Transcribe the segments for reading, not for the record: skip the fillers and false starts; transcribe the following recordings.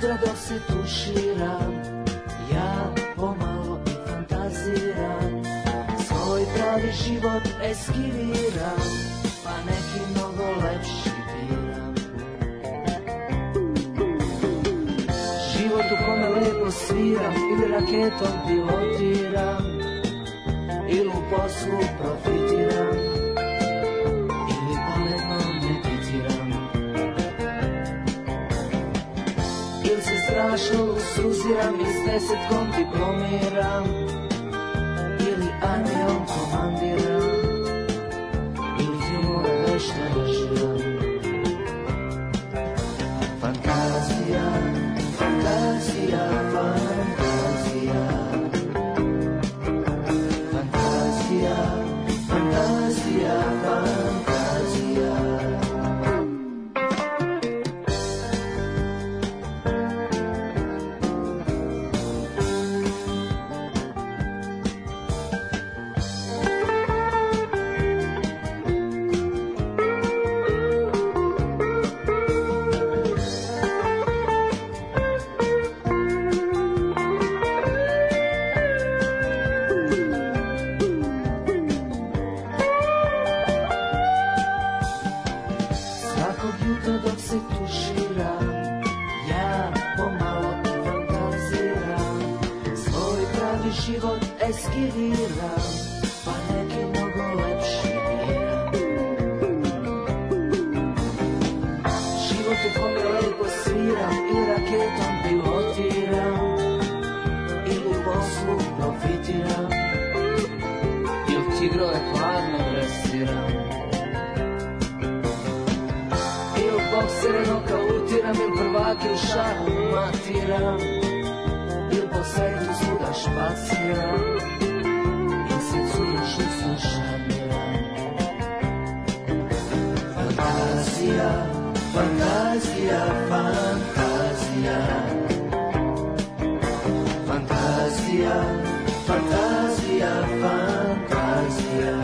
jutra dok se tuširam, ja pomalo i fantaziram, svoj pravi život eskiviram, pa neki mnogo lepši biram. Život u kome lepo sviram, ili raketom pilotiram, ili u poslu profitiram, ili pametno meditiram, ili se strašno usruziram i s 10 diplomiram, ili armijom komandiram, ili filmove vešto režiram. Fantazija, fantazija, fantazija, fantazija, fantazija, fantazija. Eskiviram, pa neki mnogo lepši biram. Život u kome lepo sviram, ili raketom pilotiram, ili u poslu profitiram, ili tigrove hladno dresiram, ili boksere nokautiram, ili prvake u šahu matiram, ili po svetu svuda špaciram, ili se curiš i sušamiram. Fantazija, fantazija, fantazija, fantazija, fantazija, fantazija.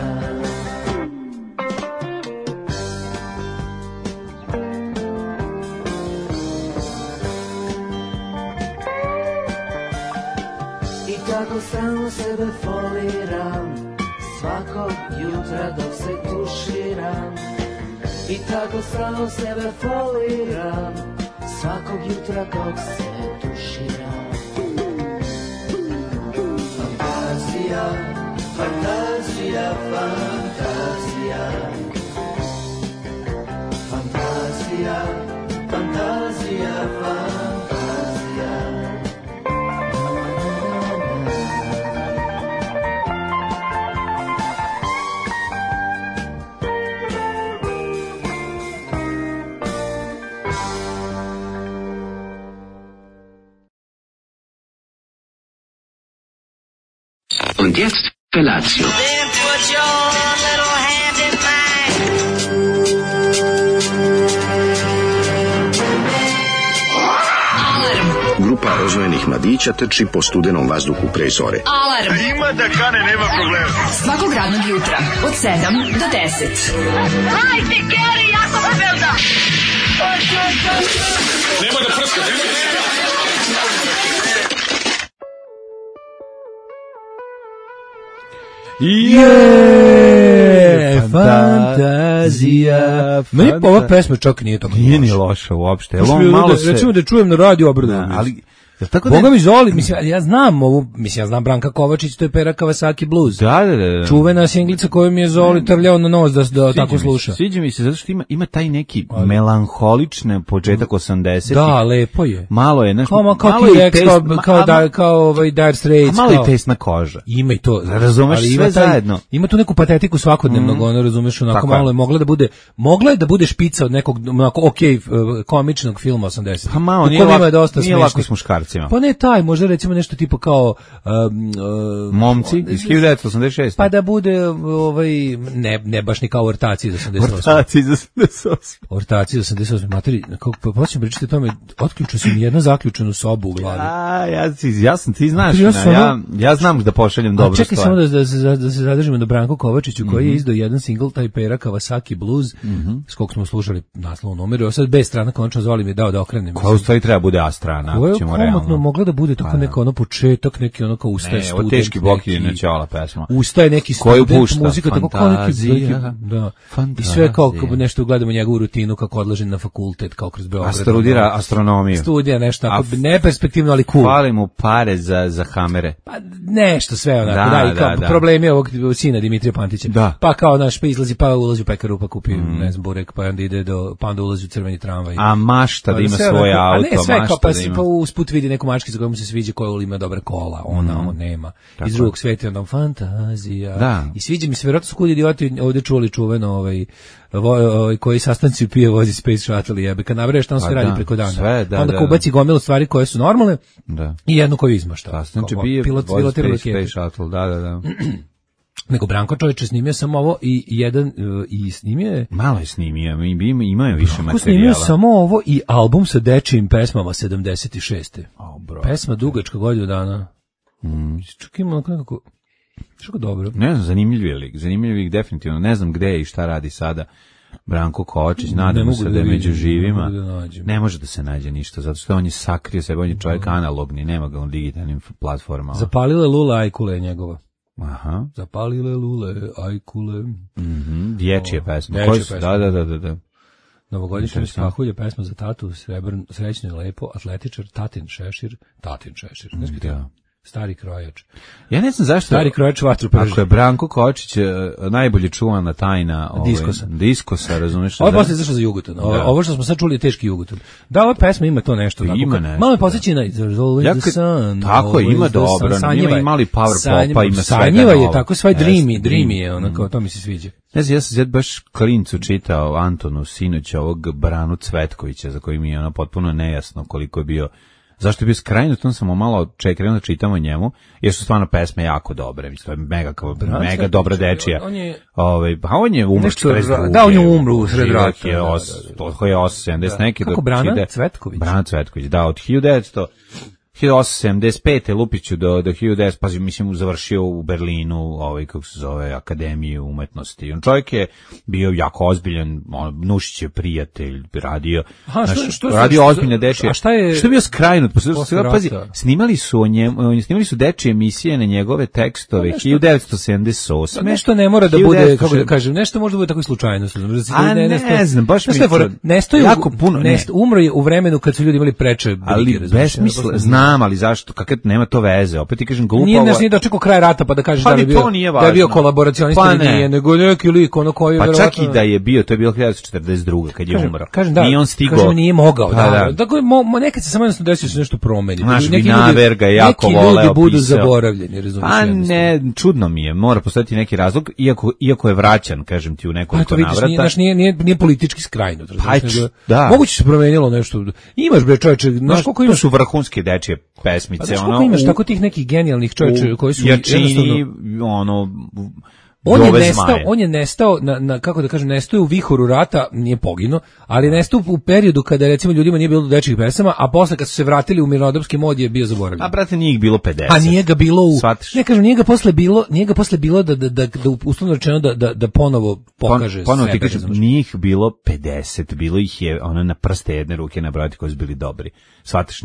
Tako stalno sebe foliram, svakog jutra dok se tuširam. I tako stalno sebe foliram, svakog jutra dok se tuširam. Fantazija, fantazija, fantazija, fantazija, fantazija, fantazija. Und jetzt Felatio. Then put your little hand in mine. Grupa rozvojenih mladića trči po studenom vazduhu pre zore. Alarm! Ima da kane, nema problema. Svakog radnog jutra, od 7 do 10. Hajde, Geri, jako se velda! Nema da prska, nema da prska! Fantazija. Meni ova pesma čak nije tako. Nije ni loša uopšte. Recimo da čujem na radiju obradujem. Ali tako da Boga mi Zoli, mislim ja znam ovu, mislim ja znam Branka Kovačić, to je Pera Kawasaki Blues. Da. Čuvena singlica koju mi je Zoli trljao na nos da tako sluša. Sviđa mi se zato što ima taj neki melanholični početak 80-ih. Da, lepo je. Malo je, znaš, kao kao Dire Straits, malo i tesna koža. Ima i to, razumeš, sve zajedno. Ima tu neku patetiku svakodnevnog, ono razumeš, onako malo je mogla je da bude špica od nekog onako komičnog filma 80. Pa malo, nije lako s muškarcem. Crnogorcima. Pa ne taj, možda recimo nešto tipo kao Momci iz 1986. Pa da bude ne baš ni kao ortaci iz 88. Ortaci iz 88. Materi, kako počnem pričati o tome, otključio sam jednu zaključenu sobu u glavi. Ja sam, ti znaš, ja znam da pošaljem dobru stvar. Čekaj samo da se zadržimo na Branku Kovačiću, koji je izdao jedan single, taj Pera Kawasaki Blues, s kog smo slušali naslovnu numeru, a sad B strana konačno zvali mi dao da okrenem. Koja u stvari treba bude A strana, ako ćemo realno. Koja je mogla da bude tako neko ono početak, neki ono kao ustaje student. Ne, teški bok je načala pesma. Ustaje neki student, muzika, tako kao neki, da. I sve kao nešto gledamo njegovu rutinu, kako odlaže na fakultet, kao kroz Beograd. Studira astronomiju. Studija nešto, neperspektivno, ali cool. Fali mu pare za hamere. Pa nešto sve onako, i kao problemi ovog sina Dimitrija Pantića. Pa kao naš, pa izlazi, pa ulazi u pekaru, pa kupi, ne znam, burek, pa onda ide pa onda ulazi u crveni tramvaj. A mašta da ima svoje auto, a ne sve kao, pa usput vidi neku mački za koju mu se sviđa, koja ima dobre kola, ona nema. Iz drugog sveta onda fantazija. I sviđa mi se, vjerojatno su kod idioti ovdje čuli čuveno koji sastanci pije vozi Space Shuttle jebe, kad nabraješ tamo sve radi preko dana. Onda ko ubaci gomilu stvari koje su normalne i jednu koju izmašta. Sastanci pije vozi Space Shuttle, da. Nego Branko čovječe snimio sam ovo i snimio je... Malo je snimio, imaju više materijala. Snimio samo ovo i album sa dečijim pesmama 76. Pesma dugačka godinu dana. Čak ima nekako... Što dobro. Ne znam, zanimljiv lik definitivno. Ne znam gde je i šta radi sada Branko Kovačić, nadamo se da je među živima. Ne može da se nađe ništa, zato što on je sakrio sebe, on je čovjek analogni, nema ga on digitalnim platformama. Zapalile Lula Ajkule njegova. Aha. Zapalile lule, ajkule. Dječje pesme. Da. Novogodišnje skahulje, pesma za tatu, srećno je lepo, atletičar, Tatin Šešir. Da. Stari krojač. Ja ne znam zašto. Stari krojač vatru prži. Ako je Branko Kočić najbolje čuvana tajna diskosa, razumiješ? Ovo je posle izašlo za Jugoton. Ovo što smo sad čuli je teški Jugoton. Da, ova pesma ima to nešto. Ima nešto. Malo je posjeći na tako, ima dobro. Ima i mali power popa, ima svega. Sanjiva je tako, svoj dreamy je, onako, to mi se sviđa. Ne znam, ja sam baš klincu čitao Antonu sinoć ovog Branu Cvetkovića, za koji mi je potpuno nejasno koliko je bio. Zašto je bio skrajnut, on sam malo krenuo da čitam o njemu, jer su stvarno pesme jako dobre, mislim, mega dobra dečija. On je umro 42. Da, on je umro u sred rata. To je 870 neki. Kako Brana Cvetković? Brana Cvetković, da, od 1875. Lupiću do 1900, pa mislim završio u Berlinu, kako se zove, Akademiju umetnosti. On čovjek je bio jako ozbiljan, Nušić je prijatelj, radio ozbiljne dečije. A šta je bio skrajnut? Pazi, snimali su dečije emisije na njegove tekstove 1978. Nešto ne mora da bude, kako da kažem, nešto može da bude tako slučajno. Ne znam, baš mi jako puno. Umro je u vremenu kad su ljudi imali preče. Ali besmisla, ali zašto? Kakve nema to veze? Opet ti kažem glupo. Nije dočekao kraj rata pa da kažeš da je bio kolaboracionista ili nije, nego neki lik ono koji pa čak i da je bio, to je bilo 1942. kad je umro. Nije on stigao. Kažem, nije mogao. Dakle, nekad se samo jednostavno desio se nešto promeni. Neki ljudi budu zaboravljeni, razumiješ? A ne, čudno mi je. Mora postojati neki razlog, iako je vraćan, kažem ti, u nekoliko navrata. Nije politički skrajnut. Moguće se promenilo nešto. Imaš bre čoveče, znaš koliko imaš su vrhunske dečije pesmice, pa imaš tako tih nekih genijalnih čovječa koji su Jačini, on je nestao kako da kažem, nestao u vihoru rata, nije poginuo, ali nestao u periodu kada recimo ljudima nije bilo dečjih pesama, a posle kad su se vratili u mirnodopski mod je bio zaboravljen. A brate, nije ih bilo 50. A nije ga bilo ne kažem, nije ga posle bilo da uslovno rečeno da ponovo pokaže ponovo sebe. Ti kažem, nije ih bilo 50, bilo ih je na prste jedne ruke nabrojati koji su bili dobri. Shvataš,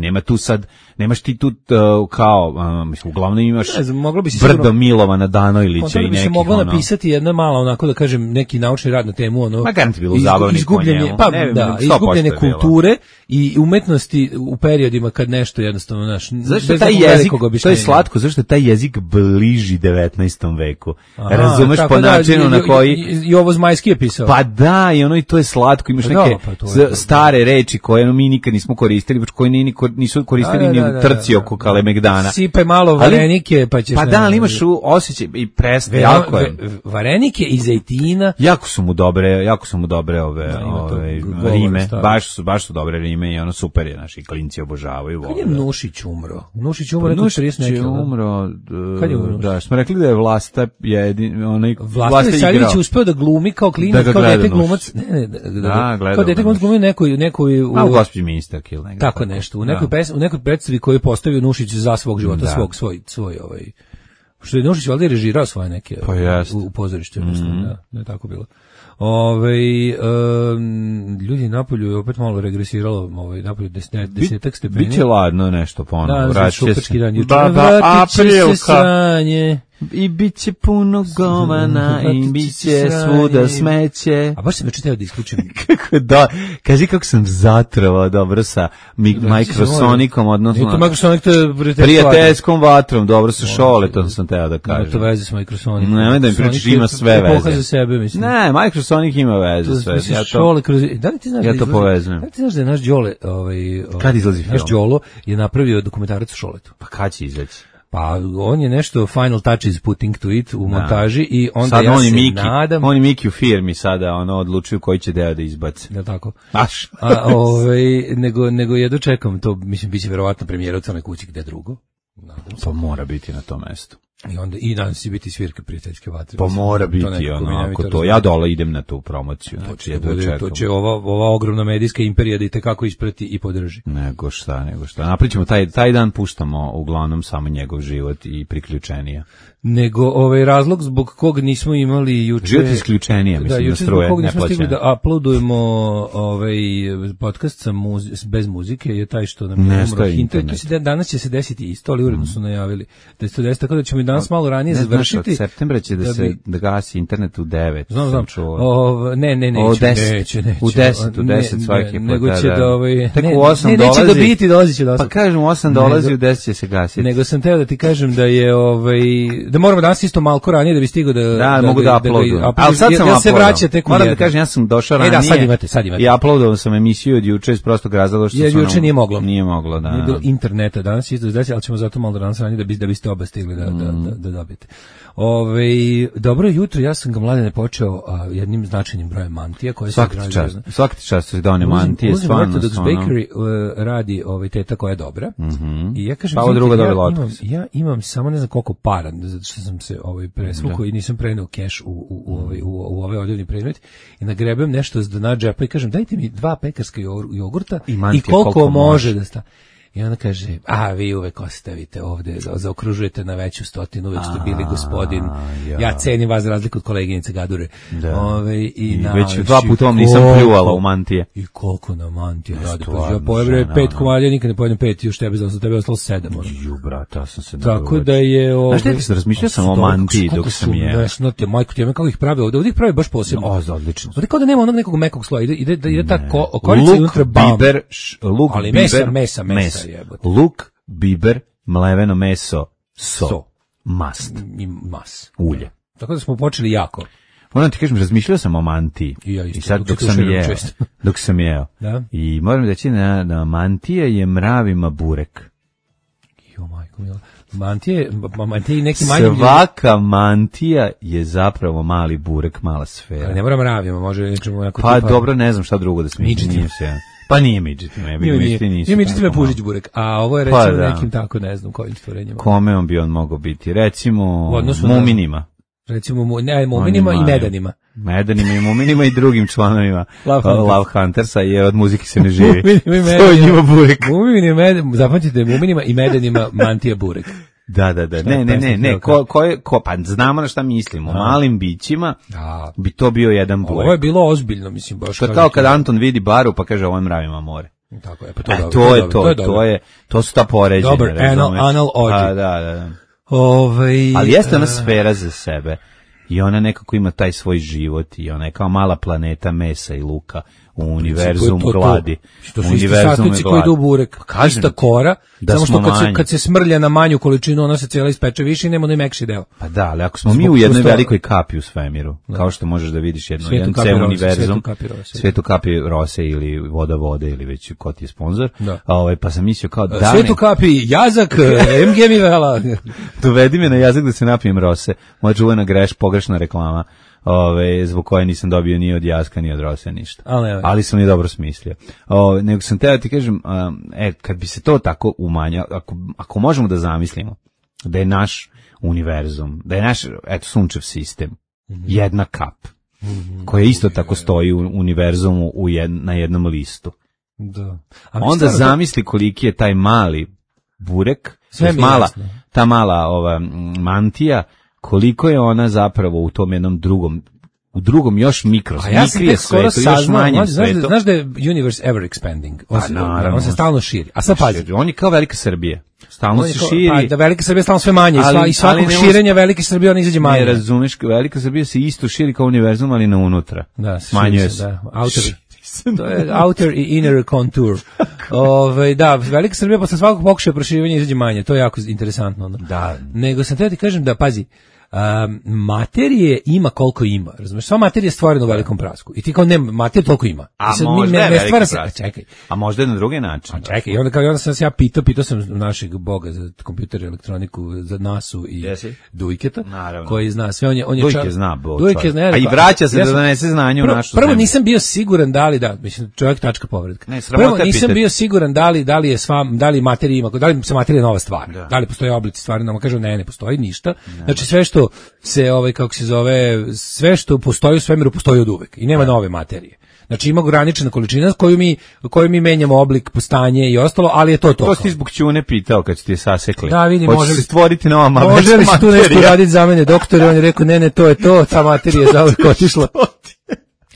nemaš ti tu kao, mislim, uglavnom imaš brdo Milovana Danojlića i nekih napisati jedna mala, onako da kažem, neki naučni rad na temu izgubljene kulture i umetnosti u periodima kad nešto jednostavno zašto taj jezik, to je slatko, zašto je taj jezik bliži 19. veku. Razumeš po načinu na koji Jovo Zmajski je pisao. Pa da, i to je slatko, imaš neke stare reči koje mi nikad nismo koristili, koje nisu koristili ni u trci oko Kalemegdana. Sipaj malo varenike, pa ćeš... Pa da, ali imaš osjećaj i preste, jako je. varenike i zejtina. Jako su mu dobre ove rime, baš su dobre rime i ono super je, naši klinci obožavaju. Kad je Nušić umro? Nušić umro neko 30 neki. Kad je umro? Da, smo rekli da je Vlasta onaj Vlasta Veseljević uspeo da glumi kao klinac, kao dete glumac. Kao dete glumac glumi nekoj u Gospođi ministarki ili negde. Tako nešto, u nekoj predstavi koju je postavio Nušić za svog života, svoj što je Nušić valjda režirao svoje neke u pozorištu, mislim, da je tako bilo. Ljudi napolju je opet malo regresiralo, napolju 10 stepeni. Biće ladno nešto ponovo, vratit će se. Vratit će se sranje. I bit će puno govana i bit će svuda smeće. A baš sam već teo da isključim. Kaži kako sam zatrovao dobro sa Microsonikom, odnosno Microsonic to je prijateljskom vatrom, dobro sa Šoletom sam teo da kažem. Ne, to veze s Microsonikom. Nemoj da mi pričaš, ima sve veze. Epoha za sebe, mislim. Ne, Microsonic ima veze sve. Da li ti znaš ja to povezujem. Da li ti znaš da je naš Đole, kad izlazi film? Naš Đolo je napravio dokumentarac o Šoletu. Pa kad će izaći? Pa on je nešto final touches putting to it u montaži i onda sad ja se nadam... Oni Miki u firmi sada odlučuju koji će deo da izbaci. Da tako. Baš. Nego jedno čekam to, mislim, biće verovatno premijera u Crnoj kući gde drugo. Pa mora biti na tom mestu. I danas će biti svirka prijateljske vatre. Pa mora biti onako to. Ja dole idem na tu promociju. To će ova ogromna medijska imperija da i tekako isprati i podrži. Nego šta. Napričamo, taj dan puštamo uglavnom samo njegov život i priključenija. Nego razlog zbog kog nismo imali juče... Život isključenija, mislim, na struje, neplaćene. Da, juče zbog kog nismo stigli da uploadujemo podcast bez muzike je taj što nam je umro internet. Danas će se desiti isto, ali uredno su najavili da se to desi, tako da ćemo i danas malo ranije završiti. Od septembra će da gasi internet u 9. Znam. Neće. U 10 svaki put. Nego će da... Tek u 8 dolazi. Neće dobiti, dolazit će do 8. Pa kažem, u 8 dolazi, u 10 će se gasiti. Nego sam teo da ti kažem da je da moramo danas isto malko ranije da bi stigao da mogu da uploadujem. Ali sad sam se vraća tek u 1. Moram da kažem, ja sam došao ranije. Da, sad imate. I uploadovao sam emisiju od juče iz prostog razloga što sam... Juče nije moglo. Nije moglo, da. Nije bilo interneta danas isto izdaći, ali ćemo zato malo danas ranije da biste oba stigli da dobijete. Dobro jutro, ja sam ga mladene počeo jednim značajnim brojem mantija koje se građaju. Svaki čast se done mantije, stvarno. Orthodox Bakery radi teta koja je dobra. I ja kažem, ja imam samo ne znam koliko para, zato što sam se presvukao i nisam preneo keš u ovaj odjevni predmet i nagrebem nešto za dna džepa i kažem, dajte mi 2 pekarska jogurta i koliko može da sta. I ona kaže, vi uvek ostavite ovde, zaokružujete na veću stotinu, uvek ste bili gospodin. Ja cenim vas za razliku od koleginice Gadure. I već 2 puta vam nisam pljuvala u mantije. I koliko na mantije radi. Ja pojebre 5 komadija, nikad ne pojedem 5, još tebe ostalo 7. Ju, brata, sam se tako da je... Znaš te, sam razmišljao sam o mantiji dok sam jeo. Majko, ti kako ih pravi ovde ih pravi baš posebno. Odlično. Ovde kao da nema onog nekog mekog sloja, ide ta okolica unutra bam. Ali mesa. Luk, biber, mleveno meso, mast. Ulje. Tako da smo počeli jako. Moram ti kažem, razmišljao sam o mantiji. I sad dok sam jeo. I moram reći da mantija je mravima burek. Jo, majko mila. Mantija i neki manji... Svaka mantija je zapravo mali burek, mala sfera. Ali ne mora mravima, može... Pa dobro, ne znam šta drugo da smislim. Pa nije midžetima, nije midžetima Pužić burek, a ovo je recimo nekim tako, ne znam kojim stvorenjima. Kome on bi on mogao biti? Recimo muminima. Recimo muminima i medanima. Medanima i muminima i drugim članovima Love Huntersa, jer od muzike se ne živi. To je njima burek. Zapamćite, muminima i medanima mantija burek. Da. Ne. Pa znamo na šta mislimo. Malim bićima bi to bio jedan burek. Ovo je bilo ozbiljno, mislim, baš. To je kao kad Anton vidi baru pa kaže, ovo je mravima more. Tako je, to su ta poređenja. Dobar, anal ođe. Da. Ali jeste ona sfera za sebe. I ona nekako ima taj svoj život i ona je kao mala planeta mesa i luka u univerzum gladi. To su isti sastojci koji idu u burek. Ista kora, samo što kad se smrlja na manju količinu, ona se cijela ispeče više i nema onaj mekši deo. Pa da, ali ako smo mi u jednoj velikoj kapi u svemiru, kao što možeš da vidiš jedan ceo univerzum, Svetu kapi rose ili voda vode ili već ko ti je sponsor, pa sam mislio kao da... Svetu kapi jazak, MG mi vela. Dovedi me na jazak da se napijem rose. Moja čuvena pogrešna reklama. Zbog koje nisam dobio ni od Jaska ni od Rose ništa. Ali sam je dobro smislio. Nego sam teo ti kažem, kad bi se to tako umanjalo, ako možemo da zamislimo da je naš univerzum, da je naš sunčev sistem jedna kap koja isto tako stoji u univerzumu na jednom listu. Da. Onda zamisli koliki je taj mali burek, ta mala mantija, koliko je ona zapravo u tom jednom drugom još mikrije svetu, još manjem svetu. Znaš da je universe ever expanding? On se stalno širi. A sad pazi. On je kao Velika Srbija. Stalno se širi. Pa da Velika Srbija stalno sve manje. I svakog širenja Velike Srbije on izađe manje. Ne razumeš, Velika Srbija se isto širi kao univerzum, ali na unutra. Da, smanjuje se. To je outer i inner contour. Da, Velika Srbija posle svakog pokušaja proširivanja izađe manje. To je jako interesantno. Da. Nego sam teo ti kažem da, pazi, materije ima koliko ima, razumeš? Sva materija je stvorena u velikom prasku. I ti kao materija toliko ima. A možda je veliki prask. Čekaj. A možda je na drugi način. Čekaj, i onda sam se ja pitao sam našeg boga za kompjuter i elektroniku, za NASU i Dujketa, koji zna sve. Dujke zna, a i vraća se da donese znanje u našu zemlju. Prvo nisam bio siguran mislim, čovjek tačka povredka. Prvo nisam bio siguran da li materija ima, da li se materija nova stvar, da li postoje oblici stvari, nama kažu ne postoji ništa. Znači sve što se sve što postoji u svemiru postoji od uvek i nema nove materije. Znači ima ograničena količina koju mi menjamo oblik, postanje i ostalo, ali je to. To si zbog Ćune pitao kad ste je sasekli. Da, vidi, može li stvoriti nova materija? Može li se tu nešto raditi za mene, doktor? I on je rekao, ne, to je to, ta materija je zauvek otišla.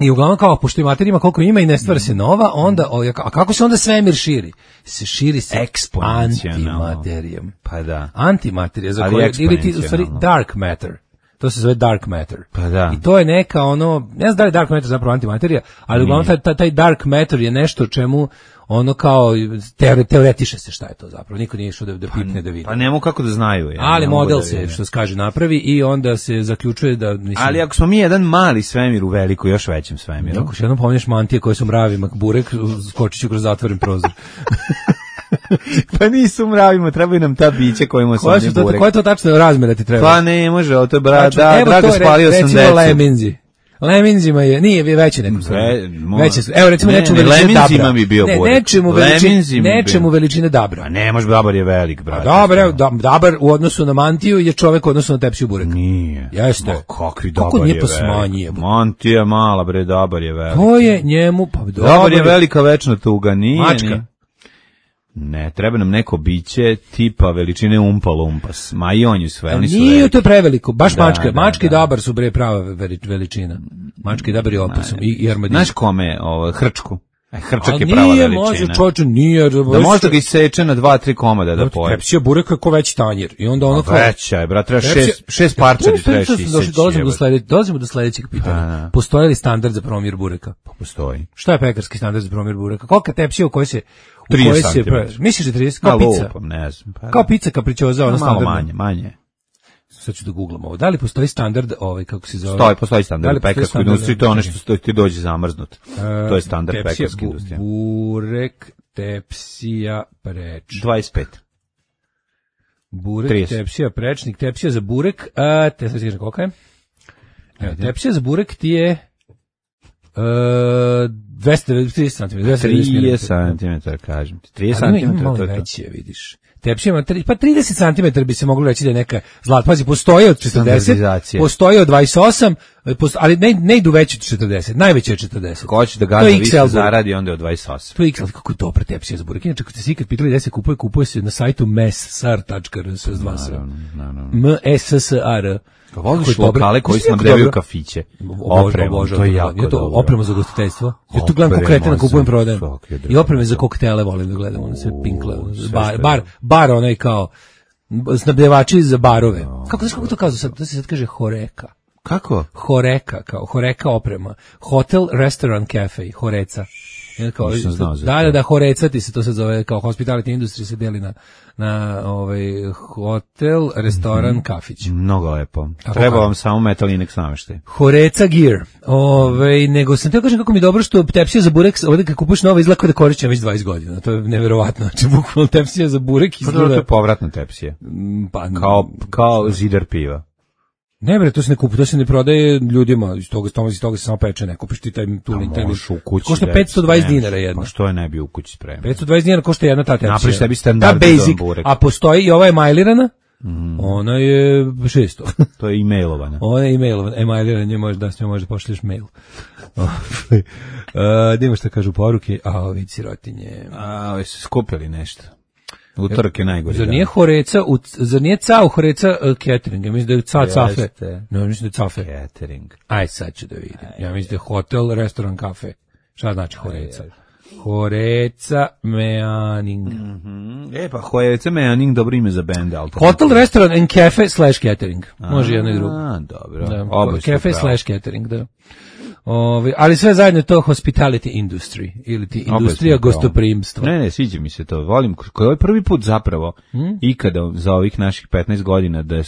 I uglavnom kao, pošto i materija ima koliko ima i ne stvara se nova, onda, a kako se onda svemir širi? Se širi se antimaterijom. Pa da. Antimaterija, za koje, ili ti, u stvari, dark matter. To se zove dark matter. Pa da. I to je neka ne znam da li dark matter zapravo antimaterija, ali uglavnom taj dark matter je nešto čemu kao teoretiše se šta je to zapravo. Niko nije išao da pipne da vidi. Pa nemo kako da znaju. Ali model se, što se kaže, napravi i onda se zaključuje da... Ali ako smo mi jedan mali svemir u veliko, još većem svemiru. Ako še jednom pomeniš mantije koje su mravima, burek, skočit ću kroz zatvoren prozor. Pa nisu mravimo, trebaju nam ta bića kojima su oni burek. Koje to tačno razmjera ti treba? Pa ne može, to je Drago spalio sam decu. Recimo leminzi. Leminzima je, nije veće nekom evo recimo nečemu veličine dabra. Bi bio nečemu veličine dabra. A ne može, dabar je velik, brate. Dabar u odnosu na mantiju je čovek u odnosu na tepsiju bureka. Nije. Jeste. Kakvi dabar je velik. Mantija mala, bre, dabar je velik. To je njemu, pa dabar je velika večna tuga, nije. Mačka. Ne, treba nam neko biće tipa veličine Umpa Lumpas. Ma i on je sve, oni su nije veliki. To je preveliko, baš mačka. Mačka i dabar su bre prava veličina. Mačka i dabar je opasno. I armadillo. Znaš kome, Hrčku? Hrčak je prava veličina. Može, čoče, nije. Da možda ga iseče na 2-3 komada da poje. Tepsija bureka ko veći tanjir. I onda kao... Veća je, brat, treba 6 parčadi trebaš iseći. Dolazimo do sledećeg pitanja. Postoji li standard za promjer bureka? Pa postoji. Šta je pekarski standard za promjer bureka? Kolika tepsija u kojoj se... 30 cm. Misliš da 30? Kao pizza? Ne znam. Kao pizza kapričoza, ono standardno. Malo manje. Sad ću da googlam ovo. Da li postoji standard, kako se zove? Postoji standard u pekarskoj industriji, to je ono što ti dođe zamrznut. To je standard pekarske industrije. Burek, tepsija, preč. 25. Burek, 30. Tepsija, prečnik, tepsija za burek, te sad kažem kolika je? Tepsija za burek ti je 230 cm. 30 cm, kažem ti. 30 cm. Malo veće, vidiš. Tepsija ima, pa 30 cm bi se moglo reći da je neka zlata. Pazi, postoji od 40, postoji od 28, ali ne idu veći od 40, najveće je 40. Ko će da gada više zaradi, onda je od 28. To je XL, kako je dobra tepsija za burek. Inače, ako ste si ikad pitali gde se kupuje se na sajtu messar.rs. M-E-S-S-A-R. Voliš lokale koji snabdevaju kafiće. Opremu, to je jako dobro. Oprema za gostiteljstvo. Ja tu gledam kokretena, kupujem, prodajem. I opreme za koktele volim da gledam, ono se pinkle. Bar onaj kao snabdevači za barove. Kako to kažu sad? To se sad kaže horeka. Kako? Horeka oprema. Hotel, restaurant, cafe, horeca. Da, horeca ti se to sad zove, kao hospitality industry se deli na hotel, restoran, kafić. Mnogo lepo. Treba vam samo Metal Inex nameštaj. Horeca gear. Nego sam teo kažem kako mi je dobro što tepsija za burek, ovdje kad kupuš novo izgleda da korišćem već 20 godina. To je neverovatno. Znači, bukvalno tepsija za burek izgleda... To je povratna tepsija. Kao zidar piva. Ne bre, to se ne kupuje, to se ne prodaje ljudima, iz toga se samo peče, ne kupiš ti taj košta 520 dinara jedna. Pa što je ne bi u kući spremio? 520 dinara košta jedna ta tepsija. Napraviš sebi standardizovan burek. A postoji i ova emajlirana, ona je 600. To je emailovana. Ona je emailovana, emajlirana, da s njom možda pošliš mail. Da ima šta kažu poruke, vidi sirotinje. Su skupili nešto. Utorak je najgori. Zar nije Cao Horeca catering? Ja mislim da je Cafe. No, mislim da je Cafe. Catering. Aj, sad ću da vidim. Ja mislim da je hotel, restoran, kafe. Šta znači Horeca? Horeca Meaning. Pa Horeca Meaning, dobro ime za bend. Hotel, restoran and cafe / catering. Može jedno i drugo. Dobro. Cafe / catering, da. Ali sve zajedno je to hospitality industry ili ti industrija gostoprimstva. Ne, sviđa mi se to. Volim, koji je prvi put zapravo ikada za ovih naših 15 godina da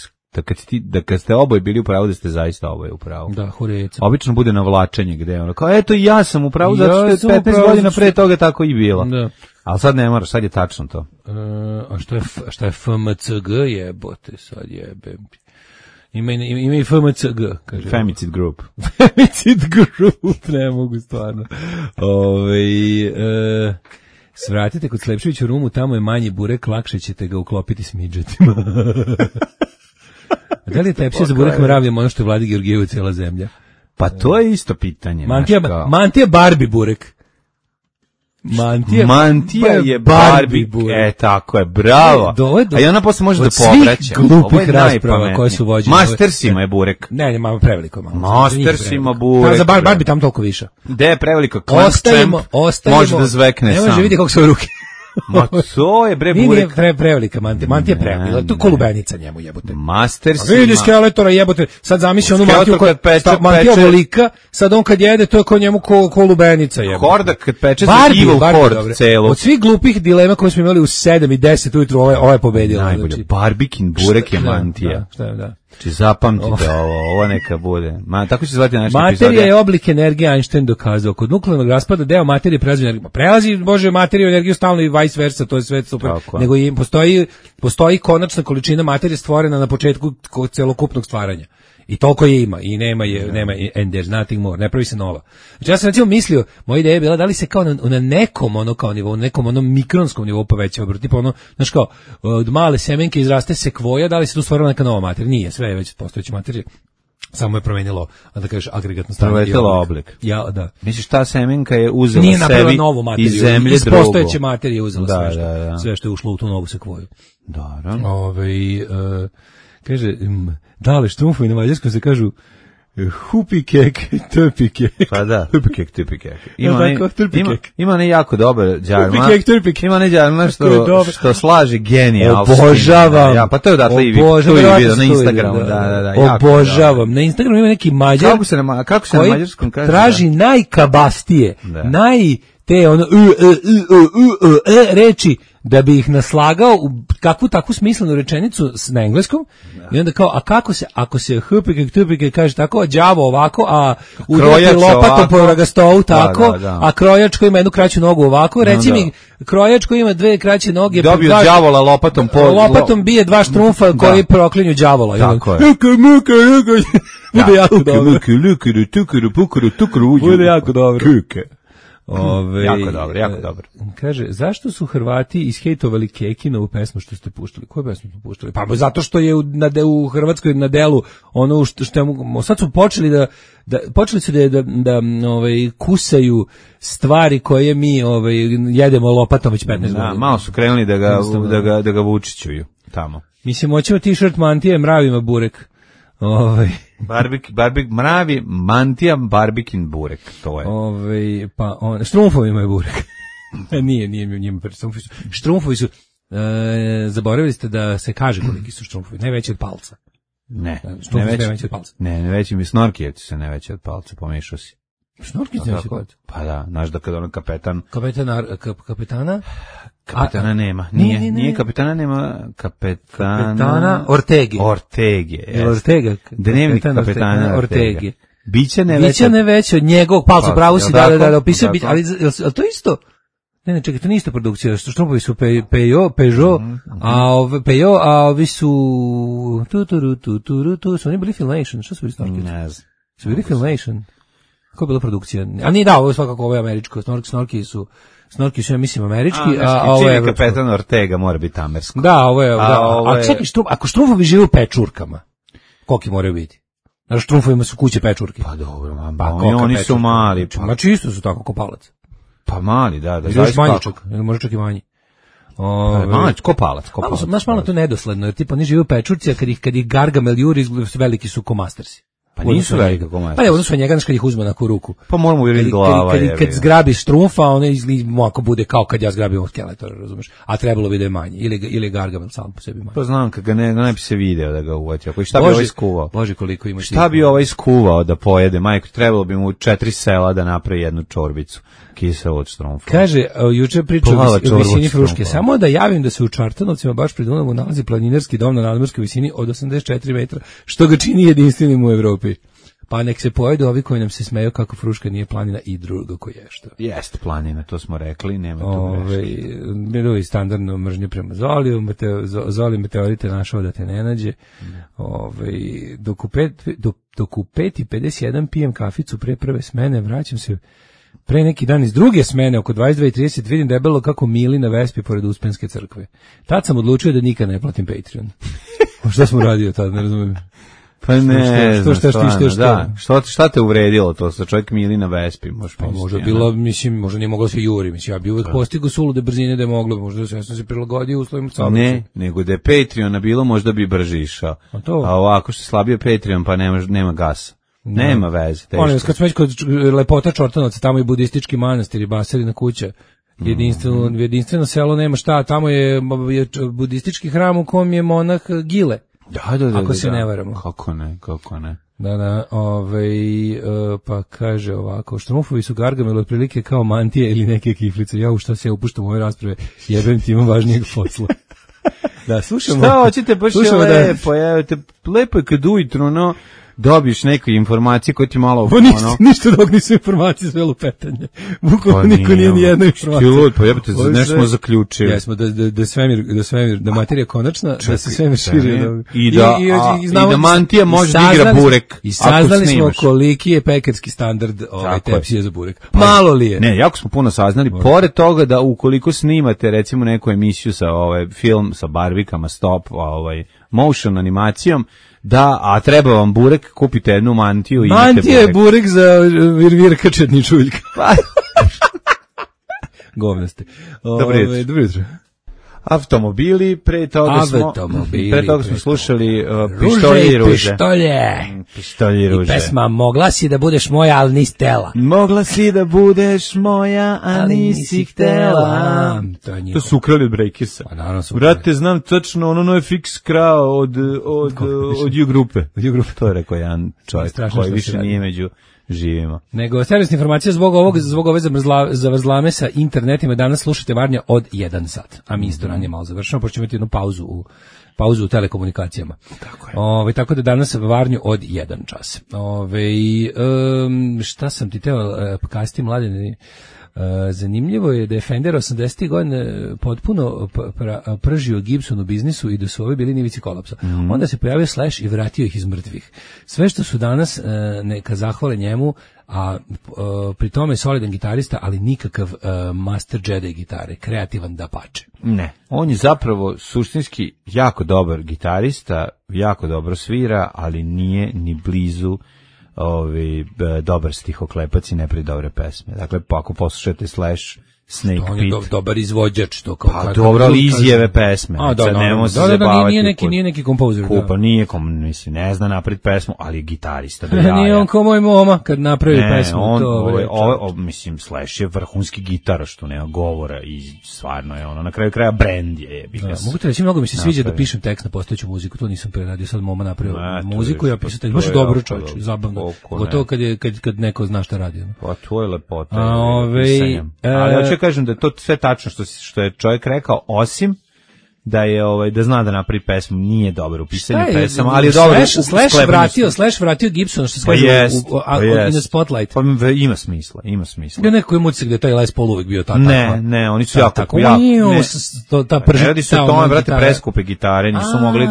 kad ste oboje bili u pravu, da ste zaista oboje u pravu. Da, Horeca. Obično bude navlačenje gde ono kao eto ja sam u pravu zato što je 15 godina pre toga tako i bilo. Da. Ali sad ne moraš, sad je tačno to. A šta je FMCG jebote, sad jebem. Ima i FMCG, kaže. Femicid Group. Femicid Group, ne mogu stvarno. Svratite kod Slepčevića u Rumu, tamo je manji burek, lakše ćete ga uklopiti s midžetima. Da li je tepsija za burek mravljama ono što je Vladi Georgijevu cijela zemlja? Pa to je isto pitanje. Mantija Barbie burek. Mantija je Barbie burek. Tako je, bravo. A i ona posle može da povraća. Od svih glupih rasprava koje su vođene. Mastersima je burek. Ne, malo preveliko. Mastersima burek. Za Barbie tam toliko više. Gde je preveliko? Ostavimo. Može da zvekne sam. Ne može vidjeti kako su ruke. Ma to je bre burek. Nije prevelika Mantija. Mantija je prevelika. To je kolubenica njemu jebote. Mastersima. Vidi skeletora jebote. Sad zamisli onu Mantiju koja Mantija velika. Sad on kad jede to je kod njemu kolubenica jebote. Horda kad peče za Evil Horde celo. Od svih glupih dilema koje smo imali u 7 i 10 ujutru ova je pobedila. Najbolje. Barbikin burek je Mantija. Šta je, da. Znači zapamtite ovo neka bude. Tako će se zvati naša epizoda. Materija je oblik energije, Einstein dokazao. Kod nuklearnog raspada deo materije prelazi Bože materiju energiju stalno i vice versa, to je sve super. Nego i postoji konačna količina materije stvorena na početku celokupnog stvaranja. I toliko je ima i nema and there's nothing more, ne pravi se nova. Znači ja sam recimo mislio, moja ideja je bila da li se kao na nekom ono kao nivou, nekom onom mikronskom nivou povećava, tipa ono, znaš kao, od male semenke izraste sekvoja, da li se tu stvorila neka nova materija? Nije, sve je već postojeća materija. Samo je promenilo, da kažeš, agregatno stanje. Promenilo oblik. Ja, da. Misliš, ta semenka je uzela nije sebi novu materiju, iz zemlje iz postojeće materije uzela sve što je ušlo u tu novu sekvoju. Dobro. Kaže, dale štrumfovi na mađarskom se kažu hupikek, tupikek. Pa da, hupikek, tupikek. Ima ne jako dobar džarma. Hupikek, tupikek. Ima ne džarma što slaži genijalski. Obožavam. Ja, pa to je odatle i vidio na Instagramu. Da, obožavam. Na Instagramu ima neki mađar kako se na mađarskom kaže? Traži najkabastije, te ono reči da bi ih naslagao u kakvu takvu smislenu rečenicu na engleskom. I onda kao, a kako se, ako se hupike kaže tako, đavo ovako, a udarati lopatom po ragastovu tako, a krojač koji ima jednu kraću nogu ovako, reci mi, krojač koji ima dve kraće noge, dobio đavola lopatom po... Lopatom bije dva štrumfa koji proklinju đavola. Tako je. Bude jako dobro. Bude jako dobro. Jako dobro. Kaže, zašto su Hrvati ishejtovali Kekinovu pesmu što ste puštali? Koju pesmu smo puštali? Pa zato što je u Hrvatskoj na delu ono što sad su počeli počeli su da kusaju stvari koje mi jedemo lopatom već 15 godina. Malo su krenuli da ga vučićuju tamo. Mislim, hoćemo t-shirt Mantije mravima burek. Mravi, Mantija, barbikin burek, to je. Štrumfovi imaju burek. Nije njima štrumfovi su, zaboravili ste da se kaže koliki su štrumfovi, ne veći od palca. Ne veći od palca. Ne veći mi snorkijevci se ne veći od palca, pomešao si. Snorkijevci ne veći od palca? Pa da, znaš da kad ono kapetana? Kapetana nema. Nije kapetana, nema kapetana Ortege. Ortega. Dnevnik kapetana Ortege. Biće ne veće od njegovog palca, pravo si da opisuje, ali to isto? Ne, čekaj, to nije isto produkcija, Štrumfovi su Peugeot, a ovi su su oni bili Filmation, što su bili Snorki? Ne znam. Su bili Filmation? Kako je bila produkcija? A nije da, ovo je svakako ovo je američko, Snorki su, ja mislim, američki, a ovo je evropsko. Kapetan Ortega mora biti amersko. Da, ovo je, a čekaj, ako Štrumfovi žive u pečurkama, koliki moraju biti? Na Štrumfovima su kuće pečurke. Pa dobro, oni su mali. Znači isto su tako, kopalac. Pa mali, da. Ili još manji čak, ili može čak i manji. Kopalac. Znaš, malo to nedosledno, jer tipa oni žive u pečurci, a kad ih Gargamel juri, veliki su ko Mastersi. Pa nisu velika ko Mastersi. Pa ne, odnosno njega, znaš, kad ih uzme na ruku. Pa moramo uvjeriti glava. Kad zgrabiš Štrumfa, one ako bude kao kad ja zgrabim od Skeletora, razumeš? A trebalo bi da je manji. Ili Gargamel sam po sebi manji. Pa znam, kad ga ne bi se video da ga uvati. Šta bi ovaj skuvao? Bože, koliko ima. Šta bi ovaj skuvao da pojede? Majko, trebalo bi mu 4 sela da napravi jednu čorbicu. Kiselo od Štrumfa. Kaže, juče priča o visini Fruške. Samo da javim da se u Čartanovcima baš pri Dunavu nalazi planinarski dom na nadmorskoj visini od 84 metra, što ga čini jedinstvenim u Evropi. Pa nek se pojedu ovi koji nam se smeju kako Fruška nije planina i drugo ko je što. Jeste planina, to smo rekli, nema tu greške. Bilo je standardno mržnje prema Zoliju, Zoli meteorite našao da te ne nađe. Dok u 5:51 pijem kaficu pre prve smene, vraćam se pre neki dan iz druge smene, oko 22:30, vidim debelo kako mili na Vespi pored Uspenske crkve. Tad sam odlučio da nikad ne platim Patreon. Šta smo radio tad, ne razumijem. Pa ne, šta te uvredilo to, sa čovjek mili na Vespi? Možda bilo, mislim, možda nije moglo se juri, mislim, ja bi uvek postigao sulude brzine da je moglo, možda sam se prilagodio uslovima saobraćaja. Ne, nego da je Patreona bilo, možda bi brže išao. A ovako što je slabio Patreon, pa nema gasa. Nema veze. Molim, kad smo već kod lepota Čortanovaca, tamo je budistički manastir i Baserina kuća. Jedinstveno selo nema šta, tamo je budistički hram u kom je monah Gile. Da, ako se ne varamo. Kako ne. Da, pa kaže ovako, Štrumfovi su Gargamel otprilike kao mantije ili neke kiflice. Ja u šta se ja upuštam u ove rasprave, jebem ti imam važnijeg posla. Da, slušamo. Šta hoćete, baš je lepo je kad ujutru, dobiješ neke informacije koje ti malo... Ništa dok nisu informacije, sve lupetanje. Bukvalno niko nije ni jedna informacija. Pa jebate, nešto smo zaključili. Jesmo, da materija je konačna, da se svemir širi. I da mantija može da igra burek. I saznali smo koliki je pekarski standard tepsije za burek. Malo li je? Ne, jako smo puno saznali. Pored toga da ukoliko snimate recimo neku emisiju sa film sa barvikama, stop, motion animacijom, a treba vam burek, kupite jednu mantiju i imate burek. Mantija je burek za Virka Četničuljka. Govne ste. Dobro jutro. Automobili, pre toga smo slušali Pištolje i ruže. Pištolje i pesma Mogla si da budeš moja, ali nisi htela. Mogla si da budeš moja, a nisi htela. To su ukrali od Breakersa. Brate, znam tačno, ono je fix krao od U-grupe. To je rekao jedan čovjek koji više nije među živimo. Nego servisna informacija zbog ove zavrzlame sa internetima. Danas slušate Varnja od 1 sat, a mi isto ranije malo završamo, pošto ćemo imati jednu pauzu u telekomunikacijama. Tako da danas Varnju od 1 čas. Šta sam ti teo kasti, Mladene? Zanimljivo je da je Fender 80. godine potpuno pržio Gibson u biznisu i da su ovi bili na ivici kolapsa. Onda se pojavio Slash i vratio ih iz mrtvih. Sve što su danas neka zahvale njemu, a pri tome je solidan gitarista, ali nikakav master Jedi gitare, kreativan dapače. Ne, on je zapravo suštinski jako dobar gitarista, jako dobro svira, ali nije ni blizu dobar stihoklepac i ne pravi dobre pesme. Dakle, ako poslušate Slash, Snake Pit... On je dobar izvođač. Pa dobro, ali izjeve pesme. Nije neki kompozer. Mislim, ne zna napred pesmu, ali je gitarista. Nije on kao moj moma kad napravi pesmu. Mislim, Slash je vrhunski gitar, što nema govora i stvarno je ono, na kraju kraja brend je. Mogu te reći, mnogo mi se sviđa da pišem tekst na postojeću muziku, to nisam preradio, sad moma napravio muziku, ja pisao tekst, baš dobro čovječ, zabavno. Gotovo kad neko zna šta radi. Pa to je lepota. Ali hoću kažem da je to sve tačno što je čovjek rekao, osim da zna da napravi pesmu, nije dobar u pisanju pesama, ali je dobar u sklepanju. Slash vratio Gibson, što se kaže in the spotlight. Pa ima smisla. Bio neko je mucik da je taj Les Paul uvijek bio tako. Ne, oni su jako ne radi se o tome, brate, preskupe gitare, nisu mogli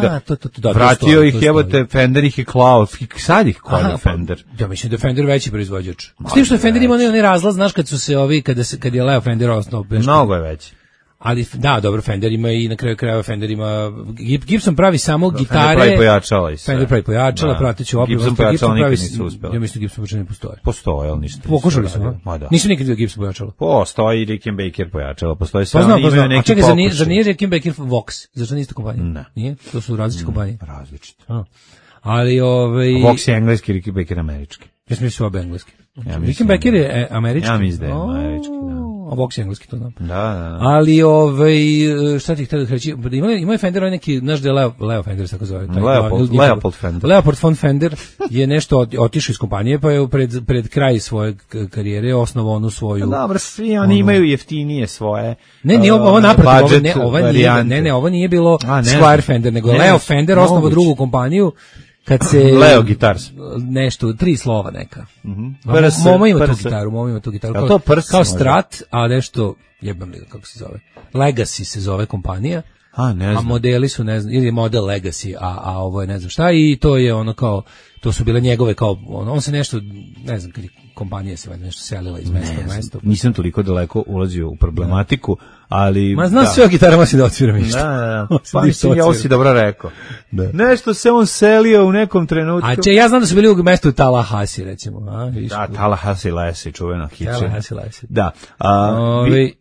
da vratio ih, jebote, Fender ih je klao, sad ih klao Fender. Ja mislim da je Fender veći proizvođač. S tim što je Fender ima onaj razlaz, znaš, kad su se kad je Leo Fender osnovao. Mnogo je veći. Ali da, dobro, Fender ima i na kraju krajeva Fender ima Gibson pravi samo gitare. Fender pravi pojačala i sve. Fender pravi pojačala, prateću opremu. Gibson pojačala nikad nisu uspjeli. Ja mislim da Gibson uopće ne postoje. Postoje, ali ništa. Pokušali su, da. Nisu nikad vidio Gibson pojačala. Postoji Rickenbacker pojačala, postoji sve. Imaju neki pokušaj. Zar nije Rickenbacker Vox? Zašto nije ista kompanija? Ne. Nije? To su različite kompanije. Različite. Ali Vox je engleski, Rickenbacker američki. Ja mislim da su obe engleski. Rickenbacker je američki. Ja mislim da je američki, da. A Vox je engleski, to znam. Da. Ali, šta ti htio da reći? Ima Fender neki, znaš da je Leo Fender, tako zove. Leopold Fender. Leopold von Fender je nešto otišao iz kompanije, pa je pred kraj svoje karijere osnovao onu svoju... Dobro, svi oni imaju jeftinije svoje Ne, ovo naprotiv, ovo nije bilo Squire Fender, nego Leo Fender osnovao drugu kompaniju, kad se Leo Guitars nešto 3 slova neka. Momo ima tu gitaru. Kao Strat, a nešto jebam li kako se zove. Legacy se zove kompanija. A modeli su ne znam, ili je model Legacy, a ovo je ne znam šta, i to je ono kao, to su bile njegove kao on se nešto, ne znam, kad je kompanija se nešto selila iz mesta u mesto. Nisam toliko daleko ulazio u problematiku, ali... Ma znam sve o gitarama si da odsviram išta. Da. Pa mislim, ovo si dobro rekao. Da. Nešto se on selio u nekom trenutku. Ja znam da su bili u mestu Tallahassee, recimo. Da, Tallahassee Lesi, čuvena hića. Tallahassee Lesi. Da.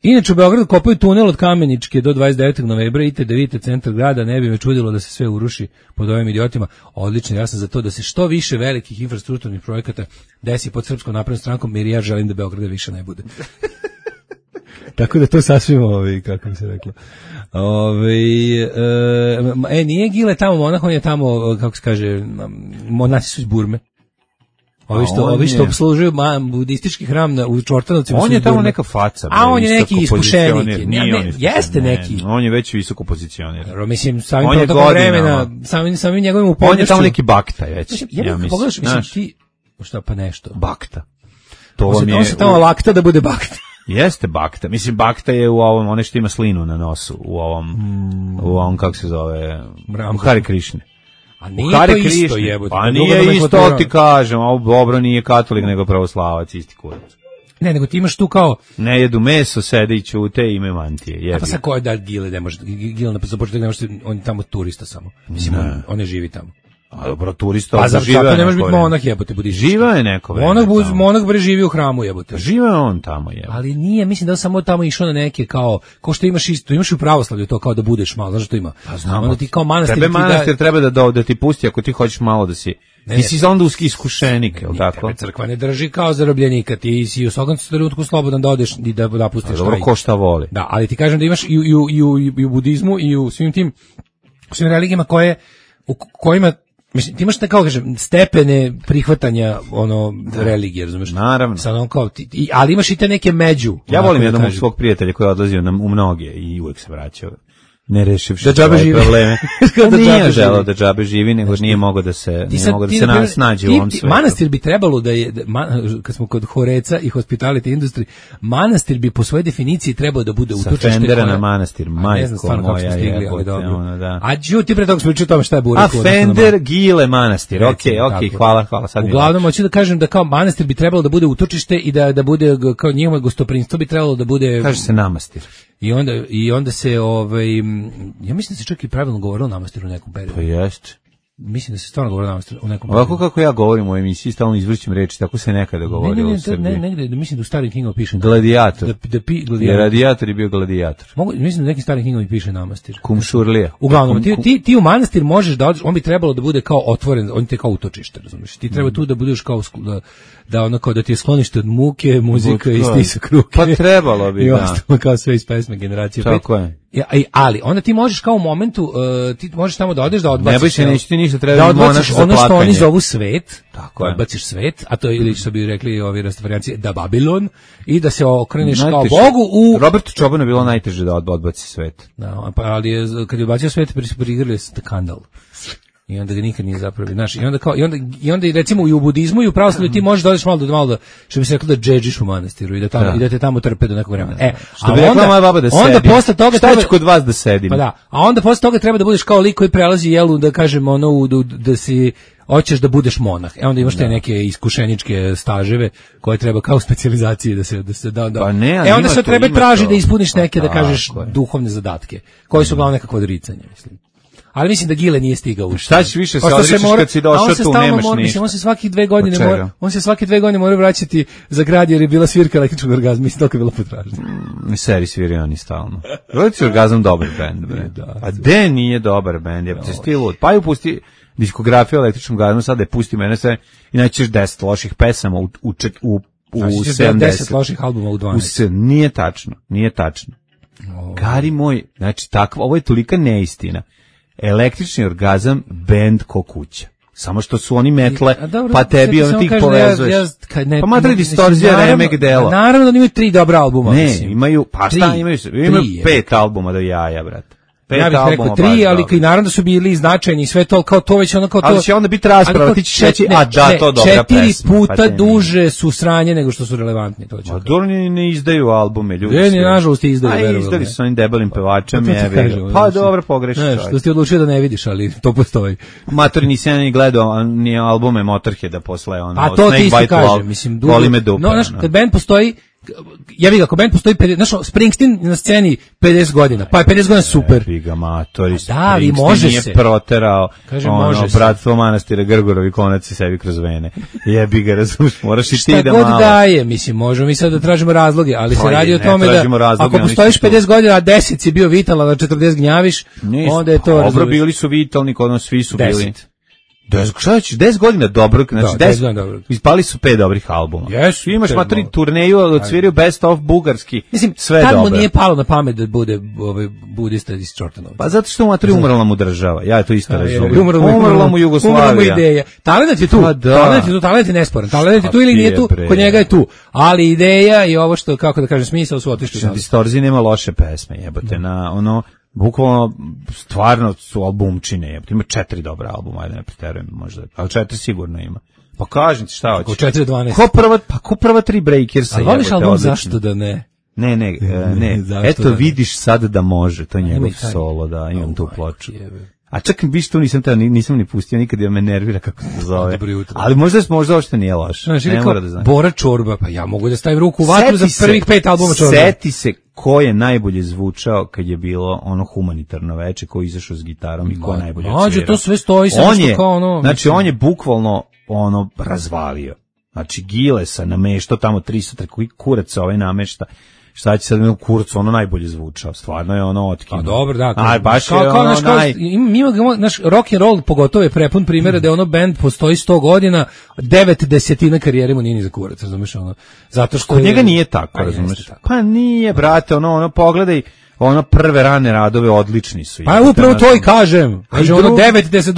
Inače, u Beogradu kopaju tunel od Kameničke do 29. novembra, idite da vidite centar grada, ne bi me čudilo da se sve uruši pod ovim idiotima. Odlično, ja sam za to da se što više velikih infrastrukturnih projekata desi pod Srpskom naprednom strankom, jer ja želim da Beograda više ne bude. Tako da to sasvim, kako bi se reklo. Nije Gile tamo monah, on je tamo, kako se kaže, monasi su iz Burme. Ovi što obslužuju budistički hram u Čortanovcima. On je tamo neka faca. A on je neki iskušenik. Jeste neki. On je već visoko pozicionir. Mislim, samim protokom vremena, samim njegovim upoljnošću. On je tamo neki bakta već. Ja mislim, pogledaš, mislim, ti, šta pa nešto? Bakta. On se tamo lakta da bude bakta. Jeste bakta. Mislim, bakta je u ovom, one što ima slinu na nosu, u ovom kako se zove, u Hari Krišne. A nije to isto, jebote. Pa nije isto, ti kažem, ovo dobro nije katolik, nego pravoslavac, isti kurac. Ne, nego ti imaš tu kao... Ne jedu meso, sede i ćute i imaju mantije. Jebi. A pa sad ko je da Gile, ne može, Gile na početak ne može, on je tamo turista samo. Mislim, on ne živi tamo. A dobro, turista pa živa je. Pa ne može biti monah, jebote, budiš. Živa je neko vreme. Monah bre živi u hramu, jebote. Živa je on tamo, jebote. Ali nije, mislim da on samo tamo išao na neke kao što imaš isto, imaš u pravoslavlju to kao da budeš malo, znaš što ima. Pa znam. Onda ti kao manastir. Tebe manastir treba da ti pusti ako ti hoćeš malo da si. Ti si onda iskušenik, je li tako? Tebe crkva ne drži kao zarobljenika, ti si u svakom trenutku slobodan da odeš i da napustiš. Dobro, ko šta voli. Da, ali ti kažem da imaš i u budizmu i u svim religijama u kojima, mislim, ti imaš kao kažem stepene prihvatanja religije, razumeš? Naravno. Sad kao ali imaš i te neke među. Ja volim jednog svog prijatelja koji je odlazio u mnoge i uvek se vraćao. Ne rešivši probleme. Nije želeo da džabe živi, nego nije mogao da se snađe u ovom svetu. Manastir bi trebalo da je, kad smo kod horeca i hospitality industry, manastir bi po svojoj definiciji trebao da bude utočište. Sa Fendera na manastir, majko moja je. A ti pre toga smo pričali o tome šta je Bureku. A Fender, Gile, manastir, okej, hvala. Uglavnom, hoću da kažem da kao manastir bi trebalo da bude utočište i da bude, kao njihovo gostoprinstvo bi trebalo da bude... Kaže se namastir. I onda se, ja mislim da se čak i pravilno govorilo namastiru u nekom periodu. Pa jeste. Mislim da se stvarno govorilo namastiru u nekom periodu. Ovako kako ja govorim u emisiji, stalno izvrćim reči, tako se nekada govorilo u Srbiji. Ne, negde, mislim da u starim knjigama piše. Gladijator. Jer radijator je bio gladijator. Mislim da u nekim starim knjigama piše namastir. Kumšurlija. Uglavnom, ti u manastir možeš da odeš, on bi trebalo da bude kao otvoren, on ti je kao utočište, razumiješ. Ti treba tu da budeš kao da ono kao da ti je sklonište od muke, muzika i stisak ruke. Pa trebalo bi, i ostalo kao sve iz pesme generacije 5. Tako je. Ali onda ti možeš kao u momentu, ti možeš tamo da odeš da odbaciš. Ne boj se, neće ti ništa, treba da odbaciš ono što oni zovu svet, tako odbaciš svet, a to je, ili što bi rekli ovi rastafarijanci, da Babilon, i da se okreneš kao Bogu u... Robertu Čobanu je bilo najteže da odbaci svet. Da, pa ali kad je odbacio svet, prigrili skandal. I onda ga nikad nije zapravo, znaš, i onda recimo i u budizmu i u pravoslavlju ti možeš da odeš malo da što bi se reklo da džedžiš u manastiru i da tamo i da te tamo trpe do nekog vremena. Što bi rekla moja baba da sedim. Onda posle toga šta ću kod vas da sedim. Pa da, a onda posle toga treba da budeš kao lik koji prelazi jelu, da kažem ono da si hoćeš da budeš monah. Onda imaš te neke iskušeničke staževe koje treba kao specijalizacije da se da. Pa ne, onda se treba traži da ispuniš neke da kažeš duhovne zadatke, koji su uglavnom nekakvo odricanje, mislim. Ali mislim da Gile nije stigao u šta ćeš više se odričeš kad si došao tu, nemaš ništa. Mislim, on se svaki 2 godine mora vraćati za grad jer je bila svirka električnog orgazma, mislim, toliko je bila potražnja. Seri sviri oni stalno. Električni orgazam dobar bend, bre. A de nije dobar bend, je stilu. Pa ju pusti diskografiju električnog orgazma, sad da pusti mene sve i naćeš 10 loših pesama u 70. 10 loših albuma u 12. Nije tačno. Gari moj, znači ovo je tolika neistina. Električni orgazam, bend ko kuća. Samo što su oni metle, pa tebi on ti povezuješ. Pa Madrid Distorzija, Remek Delo. Naravno da imaju 3 dobra albuma. Ne, imaju, pa šta imaju? Imaju 5 albuma do jaja, brate. Ja bih rekao 3, ali i naravno su bili značajni i sve to, kao to već ono kao to. Ali će onda biti rasprava, ti ćeš reći, to dobra pesma. 4 puta duže su sranje nego što su relevantni. A Dorni ne izdaju albume, ljudi. Ne, nažalost izdaju. A izdali su onim debelim pevačem. Pa dobro, pogrešiš. Što si odlučio da ne vidiš, ali to postoji. Matori nisam ni gledao ni albume Motorheada posle ono. A to ti isto kažem, mislim, voli me dupe. No, znaš, kad band postoji, ja bih ako band postoji 50, znaš, Springsteen na sceni 50 godina, pa je 50 godina super. Biga matori, da, i može nije se. Proterao, kažem, bratstvo manastira Grgorovi konac i sebi kroz vene. Jebi ga, razumiješ, moraš i ti da malo. Šta god daje, mislim, možemo mi sad da tražimo razloge, ali se radi o tome da ako postojiš 50 godina, a 10 si bio vitalan, a 40 gnjaviš, onda je to. Dobro, bili su vitalni, kod nas svi su bili. 10 godina dobrog, znači 10 godina dobrog. Ispali su 5 dobrih albuma. Jesu. Imaš matri turneju, odsvirio Best of bugarski. Mislim, sve dobro. Tad mu nije palo na pamet da bude budista iz Čortanovca. Pa zato što matri umrla mu država. Ja to isto razumijem. Umrla mu Jugoslavija. Umrla mu ideja. Talent je tu. Talent je nesporan. Talent je tu ili nije tu, kod njega je tu. Ali ideja i ovo što, kako da kažem, smisao su otišli. Distorzija nema loše pesme, jebote, na ono bukvalno stvarno su albumčine, ima 4 dobra albuma, ajde ne preterujem možda, ali 4 sigurno ima. Pa kažem ti šta hoćeš. 4-12. Ko prva 3 Breakersa. A voliš album odlično. Zašto da ne? Ne. Eto vidiš sad da može, to je njegov solo, da imam tu ploču. A čak viš tu nisam ni pustio nikad, jer me nervira kako se zove. Ali možda uopšte nije loše. Ne mora da znam. Bora Čorba, pa ja mogu da stavim ruku u vatru za prvih 5 albuma Čorba. Seti se ko je najbolje zvučao kad je bilo ono humanitarno veče, ko je izašao s gitarom i ko je najbolje odsvirao. To sve stoji samo što kao ono. Znači on je bukvalno ono razvalio. Znači Gilesa nameštao tamo 300 koji kurac ovaj namešta. Šta će sad mi u kurcu, ono najbolje zvučao, stvarno je ono otkinuo. A dobro, da. Aj, baš je ono naš rock and roll pogotovo je prepun primjera da je ono band postoji 100 godina, 9/10 karijere mu nije ni za kurac, razumiješ ono. Zato što kod njega nije tako, razumiješ. Pa nije, brate, ono pogledaj, ono prve rane radove odlični su. Pa upravo to i kažem. Kaže ono 9/10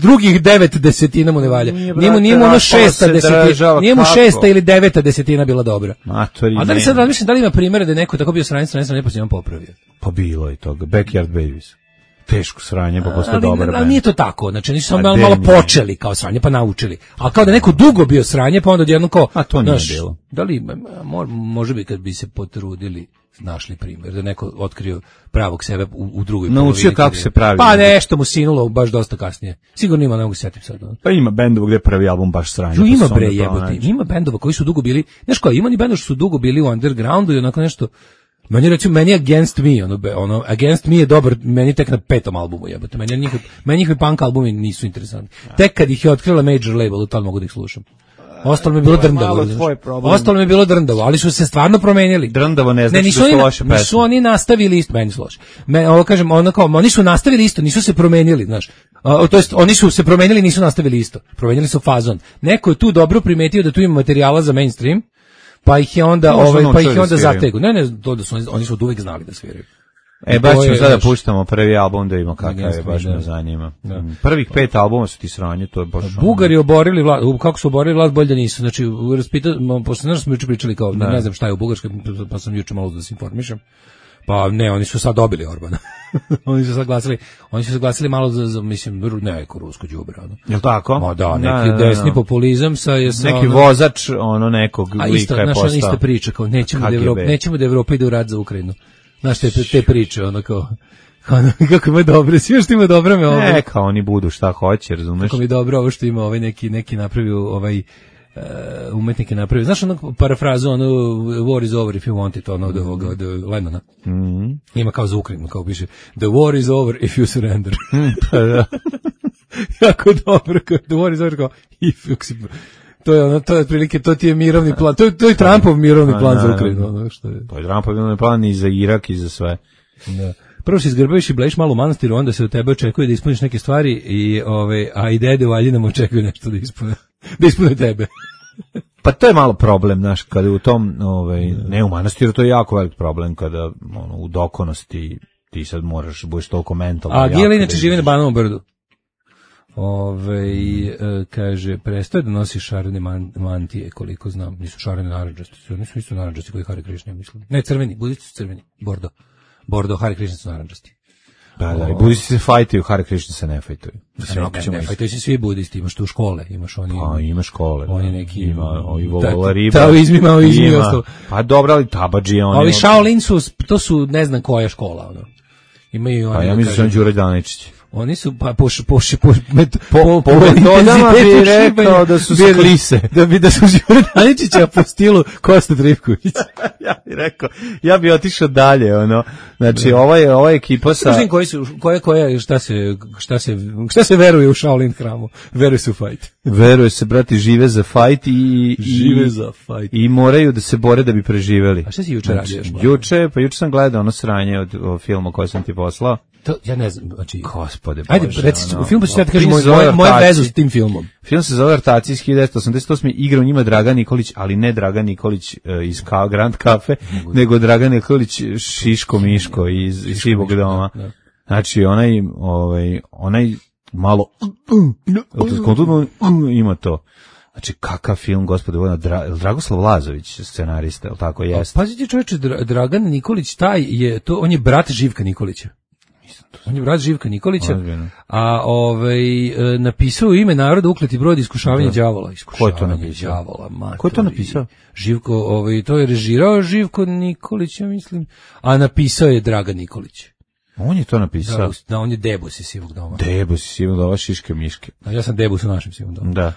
drugih 9/10 mu ne valja. Nije mu ono 6/10. Nije mu 6 ili 9/10 bila dobra. A da li sad razmišljam da li ima primjere da je neko tako bio sranje ne posljedno popravio? Pa bilo je toga. Backyard Babies. Teško sranje, pa posle dobro. Ali nije to tako, znači nisu samo malo počeli kao sranje, pa naučili. A kao da neko dugo bio sranje, pa onda odjednom kao... A to nije bilo. Da li, može bi kad bi se potrudili, našli primjer, da neko otkrio pravog sebe u drugoj polovini. Naučio kako se pravi. Pa nešto mu sinulo baš dosta kasnije. Sigurno ima, ne mogu se sjetim sad. Pa ima bendova gdje prvi album baš sranje. Ima bre jebote, ima bendova koji su dugo bili, znaš kao, ima ni bendova što su dugo bili u undergroundu i onako nešto. Meni Against Me, ono Against Me je dobar, meni tek na 5. albumu jebote. Meni njihovi punk albumi nisu interesantni. Tek kad ih je otkrila major label, tad mogu da ih slušam. Ostalo mi je bilo drndavo. Ostalo mi je bilo drndavo, ali su se stvarno promenili. Drndavo ne znači da su loše pesme. Nisu oni nastavili isto, meni su loše. Kažem, oni su nastavili isto, nisu se promenili, znaš. To jest, oni su se promenili, nisu nastavili isto. Promenili su fazon. Neko je tu dobro primetio da tu ima materijala za mainstream, pa ih je onda, zategu. Ne, to da su oni su od uvek znali da sviraju. Baš ćemo sada puštamo prvi album da ima kakav je, baš me zanima. Prvih 5 albuma su ti sranje, to je baš... Bugari oborili vlast, kako su oborili vlast, bolje da nisu. Znači, posle smo juče pričali kao, ne znam šta je u Bugarskoj, pa sam juče malo da se informišem. Pa ne, oni su sad dobili Orbana. Oni su sad glasili malo za mislim, neko rusko đubre. Jel' tako? Ma da, neki desni populizam sa neki vozač, nekog lika je postao. Ista priča, kao nećemo da Evropa ide u rat za Ukrajinu. Znaš, te priče, kako ima dobro, svi što ima dobro me ovo. Neka oni budu šta hoće, razumeš? Kako mi dobro ovo što ima neki napravio, umetnik je napravio. Znaš parafrazu, war is over if you want it, od Lennona. Ima kao za Ukrajinu, kao piše, the war is over if you surrender. Jako dobro, the war is over, kao if you... To je otprilike, to ti je mirovni plan. To je Trumpov mirovni plan za Ukrajinu. To je Trumpov mirovni plan i za Irak i za sve. Da. Prvo se izgrbaviš i blejiš malo u manastiru, onda se od tebe očekuje da ispuniš neke stvari, a i dede u Aljinama očekuju nešto da ispune tebe. Pa to je malo problem, znaš, kada u tom, ne u manastiru, to je jako velik problem, kada u dokonosti ti sad budeš toliko mentalno. A Gijel inače živi na Banovom brdu. Kaže, prestaje da nosi šarene mantije, koliko znam, nisu šarene narandžasti, oni su isto narandžasti koji Hare Krishna, mislim. Ne, crveni, budisti su crveni, Bordo, Hare Krishna su narandžasti. Da, i budisti se fajtuju, Hare Krishna se ne fajtuju. Ne fajtuju se svi budisti, imaš tu škole, imaš oni... Pa, ima škole. Oni neki... Ima ovi vola riba. Taoizmi, maoizmi, ostalo. Pa dobro, ali tabadži, oni... Ovi Shaolin to su, ne znam koja škola, Imaju oni... Pa ja mislim da Đure Daničić. Oni su po metodama bi rekao da su klise. Da su Đure Daničića po stilu Kosta Trivković. Ja bi otišao dalje, Znači, ova ekipa sa... Kažem koji su, šta se veruje u Shaolin hramu? Veruje se u fajt. Veruje se, brati, žive za fajt i moraju da se bore da bi preživeli. A šta si juče radio još? Juče sam gledao sranje od filma koje sam ti poslao. To, ja ne znam, znači... Gospode Bože. Ajde, reci, u filmu ću ja ti kažem moje vezu s tim filmom. Film se zove Ortaci iz 1988. Igra u njima Dragan Nikolić, ali ne Dragan Nikolić iz Grand Cafe, nego Dragan Nikolić Šiško Miško iz Šivog doma. Znači, onaj malo... ima to. Znači, kakav film, gospode, Dragoslav Lazović, scenarista, ili tako jeste? Pazite, čovječe, Dragan Nikolić, on je brat Živka Nikolića. On je brat Živka Nikolića, a napisao u ime naroda ukleti brod iskušavanja đavola. Ko je to napisao? Ko je to napisao? Živko, to je režirao Živko Nikolić, ja mislim, a napisao je Dragan Nikolić. On je to napisao? Da, on je Debus iz Sivog doma. Debus iz Sivog doma, Šiške Miške. Ja sam Debus u našem Sivom domu. Da.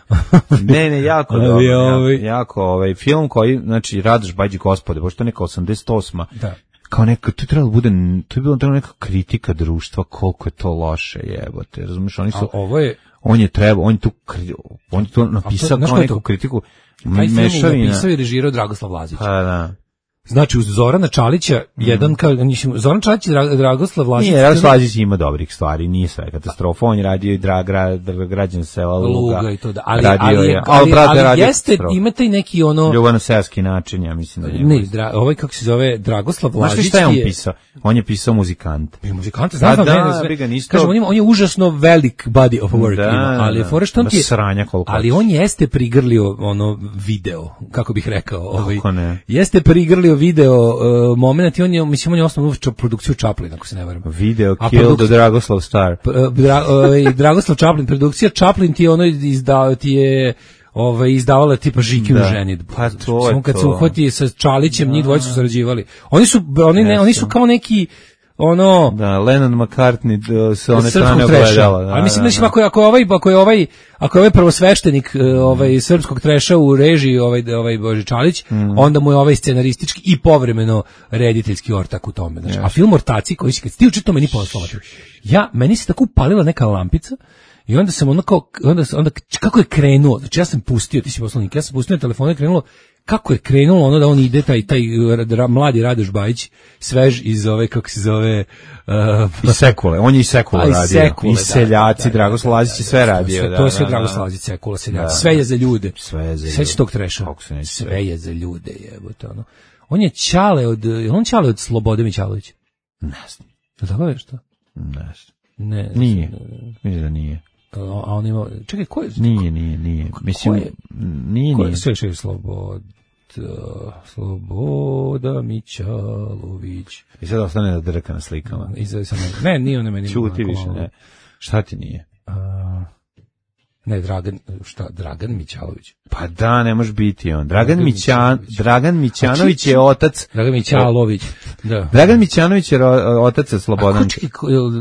Ne, jako dobro. Jako, film koji, znači, Radoš Bađi Gospode, pošto je neka 88. Da. Kao neka, to je bilo neka kritika društva, koliko je to loše, jebote, razumiješ, on je tu napisao kao neku kritiku, taj film je napisao i režirao Dragoslav Lazić. Pa da. Znači, uz Zorana Čalića, Zoran Čalić i Dragoslav Lazić... Nije, Dragoslav Lazić ima dobrih stvari, nije sve katastrofa, on je radio i građan sela Luga. I to da, ali jeste, imate i neki ljubavno-seoski način, ja mislim da ne, kako se zove, Dragoslav Lazić je... Znaš šta je on pisao? On je pisao muzikant. Muzikant, znam, kažem, on je užasno velik body of work, ali je fora što on ti je... Ali on jeste prigrlio video, kako bih rekao. Jeste prigrlio video moment i on je osnovno produkciju Chaplin, ako se ne varam. Video Kill the Dragoslav Star. Dragoslav Chaplin, produkcija Chaplin ti je izdavala tipa Žiki u ženidbu. Pa to je to. Kad se uhvati sa Čalićem, njih dvojica su sarađivali. Oni su kao neki Da, Lennon McCartney se one strane ogledala. Ali mislim da ako je ovaj prvosveštenik srpskog treša u režiji Bože Čalić, onda mu je ovaj scenaristički i povremeno rediteljski ortak u tome. Znači, a film Ortaci koji si kad ti uči to meni poslao. Meni se tako upalila neka lampica I onda sam onda kako je krenuo, znači ja sam pustio, ti si poslanik, ja sam pustio na telefonu, je krenulo, kako je krenulo ono da on ide, taj mladi Radoš Bajić, svež iz ove, kako se zove... Iz Sekule, on je i Sekule radio. I Seljaci, Dragoslav Lazić je sve radio. To je sve Dragoslav Lazić, Sekula, Seljaci, sve je za ljude. Sve je za ljude. Sve će tog treša. Sve je za ljude, jebote, ono. On je Ćale od Slobode Mićalovića? Ne znam. Tako je što? Ne znam. Ne. Nije. Mislim da nije. A on ima... Čekaj, ko je? Nije. Mislim, nije. Sve je Sloboda Mićalović. I sad ostane da drka na slikama. Ne, nije on meni. Čuti više, ne. Šta ti nije? Ne, Dragan Mićalović. Pa da, ne može biti on. Dragan Mićanović je otac. Dragan Mićalović, da. Dragan Mićanović je otac Slobodan.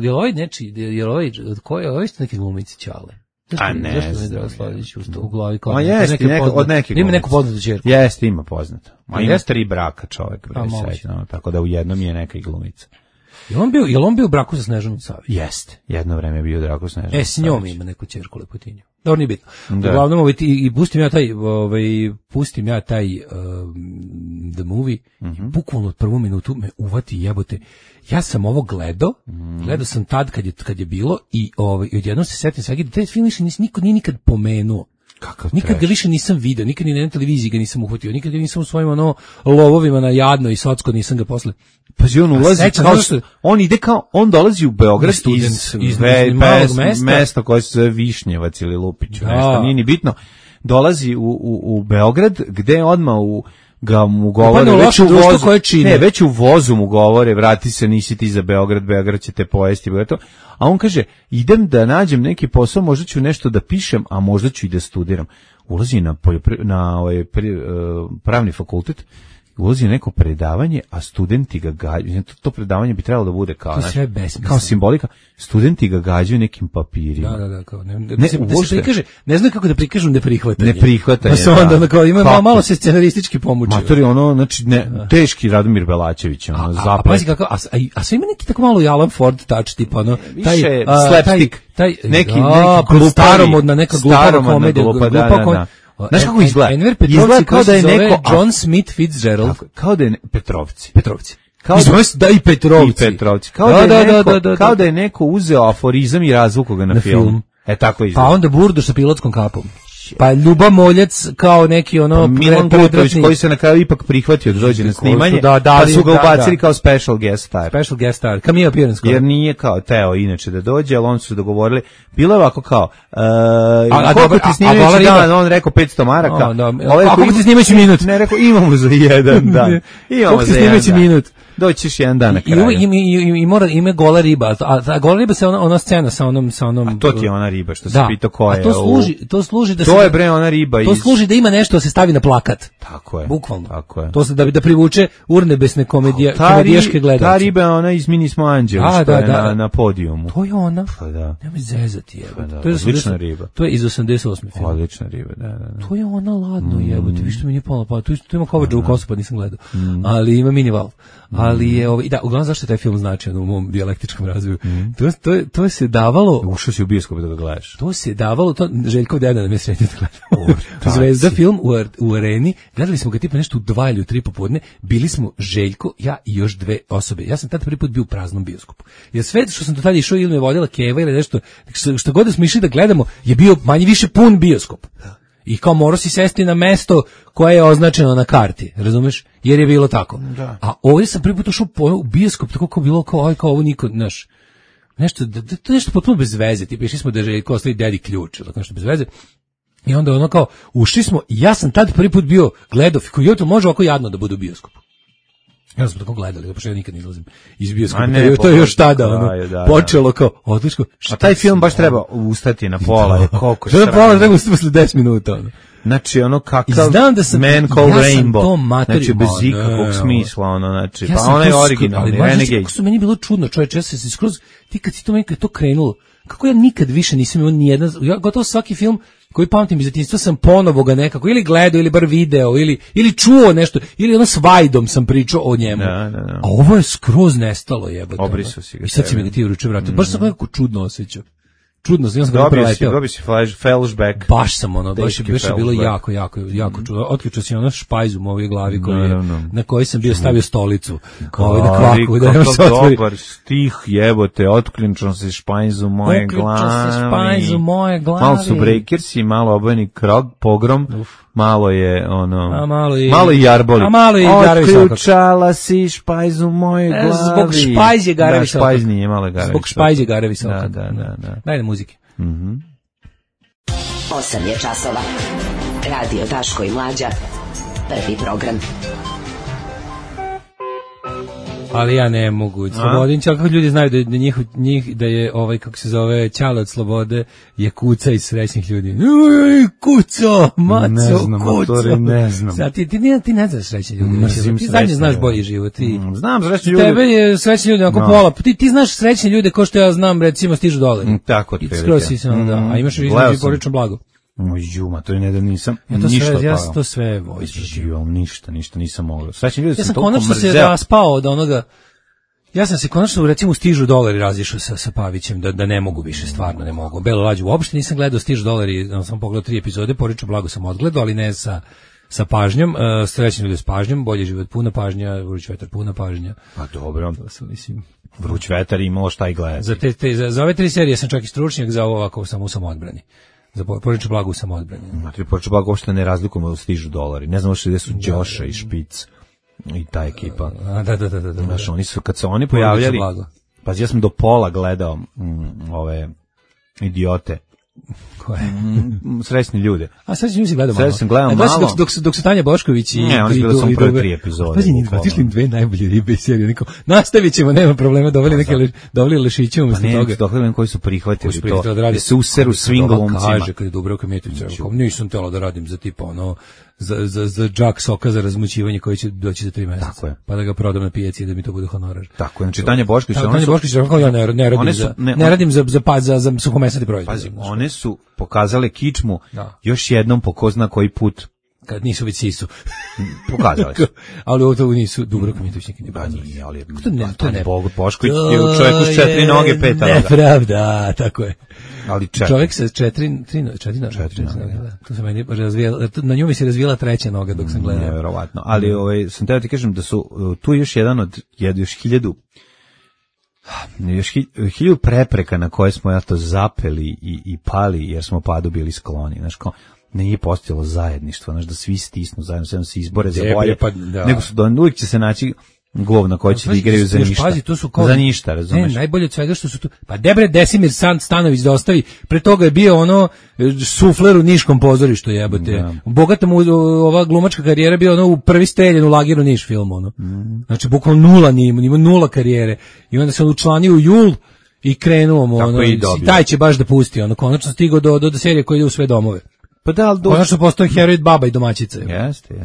Je ovaj nečiji, je ovaj, ko je ovaj neki glumici Ćale? A ne. Zašto mi Dragan Slavić u glavi kao? Ma jeste, od neke ima neku poznatu ćerku. Jeste, ima poznato. Ma ima 3 braka čovjek, tako da u jednom je neka i glumica. Je on bio u braku sa Snežanom Savić? Jeste, jedno vreme je bio u braku sa Snežanom Savić. S njom ima neku ćerku lepotinju. Dobro, nije bitno. Uglavnom, i pustim ja taj The Movie, bukvalno od prvu minutu me uvati jebote. Ja sam ovo gledao sam tad kad je bilo i odjednom se setim svega, taj film više niko nije nikad pomenuo. Nikad ga više nisam video, nikad ni na televiziji ga nisam uhvatio, nikad ga nisam u svojim lovovima na Jadno i Socko, nisam ga posle. Pazi, on ulazi on dolazi u Beograd iz mesta koje se zove Višnjevac ili Lupić, nešto, nije ni bitno. Dolazi u Beograd, gde odmah mu govore, već u vozu mu govore, vrati se, nisi ti za Beograd će te pojesti, a on kaže, idem da nađem neki posao, možda ću nešto da pišem, a možda ću i da studiram. Ulazi na pravni fakultet, ulazi na neko predavanje, a studenti ga gađaju, to predavanje bi trebalo da bude kao simbolika, studenti ga gađaju nekim papirima. Da, kao ne znam kako da prikažu neprihvatanje. Neprihvatanje, pa se onda kao ima malo se scenaristički pomučio. Matori, znači teški Radomir Belačević, zaplet. Pazi kako, a sve ima neki tako malo i Alan Ford touch, tipa taj slapstick, neki staromodna neka glupa komedija, znaš kako izgleda? Enver Petrovci kao da je neko John Smith Fitzgerald. Kao da je Petrovci. Da i Petrovci. Kao da je neko uzeo aforizam i razvukao ga na film. Tako izgleda. Pa onda Burdo sa pilotskom kapom. Pa Ljuba Moljac kao neki Milan Kutović koji se na kraju ipak prihvatio da dođe na snimanje, pa su ga ubacili kao special guest star. Cameo appearance. Jer nije kao teo inače da dođe, ali oni su dogovorili. Bilo je ovako kao koliko ti snimajući dan, on rekao 500 maraka. A koliko ti snimajući minut? Ne, rekao imamo za jedan dan. Imamo za jedan minut. Doćiš jedan dan na kraju. I ima gola riba, a gola riba se ona scena sa onom... A to ti je ona riba, što se pita koja je. A to služi da to je bre ona riba. To služi da ima nešto da se stavi na plakat. Tako je. Bukvalno. Tako je. To se da privuče urnebesne komedijaške gledaoce. Ta riba je ona iz Mini smo anđeli, što je na podijumu. To je ona. Pa da. Nemoj zezati, jebote. Odlična riba. To je iz 88. film. Odlična riba, da. To je ona ladno, jebote. Vi što mi nije palo, pa tu ima Kovačevu kosu, pa nisam gledao. Ali ima minival. Ali je uglavnom zašto je taj film značajan u mom dijalektičkom razvoju. To se davalo. Ušao si u bioskop da ga gledaš. To se davalo, to Željkov deda nam je sretio da gledamo. Zvezda film u Areni. Gledali smo ga tipa nešto u 2 ili 3 popodne. Bili smo Željko, ja i još 2 osobe. Ja sam tada prvi put bio u praznom bioskopu. Jer sve što sam do tada išao ili me vodila Keva ili nešto, što god da smo išli da gledamo, je bio manje više pun bioskop. I kao morao si sesti na mesto koje je označeno na karti, razumeš? Jer je bilo tako. Da. A ovdje sam prvi put ušao u bioskop, tako kao bilo kao ovo niko, znaš, nešto, to je nešto potpuno bez veze, tipa išli smo da je kao ostavi dedi ključ, tako nešto bez veze. I onda kao, ušli smo, i ja sam tad prvi put bio gledao, koji to može ovako jadno da bude u bioskopu. Ja smo tako gledali, pošto ja nikad ne izlazim iz bioskopa. To je još tada, počelo kao, odlično. A taj film baš treba ustati na pola, koliko se... Na pola treba ustati posle 10 minuta, Znači, kakav Man Called Rainbow, znači, bez ikakvog smisla, znači, pa ono je originalni, Renegade. Kako su meni bilo čudno, čovječe, ja sam se skroz, ti kad si to meni to krenulo, kako ja nikad više nisam imao nijedan, ja gotovo svaki film koji pamtim iz djetinjstva sam ponovo ga nekako ili gledao ili bar video ili čuo nešto ili s Vajdom sam pričao o njemu. A ovo je skroz nestalo, jebote. Obrisu si ga. I sad si mi ga ti uruče vratio. Baš sam nekako čudno osjećao. čudno, ja sam ga preleteo. Dobio si flashback. Baš sam baš je bilo jako čudno. Otključio si špajz u mojoj glavi na kojoj sam bio stavio stolicu. Na kvaku, da se otvori. Dobar stih, jebote, otključio si špajz u moje glavi. Malo su Breakersi, malo Obojeni pogrom, malo je malo i Jarboli. A malo i Garevi Sokak. Otključala si špajz u moje glavi. Zbog špajz je Garevi Sokak. Špajz nije malo Garevi Sokak. Zbog špajz je Garevi Sokak. Da. Daj na muzike. 8 je časova. Radio Daško i Mlađa. Prvi program. Ali ja ne mogu. Slobodin, kako ljudi znaju da njih da je kako se zove Ćale od slobode je kuca iz srećnih ljudi. Kuco, maco, ne znam, kuco. Ne znam. Sad, ti ne znaš srećni ljudi. Ti zadnje znaš bolji život. Znam srećni ljudi. Tebe je srećni ljudi oko pola. Ti znaš srećni ljude kao što ja znam, recimo stižu dolari. Tako ti prilike. A imaš između porodično blago. Juma, to je ne da nisam ništa pao. Ja sam to sve vojstvio. Ništa nisam mogao. Srećni ljudi sam konačno se raspao od onoga. Ja sam se konačno, recimo, stižu dolari razišao sa Pavićem, da ne mogu više, stvarno ne mogu. Belo lađu uopšte nisam gledao, stižu dolari, sam pogledao 3 epizode, Porodično blago sam odgledao, ali ne sa pažnjom, srećni ljudi s pažnjom, bolji život puna pažnja, Vruć vetar puna pažnja. Pa dobro, Vruć vetar imalo šta i gledati. Za ove 3 serije sam čak i stručnjak, za ovo ovako sam u samoodbrani. Za Porodično blago u samoodbrani. Porodično blago uopšte ne razlikujemo da stižu dolari. Ne znam uopšte gde su Đoša i Špic i ta ekipa. Da. Znaš, oni su, kad se oni pojavljali, pa ja sam do pola gledao ove idiote. Koje? Srećni ljude. A srećni ljudi si gledao malo. Srećni sam gledao malo. Dok su Tanja Bošković i... Ne, oni su gledali samo prve 3 epizode. Pazi, njih otišli im 2 najbolje ribe iz serije. Nastavit ćemo, nema problema, doveli Lešiće umesto toga. Pa ne, dohledam koji su prihvatili to. Da se useru svim glumcima. Kaže, kad je Dubravka Mijatović, nisam telo da radim za tipa za džak soka za razmućivanje koji će doći za 3 meseca. Tako je. Pa da ga prodam na pijaci da mi to bude honorar. Tako je. Znači Tanja Bošković, ja ne radim za suhomesnati proizvod. Pazi, one su pokazale kičmu još jednom po ko zna koji put. Kad nisu već sisu. Pokazali su. Ali ovo to nisu Dubravka Mijatović nikad ne pokazali. Nije, ali to ne. Bošković je čovjek uz 4 noge, 5 noga. Nepravda, tako je. Ali čovjek sa 4 noge. To se meni razvijala, na nju mi se razvijala 3. noga dok sam gledao. Neverovatno. Ali sam teo ti kažem da su tu još jedan od još 1000 prepreka na koje smo zapeli i pali jer smo padu bili skloni. Znaš, kao nije postojalo zajedništvo, znaš, da svi stisnu zajedno, sve se izbore za bolje, nego su uvijek će se naći govna koji će da igraju za ništa. Pazi, to su kao, za ništa, razumeš? Ne, najbolje od svega što su tu. Pa Debre Desimir Stanović da ostavi, pre toga je bio sufler u Niškom pozorištu, jebote. Ja. Bogata mu ova glumačka karijera bio u prvi streljen u Lagiru Niš film, Znači, bukvalno nula ima 0 karijere. I onda se on učlanio u Jul i krenuo mu, i taj će baš da pusti, konačno stigao do serije koja ide u sve domove. Pa da, ali konačno postoji heroj baba i domaćica. Jeste.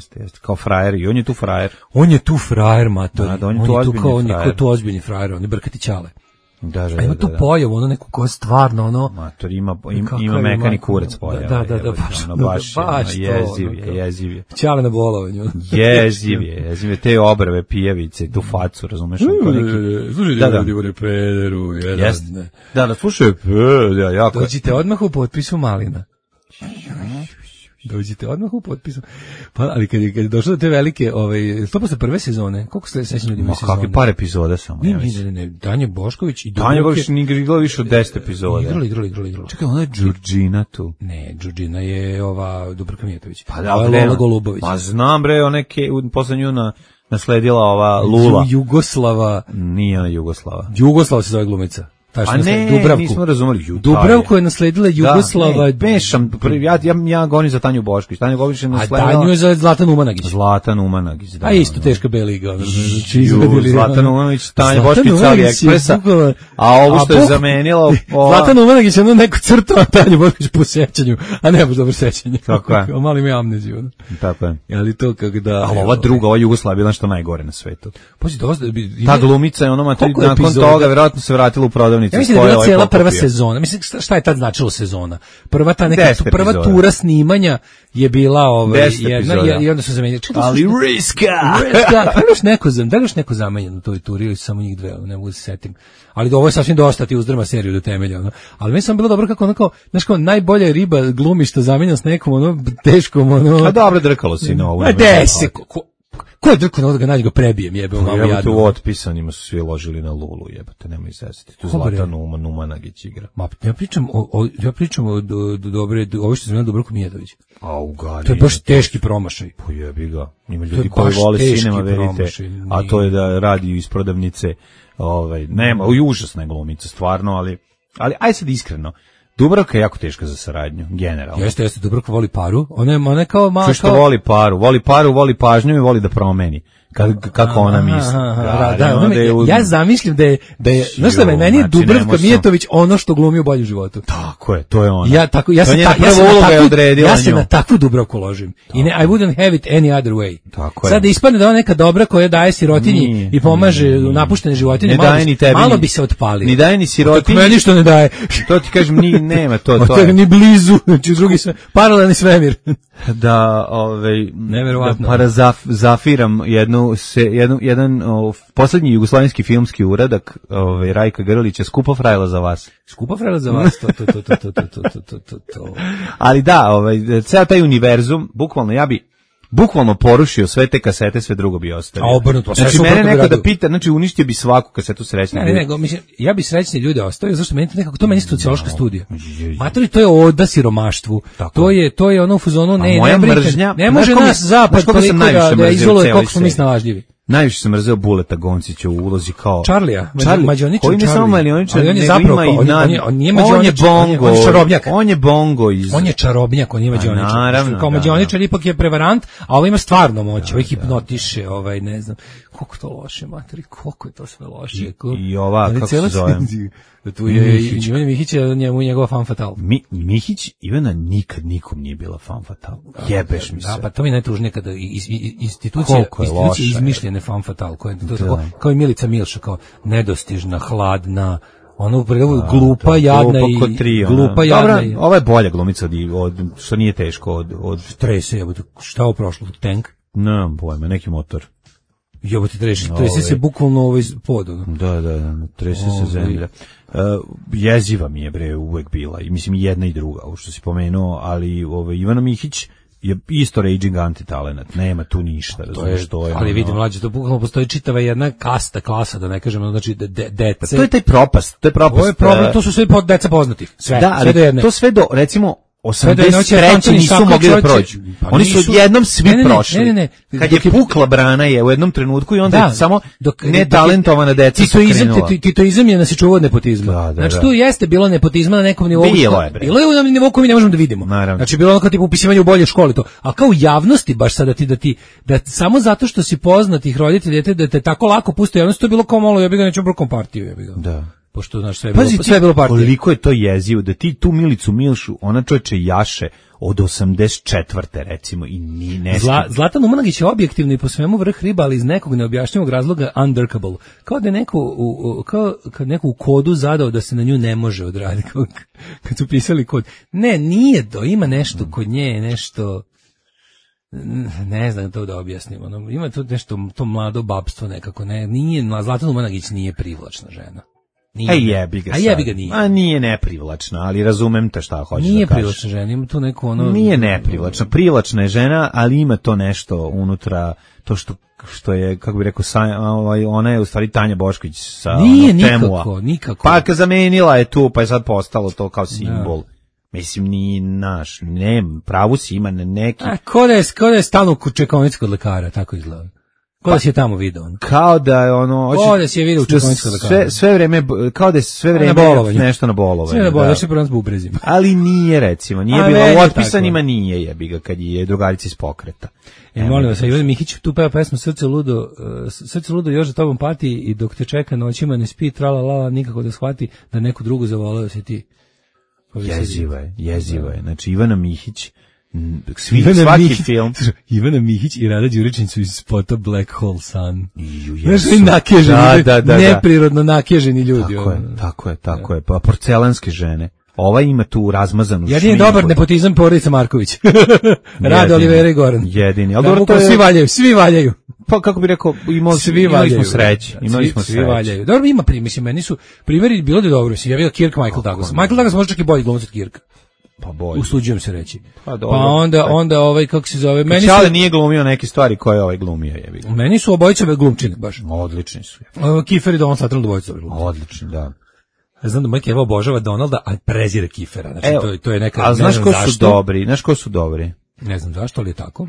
Kao frajer, i on je tu frajer. On je tu frajer, mato. On je tu ozbiljni frajer, on je brkati ćale. Da. Ima tu pojavu, neku koja stvarno, Mator, ima mekani kurac pojavu. Da, baš jeziv je. Ćale na bolovanju. Jeziv je, te obrve, pijevice, tu facu, razumeš? Slušajte, ljudi, pederu, jedan. Da, slušaj, jako. Dođite odmah u potpisu Malina. Dođite odmah u potpisu. Pa, ali kad je došlo do te velike, to posle prve sezone, koliko ste sećani ljudi imaju sezone? Kakvi par epizoda samo. Ne, Tanja Bošković i Tanja Bošković nije igrala više od 10 epizoda. Igrali. Čekaj, ona je Đurđina tu. Ne, Đurđina je ova Dubravka Mijatović. Pa da, Lola Golubović. Ma znam bre, posle nju nasledila ova Lula. Jugoslava. Nije ona Jugoslava. Jugoslava se zove glumica. A ne, Dubravku. Nismo razumeli. Dubravku je nasledila Jugoslava. Da, pešam, ja govorim za Tanju Bošković. Tanja Bošković je nasledila... A Tanju je za Zlatan Umanagić. Da. A isto teška beliga. Zlatan Umanagić, Tanja Bošković, Cali Ekspresa. A ovo što je zamenilo... Zlatan Umanagić je neku crtu, a Tanja Bošković po sećanju. A ne baš dobro sećanje. Tako je. Malo ima amneziju. Tako je. Ali to kako da... Ali ova druga, ova Jugoslavija bila što najgore na svetu. Pođi dosta... Ta glumica je nakon toga vjerojatno se vratila u prodavnicu redovnica. Ja mislim da je bila cijela prva sezona. Mislim, šta je tad značilo sezona? Prva tura snimanja je bila jedna i onda su zamenjali. Ali riska! Da li još neko zamenjen u toj turi ili samo njih dve, ne mogu da se setim. Ali ovo je sasvim dosta, ti uzdrma seriju do temelja. Ono. Ali meni sam bilo dobro kako onako, znaš kao, najbolja riba glumi što zamenja s nekom, ono, teškom, ono... A dobro drkalo si na ovu. A desi, ko je drkao na ovo da ga nađe ga prebijem, jebe, u mamu jadnu. Jebate, u otpisanima su svi ložili na Lulu, jebate, nemoj izvesiti. Tu Zlatan Numanagić igra. Ma, ja pričam o dobre, ovo što sam imao Dubravko Mijatović. A u Gali. To je baš teški promašaj. Pojebi ga. Ima ljudi koji vole sinema, verite, a to je da radi iz prodavnice. Nema, užasna je glumica, stvarno, ali aj sad iskreno. Dubravka je jako teška za saradnju, generalno. Jeste, Dubravka voli paru. Ona je kao malo... Što voli paru, voli pažnju i voli da promeni. Kako ona misli. Ja zamišljam da je znaš šta, meni je Dubravka Mijatović ono što glumi u Boljem životu. Tako je, to je ona. Ja se na takvu Dubravku ložim. I I wouldn't have it any other way. Sad da ispadne da ona neka dobra koja daje sirotinji i pomaže napuštene životinje, malo bi se otpalio. Ni daje ni sirotinji. Meni što ne daje. To ti kažem, nema to. To je ni blizu, znači drugi sve, paralelni svemir. Da, neverovatno. Parazafiram jedan poslednji jugoslovenski filmski uradak Rajka Grlića, Skupa frajla za vas. Skupa frajla za vas, to. Ali da, ceo taj univerzum, bukvalno porušio sve te kasete, sve drugo bi ostavio. A obrnuto, znači mene neko da pita, znači uništio bi svaku kasetu srećnih ljudi. Ne, mislim, ja bi srećni ljude ostavio, zašto meni to nekako, to meni je sociološka studija. Matori, to je oda siromaštvu. To je ono u fazonu, ne može nas zapad toliko da izoluje koliko smo mi snalažljivi. Najviše sam mrzeo Buleta Goncića u ulozi kao Charlija, Mađioničar. Koji ne samo Mađioničar, on je zapravo on nije Mađioničar, on je čarobnjak. On je bongo on je čarobnjak, on nije Mađioničar. Kao Mađioničar ipak je prevarant, a ovo ima stvarno moć, ovo hipnotiše, ne znam. Koliko to loše, materi, koliko je to sve loše. I ova, kako se zove? Tu je Ivana Mihić, njemu njegova fan fatal. Mihić, Ivana nikad nikom nije bila fan fatal. Jebeš mi se. Da, pa to mi najtužnije kada institucija izmišljene fan fatal, kao i Milica Milša, kao nedostižna, hladna, ono u prevodu glupa, jadna i glupa, jadna. Dobra, ova je bolja glumica od što nije teško od Trese, šta je prošlo, tank? Nemam pojma, neki motor. Jebote, trese se bukvalno pod. Da, trese se zemlja. Jeziva mi je bre uvek bila, i mislim i jedna i druga, ovo što si pomenuo, ali Ivana Mihić je isto raging antitalenat, nema tu ništa, razumiješ što je. Ali vidim, mlađe, to bukvalno postoji čitava jedna klasa, da ne kažemo, znači dece. To je taj propast, to su sve deca poznati, sve. Da, ali to sve do, recimo, 83. nisu mogli da prođu. Oni su jednom svi prošli. Ne. Kad je pukla brana je u jednom trenutku i onda je samo netalentovana deca su krenula. Titoizam je nas čuvao od nepotizma. Znači tu jeste bilo nepotizma na nekom nivou. Bilo je na nivou koji mi ne možemo da vidimo. Znači bilo ono kao tipu upisivanje u bolje škole to. A kao u javnosti baš sada da samo zato što si poznatih roditelja da te tako lako puste javnost, to je bilo kao malo ja bih ga neću brokom partiju, ja bih ga. Da. Pošto znaš sve je bilo partija. Koliko je to jezivo da ti tu Milicu Milšu, ona čoveče jaše od 84. recimo i ni nešto. Zlatan Numanagić je objektivno i po svemu vrh riba, ali iz nekog neobjašnjivog razloga undrkable. Kao da je kad neko u kodu zadao da se na nju ne može odraditi. Kad su pisali kod. Ne, nije to, ima nešto kod nje, nešto... Ne znam to da objasnim. Ima to nešto, to mlado babstvo nekako. Zlatan Numanagić nije privlačna žena. Jebi ga nije. A nije neprivlačna, ali razumem te šta hoćeš da kažeš. Nije privlačna žena, ima tu neko Nije neprivlačna, privlačna je žena, ali ima to nešto unutra, to što je, kako bih rekao, ona je u stvari Tanja Bošković sa Temua. Nikako. Pa zamenila je tu, pa je sad postalo to kao simbol. Da. Mislim, nije naš, pravu si ima neki... Ko da je stalno u čekonici kod lekara, tako izgleda. Kao da si je tamo video. Kao da je kao da si je video u čekoničkoj lekara. Sve vreme, kao da je sve vreme nešto na bolovanju. Sve na bolovanju, sve prvo s bubrezima. Ali nije, recimo, nije bilo u otpisanima, nije jebiga kad je drugarica iz pokreta. Molim vas, Ivana Mihić tu peva pesmu Srce ludo još za tobom pati i dok te čeka noćima ne spi, trala nikako da shvati da neku drugu zavoleo si ti. Jeziva je. Znači, Ivana Mihić svaki film. Ivana Mihić i Rada Đuričić su iz spota Black Hole Sun. Znaš, nakeženi, neprirodno nakeženi ljudi. Tako je. Pa porcelanske žene. Ova ima tu razmazanu šminku. Jedini dobar nepotizam porodica Marković. Rade Olivera i Goran. Jedini. Ali dobro, to je... Svi valjaju. Pa kako bi rekao, imali smo sreće. Svi valjaju. Dobro, ima mislim, meni su primjeri bilo da je dobro. Mislim, ja vidio Kirk Michael Douglas. Michael Douglas može čak i bolji glumac od Kirka. Pa bolje. Usuđujem se reći. Pa onda ovaj, kako se zove... Meni Čale nije glumio neke stvari koje ovaj glumio. Meni su obojice glumčine, baš. Odlični su. Kiefer i Donald Sutherland obojice glumčine. Odlični, da. Znam da moj Keva obožava Donalda, a prezire Kiefera. Znači, to je neka... A znaš ko su dobri? Ne znam zašto, ali je tako.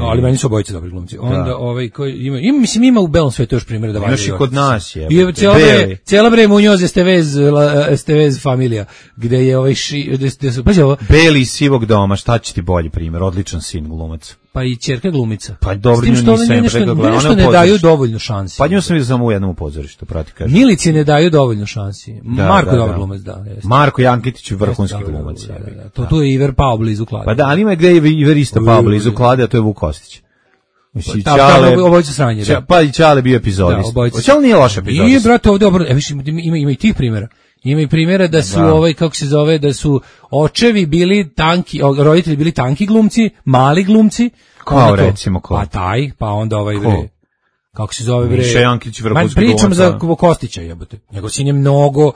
Ali meni su obojice dobri glumci. Onda koji ima u belom svetu još primjere da valjaju. Imaš i kod nas je. Cijela bre Munoz Estevez familija, gde je Beli iz Sivog doma, šta će ti bolji primjer, odličan sin glumac. Pa i ćerka glumica. Pa dobro, nešto ne daju dovoljno šansi. Pa nju sam vidio samo u jednom pozorištu, prati kažem. Milici ne daju dovoljno šansi. Marko dobar glumac, da. Marko Jankitić je vrhunski glumac. Tu je Iver pao blizu klade. Pa da, ali ima gde je Iver isto pao blizu klade, a to je Vuk Kostić. Obojica sranje, da. Pa i Čale bio epizodist. Čale nije loš epizodist. Nije, brate, ovdje ima i tih primjera. Ima i primjera da su da su očevi bili tanki, roditelji bili tanki glumci, mali glumci. Kao recimo ko? Pa onda bre. Kako se zove bre? Miša Jankić vrhunski glumac. Pričam za Kostića, jebote. Njegov sin je mnogo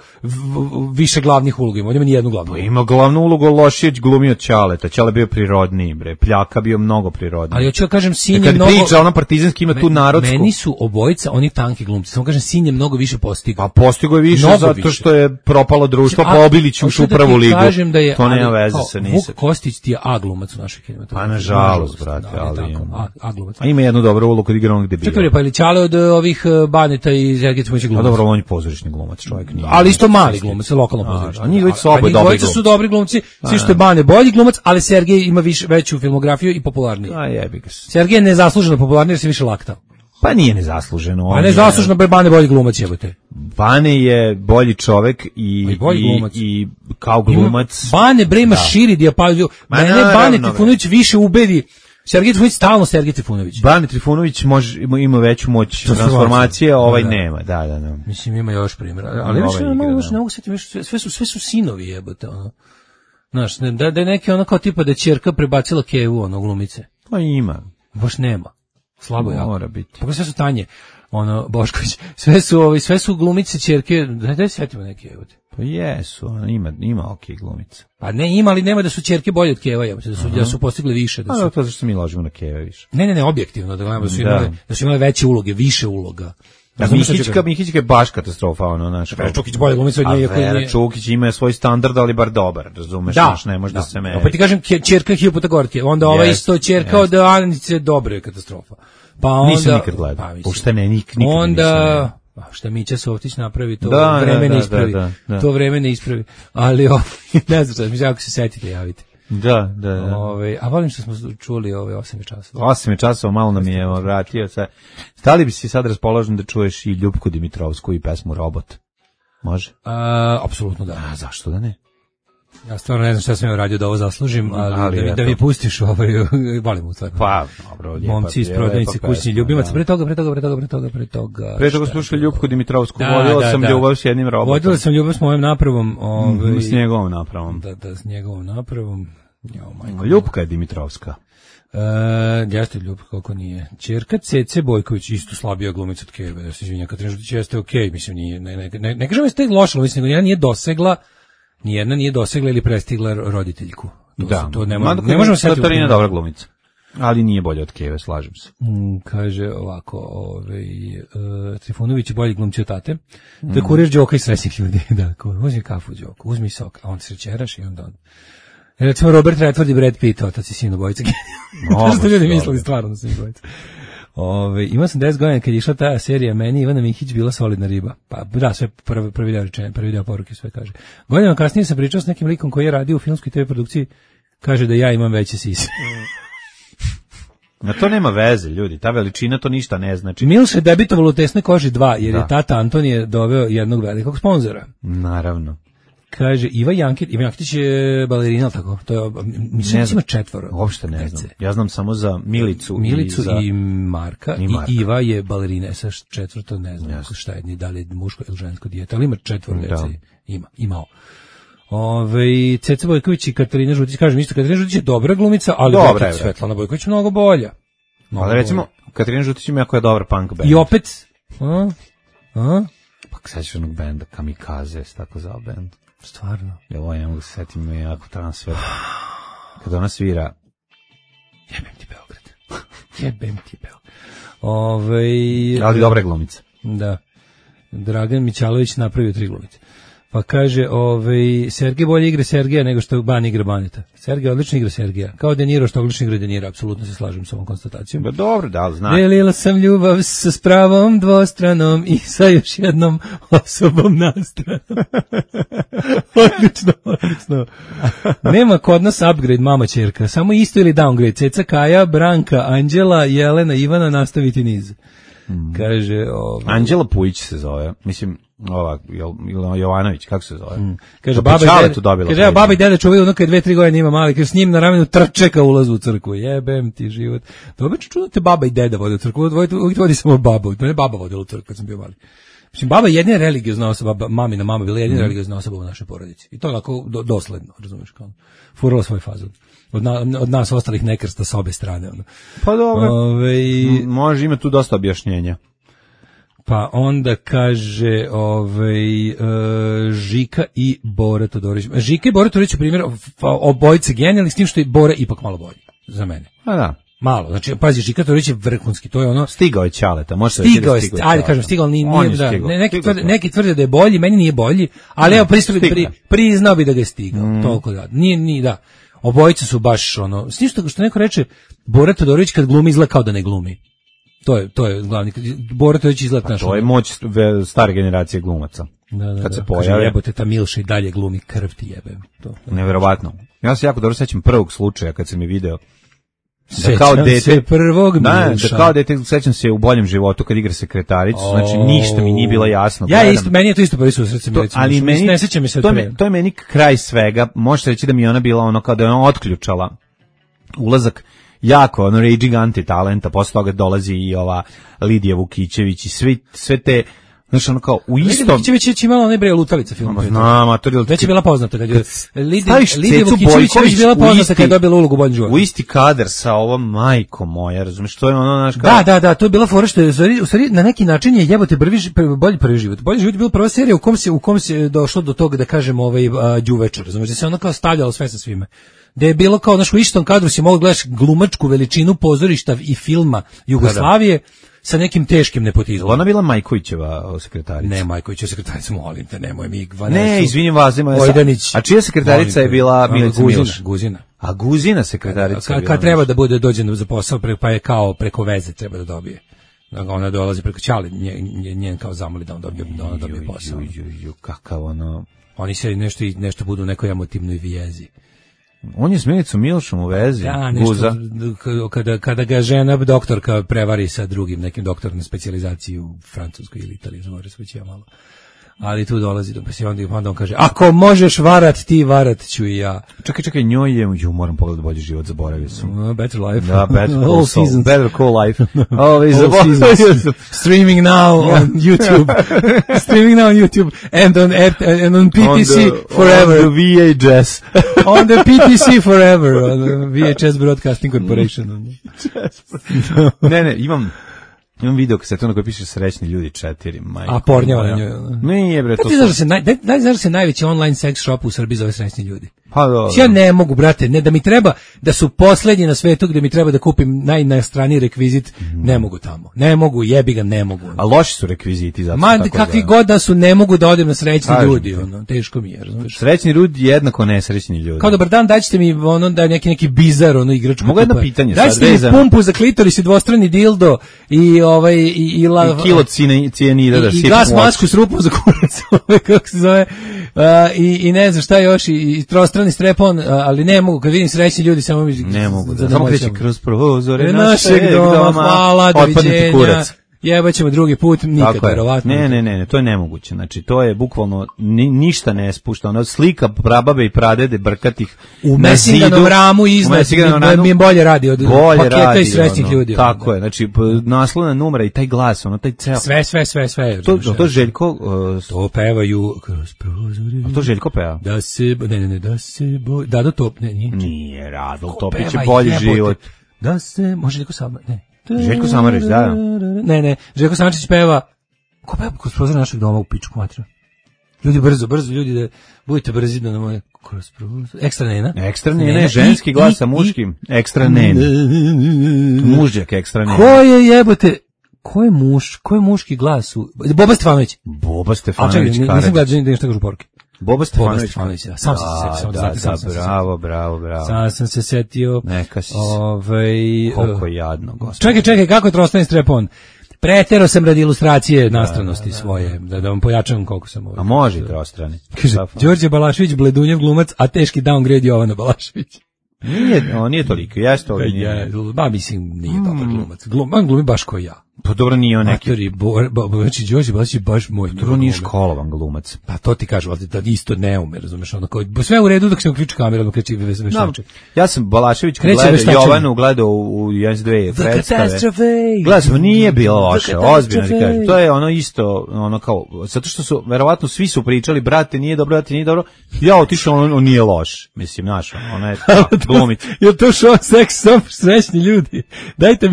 više glavnih uloga, ima ni jednu glavnu. Ima glavnu ulogu Lošić glumio Ćaleta. Ćale bio prirodniji, bre. Pljaka bio mnogo prirodniji. Ali hoću da kažem, sin je mnogo. Kad priča ona partizanski ima tu narodsku. Meni su obojica oni tanki glumci. Samo kažem, sin je mnogo više postigao. Pa postigao je više zato što je propalo društvo, pa Obilić ušao u prvu ligu. To nema veze sa ničim. Vuk Kostić ti je A glumac u našoj kinematografiji. Pa nažalost, brate, ali A glumac. A ima jednu dobru ulogu kod igra onog debila. Ćale od ovih Baneta i Sergej Trifunović glumac. A dobro, on je pozorišni glumac, čovjek nije. Ali isto mali glumac, lokalno pozorišni. A njihovi su dobri glumci, svi što je Bane bolji glumac, ali Sergej ima veću filmografiju i popularniji. A jebi ga. Sergej je nezasluženo popularniji jer se više laktao. Pa nije nezasluženo. A nezasluženo Bane bolji glumac jebote. Bane je bolji čovjek i kao glumac. Bane bre ima širi dijapazon. Mene Bane Trifunović više ubedi. Sergej Trifunović stalno Sergej Trifunović. Bane Trifunović ima veću moć transformacije, nema. Da. Mislim ima još primjera, ali ne mogu setiti, sve su sinovi jebote ono. Znaš, da je neki ono kao tipa da je ćerka prebacila Kevu ono glumice. Pa ima. Baš nema. Slabo jako. Mora biti. Pa sve su Tanje. Bošković, sve su glumice ćerke, daj setimo neke jebote. Pa jesu, ima okej glumica. Pa ne ima, ali nema da su ćerke bolje od Keva, da su postigli više. To zašto mi ložimo na Keva više. Ne, objektivno, da su imali veće uloge, više uloga. Mihićka je baš katastrofa, naš. Vera Čukić bolje glumica od nje. Vera Čukić ima svoj standard, ali bar dobar, razumeš, ne može da se meri. Opet ti kažem, ćerka je puta gorke, onda ova isto ćerka od Anice Dobre je katastrofa. Pa onda nisam nikad gledao. Puštene nikad onda šta Mića Softić napravi, to vreme ne ispravi. To vreme ne ispravi. Ali ne znam šta, ako se setite, javite. Da. A volim što smo čuli 8 časova. 8 časova, malo nam je vratio se. Stali bi si sad raspoložen da čuješ i Ljupku Dimitrovsku i pesmu Robot? Može? Apsolutno da. A zašto da ne? Ja stvarno ne znam šta sam joj radio da ovo zaslužim, ali da mi pustiš volim u stvarno. Pa, dobro, lijepa. Momci iz prodavnice kućni ljubimac. Pre toga. Pre toga slušali Ljupku Dimitrovsku. Vodila sam ljubav s jednim robotom. Vodila sam ljubav s mojom napravom. S njegovom napravom. Da, s njegovom napravom. Ljupka je Dimitrovska. Jeste Ljubka, kako nije. Ćerka Cece Bojković, isto slabija glumica od Keve. Ja se izvinjam, Katarina Žutić jeste okej, mislim, nije, ne kažem jeste loša, mislim, nego nijedna nije dosegla ili prestigla roditeljku. To ne možemo se setiti. Katarina je dobra glumica, ali nije bolja od Keve, slažem se. Kaže ovako, Trifunović je bolji glumci od tate. To je kurir Đoka i srećnih ljudi. Da, uzmi kafu Đoku, uzmi sok, a on se čeraš i onda on. Recimo Robert Redford i Brad Pitt, otac i sin obojica. To što ljudi mislili stvarno da su obojica. Imao sam 10 godina kad je išla ta serija, meni Ivana Mihić bila solidna riba. Pa da, sve prvi deo poruke sve kaže. Godinama kasnije sam pričao s nekim likom koji je radio u filmskoj TV produkciji, kaže da ja imam veće sise. Na to nema veze, ljudi, ta veličina to ništa ne znači. Milš je debitovalo u Tesnoj koži 2, jer je tata Antonije doveo jednog velikog sponzora. Naravno. Kaže Iva Jankitić je balerina, ali tako? To je, mislim da ima 4. Uopšte ne znam. Ja znam samo za Milicu i Marka. I Iva je balerina, sa 4. ne znam šta je, ni da li je muško ili žensko dijete, ali ima 4 dece. Imao. Ceca Bojković i Katarina Žutić, kažem isto, Katarina Žutić je dobra glumica, ali Svetlana Bojković je mnogo bolja. Ali recimo, Katarina Žutić ima jako je dobar punk band. I opet, pa sećaš onog benda Kamikaze, tako zvao bend. Stvarno? Ja ovo ne mogu se setiti, ima jako transfer. Kada ona svira... Jebem ti Beograd. Ali dobra glumica. Da. Dragan Mićalović napravio 3 glumice. Pa kaže, Sergej bolje igra Sergeja nego što Ban igra Baneta. Sergej odlično igra Sergeja. Kao De Niro što odlično igra De Niro, apsolutno se slažem s ovom konstatacijom. Ba dobro, da, znam. Delila sam ljubav sa spravom dvostranom i sa još jednom osobom nastranom. Odlično. Nema kod nas upgrade mama ćerka, samo isto ili downgrade. Ceca, Kaja, Branka, Anđela, Jelena, Ivana, nastaviti niz. Kaže, Anđela Pujić se zove, mislim, Jovanović, kako se zove? Kaže, baba i deda čuvaju ono kad 2-3 godine ima mali, kaže, s njim na ramenu trče ka ulazu u crkvu, jebem ti život. To obično čudno te baba i deda vode u crkvu, uvijek vodi samo baba, to ne baba vodila u crkvu kad sam bio mali. Mislim, baba je jedina religiozna osoba, mamina mama bila jedina religiozna osoba u našoj porodici. I to onako dosledno, razumiješ, kao furala svoj fazon. Od nas ostalih nekrsta s obe strane. Ono. Pa dobro, može ima tu dosta objašnjenja. Pa onda kaže Žika i Bora Todorović. Žika i Bora Todorović u primjer obojice genijalni, s tim što je Bora ipak malo bolji za mene. A da. Malo, znači, pazi, Žika Todorović je vrhunski, to je ono... Stigao je Ćaleta, može se reći da stigao. Ajde, kažem, stigao, nije da, neki tvrde da je bolji, meni nije bolji, ali evo, priznao bi da ga je stigao, toliko da, nije, da. Obojice su baš, ono, s tim što neko reče, Bora Todorović kad glumi izgleda kao da ne glumi. To je glavni, Bora Todorović izgleda naš. To je moć stare generacije glumaca. Kad se pojavi. Jebote, ta Milša i dalje glumi, krv ti jebem. Neverovatno. Ja se jako dobro sećam prvog slučaja kad sam je video. Sećam se prvog Milša. Da kao dete, sećam se u Boljem životu kad igra sekretaricu, znači ništa mi nije bilo jasno. Meni je to isto prvi susret sa Milicom. Ali ne sećam mi se to je meni kraj svega, možete reći da mi ona bila ono kao da je ona otključala ulazak jako, ono, raging anti-talenta, posle toga dolazi i ova Lidija Vukićević i sve te, znaš, ono kao, u istom... Lidija Vukićević je imala onaj bre Lutalica film. Već je bila poznata kad je... Lidija Vukićević već bila poznata kad je dobila ulogu u Boljem životu. U isti kadar sa ovom majko moja, razumiješ, to je ono, znaš, kao... Da, to je bila fora što je, u stvari, na neki način je jebote bolji prvi život. Bolji život je bila prva serija u kom se došlo do toga, da kažem, đuveče, razumiješ, da se ono kao stavljalo sve sa svime. Da je bilo kao, znaš, u istom kadru si mogao gledaš glumačku veličinu pozorišta i filma Jugoslavije sa nekim teškim nepotizmom. Ona bila Majkovićeva sekretarica. Ne, Majkovićeva sekretarica, molim te, nemoj mi Ne, izvinim vas, a čija sekretarica je bila Milica Milš? Guzina. A Guzina sekretarica je bila. Kad treba da dođe za posao, pa je kao preko veze treba da dobije. Ona dolazi preko Ćale, njen kao zamoli da ona dobije posao. Kakav ono... Oni se nešto budu u nekoj emotivnoj vijezi. On je s Milicom Milšom u vezi, Guza. Kada ga žena doktorka prevari sa drugim nekim doktorom na specijalizaciji u Francuskoj ili Italiji, može se već ja malo. Ali tu dolazi do onda on kaže, ako možeš varat ti, varat ću i ja. Čekaj, njoj je, moram pogledati Bolji život, zaboravio sam. Better Life. Da, Better Call Life. Streaming now on YouTube. Streaming now on YouTube and on PTC forever. On the VHS. On the PTC forever. On the VHS Broadcasting Corporation. Ne, imam video kasetu na kojoj piše Srećni ljudi 4. A pornjava na njoj. Nije bre, to znaš da se najveći online sex shop u Srbiji zove Srećni ljudi. Pa dobro. Ja ne mogu, brate, ne da mi treba, da su poslednji na svetu gde mi treba da kupim najnastraniji rekvizit, ne mogu tamo. Ne mogu, jebi ga, ne mogu. A loši su rekviziti zato. Ma kakvi god da su, ne mogu da odem na Srećni ljudi, ono, teško mi je, razumeš? Srećni ljudi jednako nesrećni ljudi. Kao dobar dan, daćete mi ono da neki bizar, ono igračku. Mogu jedno pitanje sad vezano. Daćete mi pumpu za klitoris i dvostrani dildo i i kilo cijanida da i gas masku s rupom za kurac, kako se zove. I ne znam šta još i prostrani strepon, ali ne mogu, kad vidim Srećni ljudi samo ne mogu, samo kreće kroz prozore našeg doma, hvala, doviđenja, Jebaćemo drugi put, nikad verovatno. Ne, to je nemoguće. Znači, to je bukvalno ništa ne spušta. Ono slika prababe i pradede brkatih u Messinganom ramu iznad mi bolje radi od paketa i srećnih ljudi. Tako je, znači, naslovna numera i taj glas, ono, taj ceo... Sve. To Željko... To pevaju kroz prozori. To Željko peva? Da se... Ne, da se... Dado Top, ne, nije. Nije, Rado Topić je bolji život. Da se... Može Željko Samar, ne. Željko Samarić, da. Ne, Željko Samarić peva. Ko peva kroz prozor našeg doma u pičku materiju? Ljudi brzo, ljudi da budete brzi da nam kroz prozor. Ekstra nena, ženski glas sa muškim. Ekstra nena. Mužjak ekstra nena. Ko je jebote? Ko je muški glas? Boba Stefanović. Nisam gledao da nešto kažu poruke. Boba Stefanović. Sam sam se setio. Bravo. Sam sam se setio. Neka si. Koliko jadno, gospod. Čekaj, kako je Trostani strepon? Pretero sam radi ilustracije nastranosti svoje, da vam pojačam koliko sam A može Trostrani. Kaže, Đorđe Balašević, bledunjev glumac, a teški downgrade Jovana Balašević. Nije toliko, jeste ovo nije. Mislim, nije dobar glumac. Glumi baš kao ja. Pa dobro nije on neki. Znači, Đorđe Balašević baš moj. Dobro nije školovan glumac. Pa to ti kažu, ali da isto ne ume, razumeš, ono kao, sve u redu dok se uključi kamera, dok kreći veštače. Ja sam Balašević kad gledao Jovanu, gledao u 1-2 predstave. Gledao, nije bilo loše, ozbiljno ti kažem. To je ono isto, ono kao, zato što su, verovatno svi su pričali, brate, nije dobro, ja otišao, on nije loš, mislim, znaš, ona je glumica. Je to show seks, srećni ljudi, dajte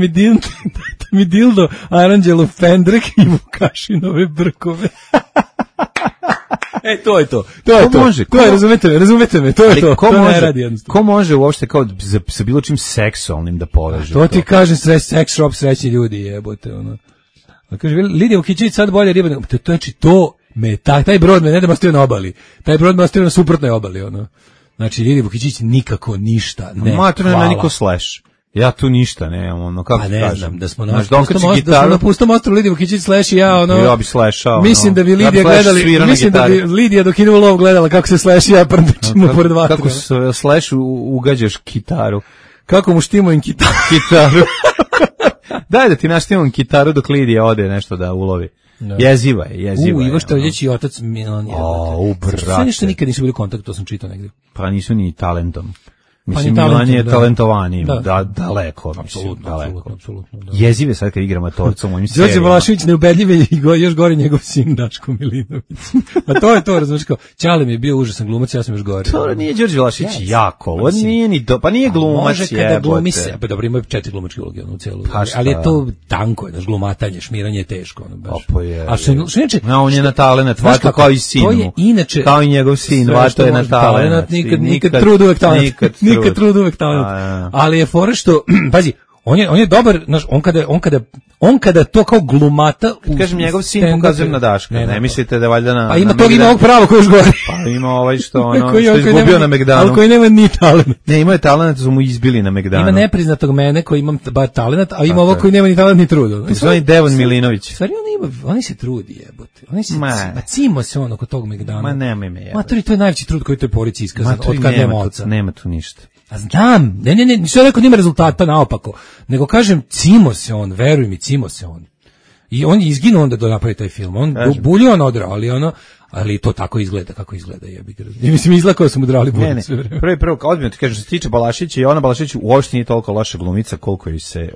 mi dildo, aranđelu pendrek i Vukašinove brkove. To je to. Razumete me, to je to. Ko može uopšte kao sa bilo čim seksualnim da poveže? To ti kažem, seks shop, srećni ljudi, jebote, ono. Kaže, Lidija Vukićević sad bolje riba, znači to me, taj brod me ne da me ostavio na obali, taj brod me ostavio na suprotnoj obali, ono. Znači, Lidija Vukićević nikako ništa, ne, hvala. Niko slash. Ja tu ništa nemam, ono, kako pa ne kažem. Znam, da smo na pustom ostrovu Lidija Vukićević slash i ja, ono... Ja bi slashao, mislim da bi Lidija gledali, mislim da bi Lidija dok ide u lov gledala kako se slash i ja prndećemo pored vatra. Kako se slash ugađaš kitaru. Kako mu štimujem kitaru. Daj da ti naštimujem kitaru dok Lidija ode nešto da ulovi. No. Jeziva je. Ivo Štrljić i otac Milan je. Brate. Sve nešto nikad nisu bili u kontaktu, to sam čitao negdje. Pa nisu ni talentom. Mislim, Milan je talentovaniji, daleko. Apsolutno. Jezive sad kad igra matorca u mojim serijama. Đorđe Balašević neubedljive i još gori njegov sin Daško Milinović. A to je to, razumiješ kao, Ćale mi je bio užasan glumac, ja sam još gori. To nije Đorđe Balašević jako, ovo nije ni pa nije glumac, može kada glumi se, pa dobro, ima 4 glumačke uloge u celu, ali je to tanko, znaš, glumatanje, šmiranje je teško, ono baš. A što inače, on je na talenat, vato kao i sin. To je inače kao i njegov sin, vato je na talenat. Nikad trud uvek talent. Ali je fora što, pazi, on je dobar, znaš, on kada to kao glumata u kažem njegov sin pokazuje na Daška. Ne mislite da valjda na pa ima ovog pravo koji još gori. Pa ima ovaj što izgubio na Megdanu. Ali koji nema ni talent. Ne, ima je talent, su mu izbili na Megdanu. Ima nepriznatog mene koji imam bar talent, a ima ovog koji nema ni talent ni trud. To je Devon Milinović. Stvari oni se trudi, jebote. Cimo se on oko tog Megdana. Ma nema ime jebote. Matori, to je najveći trud koji toj porici iskazan od kad nema oca. Nema tu ništa. A znam, ne, nisam rekao nima rezultata naopako, nego kažem, cimo se on, veruj mi, cimo se on. I on je izginuo onda da napravi taj film, on bulju on odrao, ali to tako izgleda, kako izgleda, jebi ga. I mislim, izlakao sam udrali bulju sve vreme. Prvo, odmah ti kažem, što se tiče Balašića, i ona Balašić uopšte nije toliko loša glumica, koliko joj se,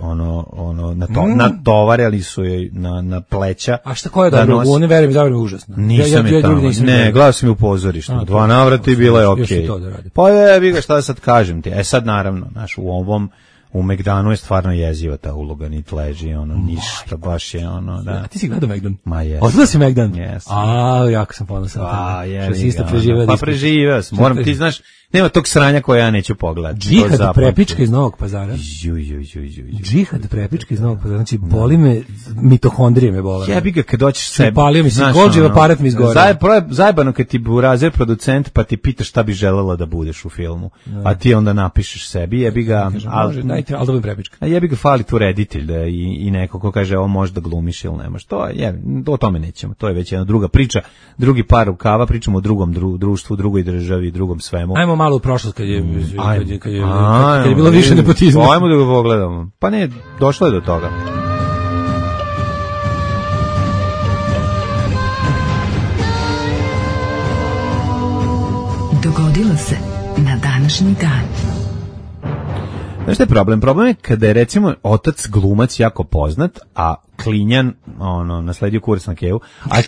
natovarili su joj na pleća. A šta koja je dobro, oni verujem, zavrame užasno. Nisam je tamo, ne, gledao sam je u pozorištu, 2 navrata i bila je okej. Pa jebi ga, šta da sad kažem ti, sad naravno, znaš, u Megdanu je stvarno jeziva ta uloga, niti leži, ništa, baš je da. A ti si gledao Megdan? Ma jes. Odgledao si Megdan? Jes. Jako sam ponosan. Što si isto preživeo. Pa preživeo sam, moram, ti znaš, nema tog sranja koje ja neću pogledati. Džihad prepička iz Novog Pazara. Džihad prepička iz Novog Pazara, znači boli me, mitohondrije me bole. Jebi ga kad doćeš sebi. Palio mi se, Golđev aparat mi izgore. Zajebano kad ti burazer producent pa ti pitaš šta bi želela da budeš u filmu, a ti onda napišeš sebi, jebi ga, ali da budem prepička. A jebi ga fali tu reditelj da i neko ko kaže ovo možda glumiš ili nemaš. To je, o tome nećemo, to je već jedna druga priča, drugi par rukava, pričamo o drugom društvu, drugoj državi, drugom svemu. Ajmo malo u prošlost kad je bilo više nepotizma. Ajmo da ga pogledamo. Pa ne, došlo je do toga. Dogodilo se na današnji dan. Znaš šta je problem? Problem je kada je recimo otac glumac jako poznat, a klinjan nasledio kurs na kevu, a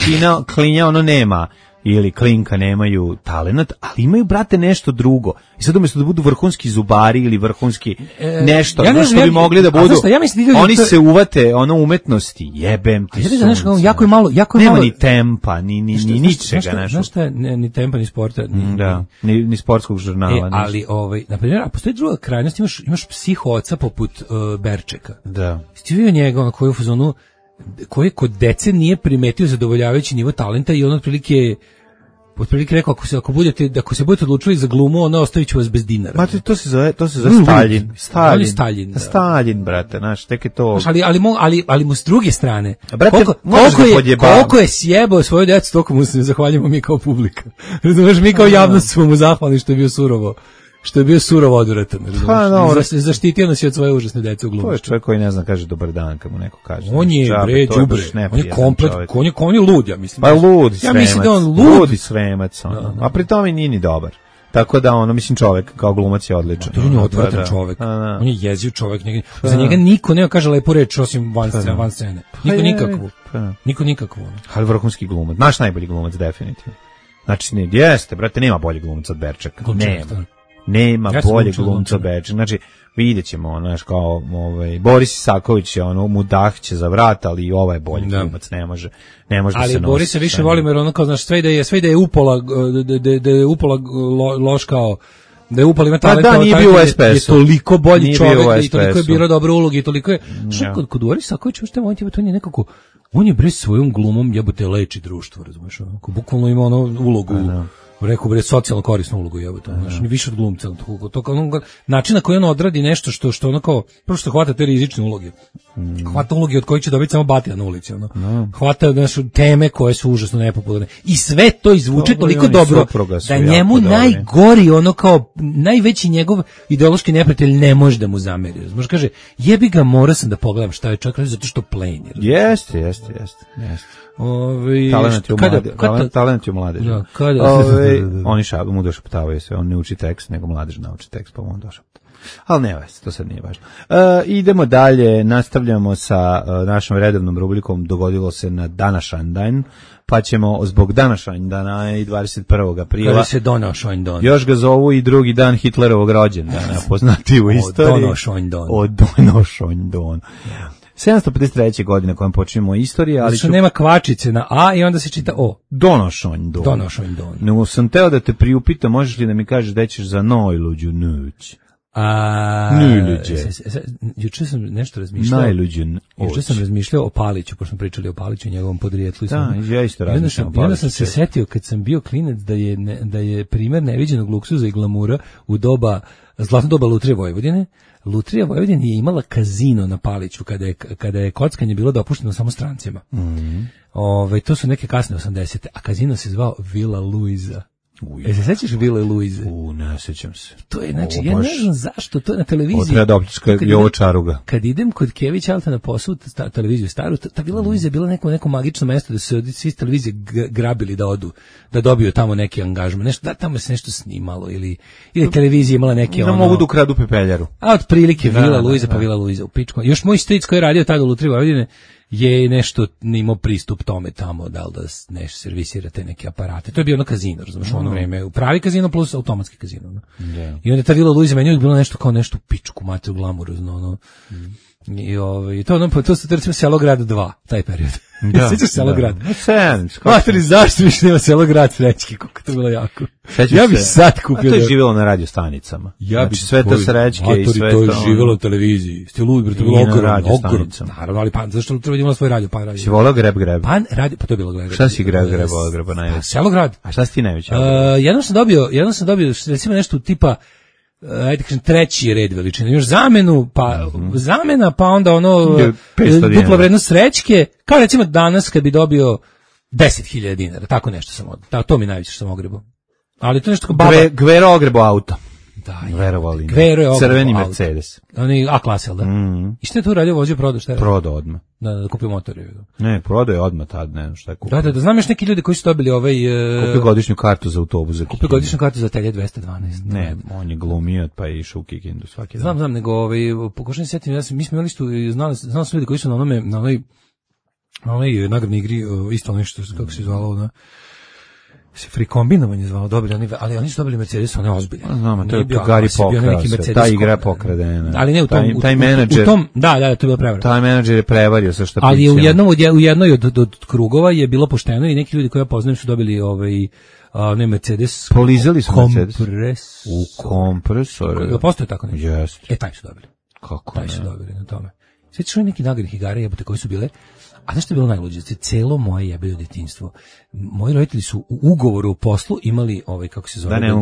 klinja nema ili klinka nemaju talenat, ali imaju, brate, nešto drugo. I sad umjesto da budu vrhunski zubari ili vrhunski nešto, što bi mogli da budu, oni se uvate umetnosti, jebem ti sunce. Jako je malo, nema ni tempa, ni ničega. Znaš šta, ni tempa, ni sporta. Ni sportskog žurnala. Ali, na primjer, a postoji druga krajnost, imaš psihoca poput Berčeka. Da. Ti vidio njega, koji u fazonu, koji kod dece nije primetio zadovoljavajući nivo talenta i on otprilike rekao, ako se budete odlučili za glumu, ostavit ću vas bez dinara. Ma to se zove Staljin. Staljin, brate, znaš, tek je to. Ali mu s druge strane, brate, koliko je sjebao svoju djecu, toliko mu se zahvaljujemo mi kao publika. Razumeš, mi kao javnost smo mu zahvalni što je bio surovo odvratan. Zaštitio nas je od svoje užasne dece u glumu. To je čovjek koji ne zna kaže dobar dan kad mu neko kaže. On je đubre, on je komplet, on je lud, ja mislim. Pa lud, ja mislim da on lud i svemac, a pri tome nije ni dobar. Tako da mislim čovjek kao glumac je odličan. On je odvratan čovjek. On je jeziv čovjek. Za njega niko nema kaže lepu reč osim van scene. Niko nikakvu. Ali vrhunski glumac. Naš najbolji glumac definitivno. Znači jeste, brate, nema bolji glumac od Berčeka. Nema bolje glumca od Berčeka. Znači, vidjet ćemo, znaš, kao Boris Isaković je mudah će za vrat, ali i ovaj je bolji glumac, ne može da se nosi. Ali Boris se više volim jer ono kao, znaš, sve da je upola loš kao, da je upala ima talent, nije bio u SPS-u. Je toliko bolji čovjek i toliko je birao dobre uloge i toliko je, što kod Boris Isaković, ušte moment je, to nije nekako, on je bre svojom glumom jebote leči društvo, razumeš, onako, bukvalno ima ulogu, rekao socijalno korisnu ulogu, jebote, znači više od glumca, način na koji on odradi nešto što ono kao, prvo što hvata te rizične uloge, hvata uloge od kojih će dobiti samo batija na ulici, hvata teme koje su užasno nepopularne i sve to izvuče toliko dobro da njemu najgori, ono kao najveći njegov ideološki neprijatelj ne može da mu zameri, može kaže, jebi ga, morao sam da pogledam šta je čak zato što plain. Jeste. Talent je mladež. Oni mu došaptavaju sve, on ne uči tekst, nego mladež nauči tekst, pa mu on došapta. Ali ne vas, to sad nije važno. Idemo dalje, nastavljamo sa našom redovnom rubrikom Dogodilo se na današanj dan, pa ćemo zbog današanj dana i 21. aprila. Kada se donošanj dan. Još ga zovu i drugi dan Hitlerovog rođendana, poznati u istoriji. O donošanj dan. 753. godine kojom počinjemo istoriju, ali nema kvačice na A i onda se čita O. Donošanj don. No, sam teo da te priupitam, možeš li da mi kažeš da ćeš za najluđu noć? Juče sam nešto razmišljao. Juče sam razmišljao o Paliću, pošto smo pričali o Paliću i njegovom podrijetlu. Da, ja isto razmišljam o Paliću. Onda sam se setio kad sam bio klinac da je primjer neviđenog luksuza i glamura u zlatno doba Lutrije Vojvodine. Lutrija Vojvodine je imala kazino na Paliću kada je kockanje bilo dopušteno samo strancima. To su neke kasne 80. A kazino se zvao Villa Luiza. Se sećaš Villa Luize? Ne sećam se. To je, znači, ja ne znam zašto, to je na televiziji. Treba da opljačka Jovo Čaruga. Kad idem kod Kević Alta na posao, televiziju staru, ta Villa Luize je bila neko magično mesto da se svi s televizije grabili da odu, da dobiju tamo neki angažman. Nešto, tamo se nešto snimalo ili televizija imala neke da mogu da ukradu pepeljaru. A otprilike Villa Luiza pa Villa Luiza u pičku. Još moj stric koji je radio tada u Lutriji Vojvodine je nešto imao pristup tome tamo, da li da nešto servisirate neke aparate. To je bio ono kazino, razumiješ, ono vreme, pravi kazino plus automatski kazino. I onda ta Villa Luiza meni je bilo nešto kao nešto pičku, mate u glamuru, I to su recimo Selograd 2, taj period. Sjećaš Selograd? Materi, zašto više nema Selograd Srećki, koliko to bilo jako. Ja bih sad kupio. A to je živjelo na radio stanicama. Znači sve to Srećke i sve to. To je živjelo na televiziji. Ste ludi, bre, to je bilo ogromno. Naravno, ali zašto Lutrija imala svoj radio? Si volao Greb? Pa to je bilo Greb. Šta si Greba najveći? Selograd. A šta si ti najveći? Jednom sam dobio recimo nešto tipa ajde kažem treći red veličine, još zamena, pa onda dupla vrednost Srećke, kao recimo danas kad bi dobio 10.000 dinara, tako nešto sam to mi najviše sam ogrebao. Ali to nešto kao baba. Gvero ogrebo auto. Da, verovali. Kvero je crveni Mercedes. Oni A klasa, da. I šta je tu radio, vozio, prodao, šta je? Prodao odmah. Da, kupio motor. Ne, prodao je odmah tad, ne znam šta je kupio. Da, znam još neki ljudi koji su dobili kupio godišnju kartu za autobus. Kupio godišnju kartu za Telje 212. Ne, on je glumio pa je išao u Kikindu svaki dan. Znam, nego pokušam se setiti, mi smo imali isto, znali su ljudi koji su na onoj nagradnoj igri, isto nešto, kako se zvalo, na se frikombinovanje zvalo, dobili, ali oni su dobili Mercedes, on je ozbiljan. Znamo, to je Gari pokrao se, ta igra pokradena. Ali ne u tom, taj menadžer, da, to je bilo prevara. Taj menadžer je prevario sa šta priča. Ali u jednoj od krugova je bilo pošteno i neki ljudi koji ja poznajem su dobili ne Mercedes. Polizali su Mercedes. U kompresor. Postoje tako nešto? Jeste. Taj su dobili. Kako taj su dobili na tome. Sjećaš li neki nagradnih igara jebote koji su bile? A znaš što je bilo najluđe? Celo moje jebeno djetinjstvo. Moji roditelji su u ugovoru o poslu imali kako se zove, ne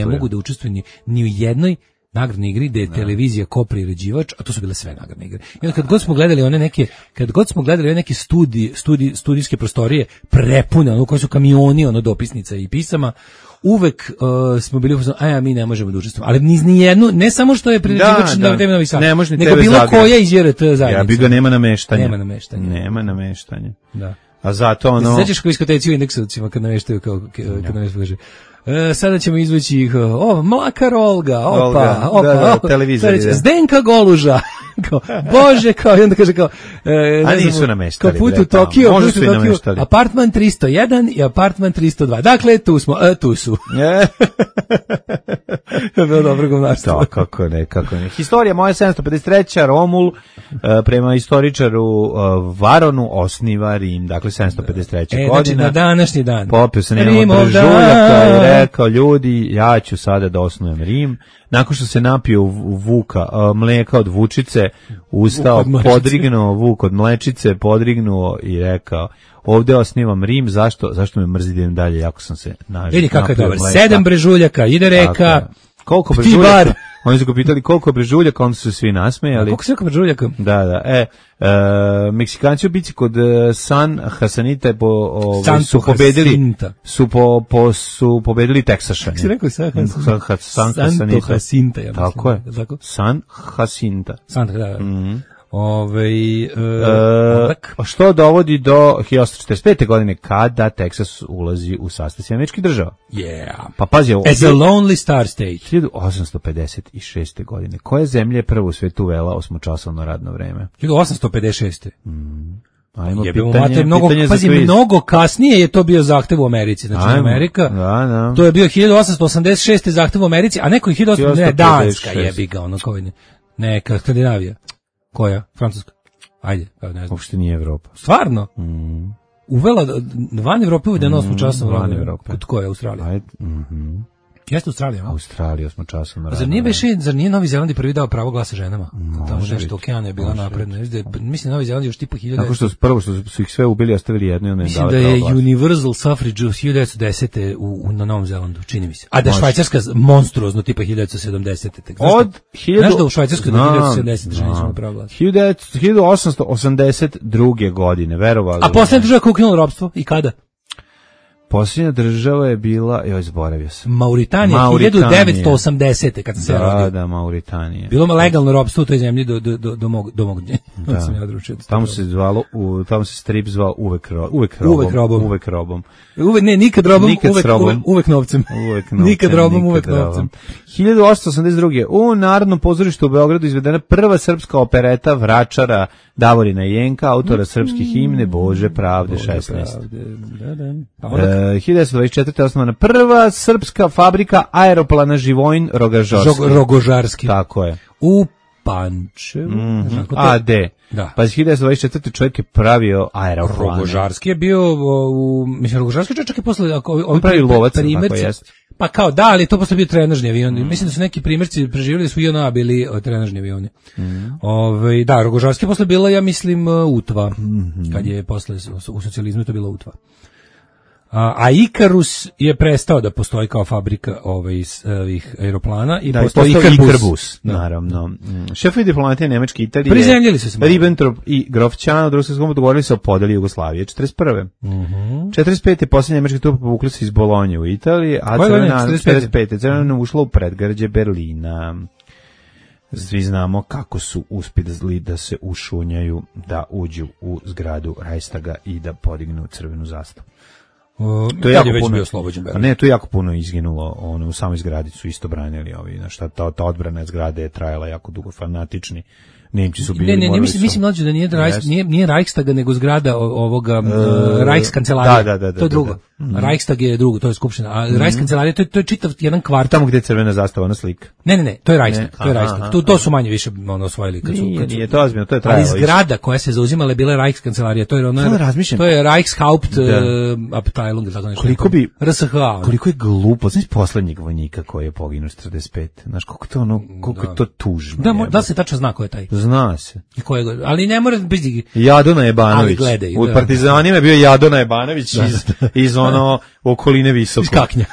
mogu da učestvuju ni u jednoj nagradnoj igri gde je televizija kopriređivač, a to su bile sve nagradne igre. I onda kad god smo gledali one neke studijske prostorije prepune, koje su kamioni dopisnica i pisama, uvek smo bili mi ne možemo da učestvujemo. Ali ni jednu, ne samo što je priređivač na TV Novi Sad, nego bilo koja iz JRT zajednica. Ja bi ga nema nameštanja. Nema nameštanja. Da. A zato se sećaš kao iskoteci u Indeksovcima kad nameštaju kad kaže sada ćemo izvući ih, Mlakar Olga, opa, televizor. Zdenka Goluža. Bože, i onda kaže a nisu nameštali. Kao put u Tokio, apartman 301 i apartman 302. Dakle, tu smo, tu su. Bilo dobro govnarstvo. Kako ne. Historija moja 753. Romul prema istoričaru Varonu osniva Rim. Dakle, 753. godine. Znači, na današnji dan. Popio se nema Brežuljaka i rekao, ljudi, ja ću sada da osnujem Rim. Nakon što se napio mleka od vučice, ustao, podrignuo vuk od mlečice, podrignuo i rekao, ovdje osnivam Rim, zašto me mrzi da idem dalje, jako sam se nažio. Vidi kako je dobar, 7 brežuljaka, ide reka, koliko brežuljaka, oni su ga pitali koliko brežuljaka, onda su se svi nasmejali. Koliko se brežuljaka? Da, Meksikanci u bici kod San Jacinta su pobedili Teksašane. Kako si rekao San Jacinta? Tako je. San Jacinta. Da. Što dovodi do 1845. godine kada Teksas ulazi u sastav Američkih država. Pa pazi ovo. As a lonely star state. 1856. godine. Koja zemlja je prvo u svetu uvela 8-časovno radno vreme? 1856. Ajmo mnogo kasnije je to bio zahtev u Americi, znači Amerika. Da. To je bio 1886. zahtev u Americi, a neko je 1856. Danska jebi ga neka Skandinavija. Koja? Francuska. Ajde, ne znam. Uopšte nije Evropa. Stvarno? Uvela van Evrope uvedeno 8-časovno radno vreme. Kod koje? Australija? Ajde. Jeste Australija? Australija 8-časovno radno vreme. Zar nije Novi Zeland prvi dao pravo glasa ženama? Tamo nešto okeana je bila napredna. Mislim Novi Zeland još tipa 1000. Tako što prvo što su ih sve ubili, ostavili jedno i onda im dali pravo glasa. Mislim da je Universal Suffrage 1910. na Novom Zelandu, čini mi se. A da je Švajcarska monstruozno tipa 1970. Znaš da u Švajcarskoj do 1970. žene su pravo glasa? 1882. godine, verovali. A posljednja država koja ukinula ropstvo i kada? Posljednja država je bila, zaboravio sam. Mauritanija, 1980. kad sam se rodio. Da, Mauritanija. Bilo legalno ropstvo u toj zemlji do mog dnje. Tamo se strip zvao uvek robom. Nikad robom, uvek novcem. Nikad robom, uvek novcem. 1882. u Narodnom pozorištu u Beogradu izvedena prva srpska opereta Vračara Davorina Jenka, autora srpske himne Bože pravde 16. 1924. osnovana prva srpska fabrika aeroplana Živojin Rogožarski. Tako je. U Pančevu. AD. Da. Pa 1924. čovjek je pravio aeroplane. Rogožarski je bio, Rogožarski čovjek je posle... On pravi lovac, tako jest. Pa kao da, ali to posle bio trenažni avion. Mislim da su neki primjerci preživjeli da su JNA bili trenažni avioni. Da, Rogožarski posle bila, ja mislim, Utva. Kad je posle u socijalizmu to bila Utva. A Ikarus je prestao da postoji kao fabrika ovih aeroplana i postoji Ikarbus. Naravno. Šefovi diplomatije Nemačke i Italije, prizemljili su se. Ribbentrop i Grofčan u drugom svjetskom dogovorili se o podeli Jugoslavije 41. 45. posljednje nemačke trupe povukli se iz Bolonje u Italiji, a 45. Crvena ušla u predgrađe Berlina. Svi znamo kako su uspjeli da se ušunjaju, da uđu u zgradu Reichstaga i da podignu crvenu zastavu. To je jako puno bio oslobođen. Ne, to je jako puno izginulo, u samoj zgradi su isto branili ta odbrana zgrade je trajala jako dugo, fanatični Nemci su bili. Ne, mislim mlađe da nije Reichstaga nego zgrada ovoga Reichskancelarije. Da. To je drugo. Reichstag je drugo, to je skupština. A Reichskancelarija to je čitav jedan kvart. Tamo gdje je crvena zastava, ona slika. Ne, to je Reichstag. To su manje više osvojili kad su. Nije to ozbiljno, to je trajalo. Ali zgrada koja se zauzimala je bila Reichskancelarija, to je Reichshauptabteilung, tako nešto. Koliko je glupo, znaš poslednjeg vojnika koji je poginuo 45. Znaš koliko je to tužno. Da se tačno zna ko je taj. Zna se. Ali ne mora biti Jadona Jebanović. U Partizanima je bio Jadona Jebanović iz okoline Visoko. Iz Kaknja.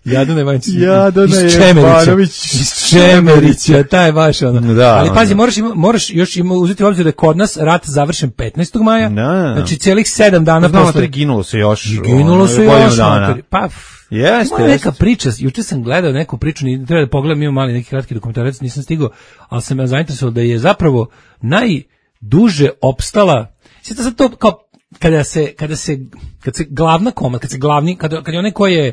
Jadona Jebanović. Iz Čemerića, taj baš ono. Da, ali pazi, moraš još uzeti u obzir da je kod nas rat završen 15. maja, znači cijelih 7 dana posle. Ginulo se još. Pa, ima neka priča, juče sam gledao neku priču, treba da pogledam, imam mali neki kratki dokumentarac, nisam stigao, ali sam me zainteresovao da je zapravo najduže opstala, sjeta sad to kao, kad se glavna komanda, kad je onaj koji je,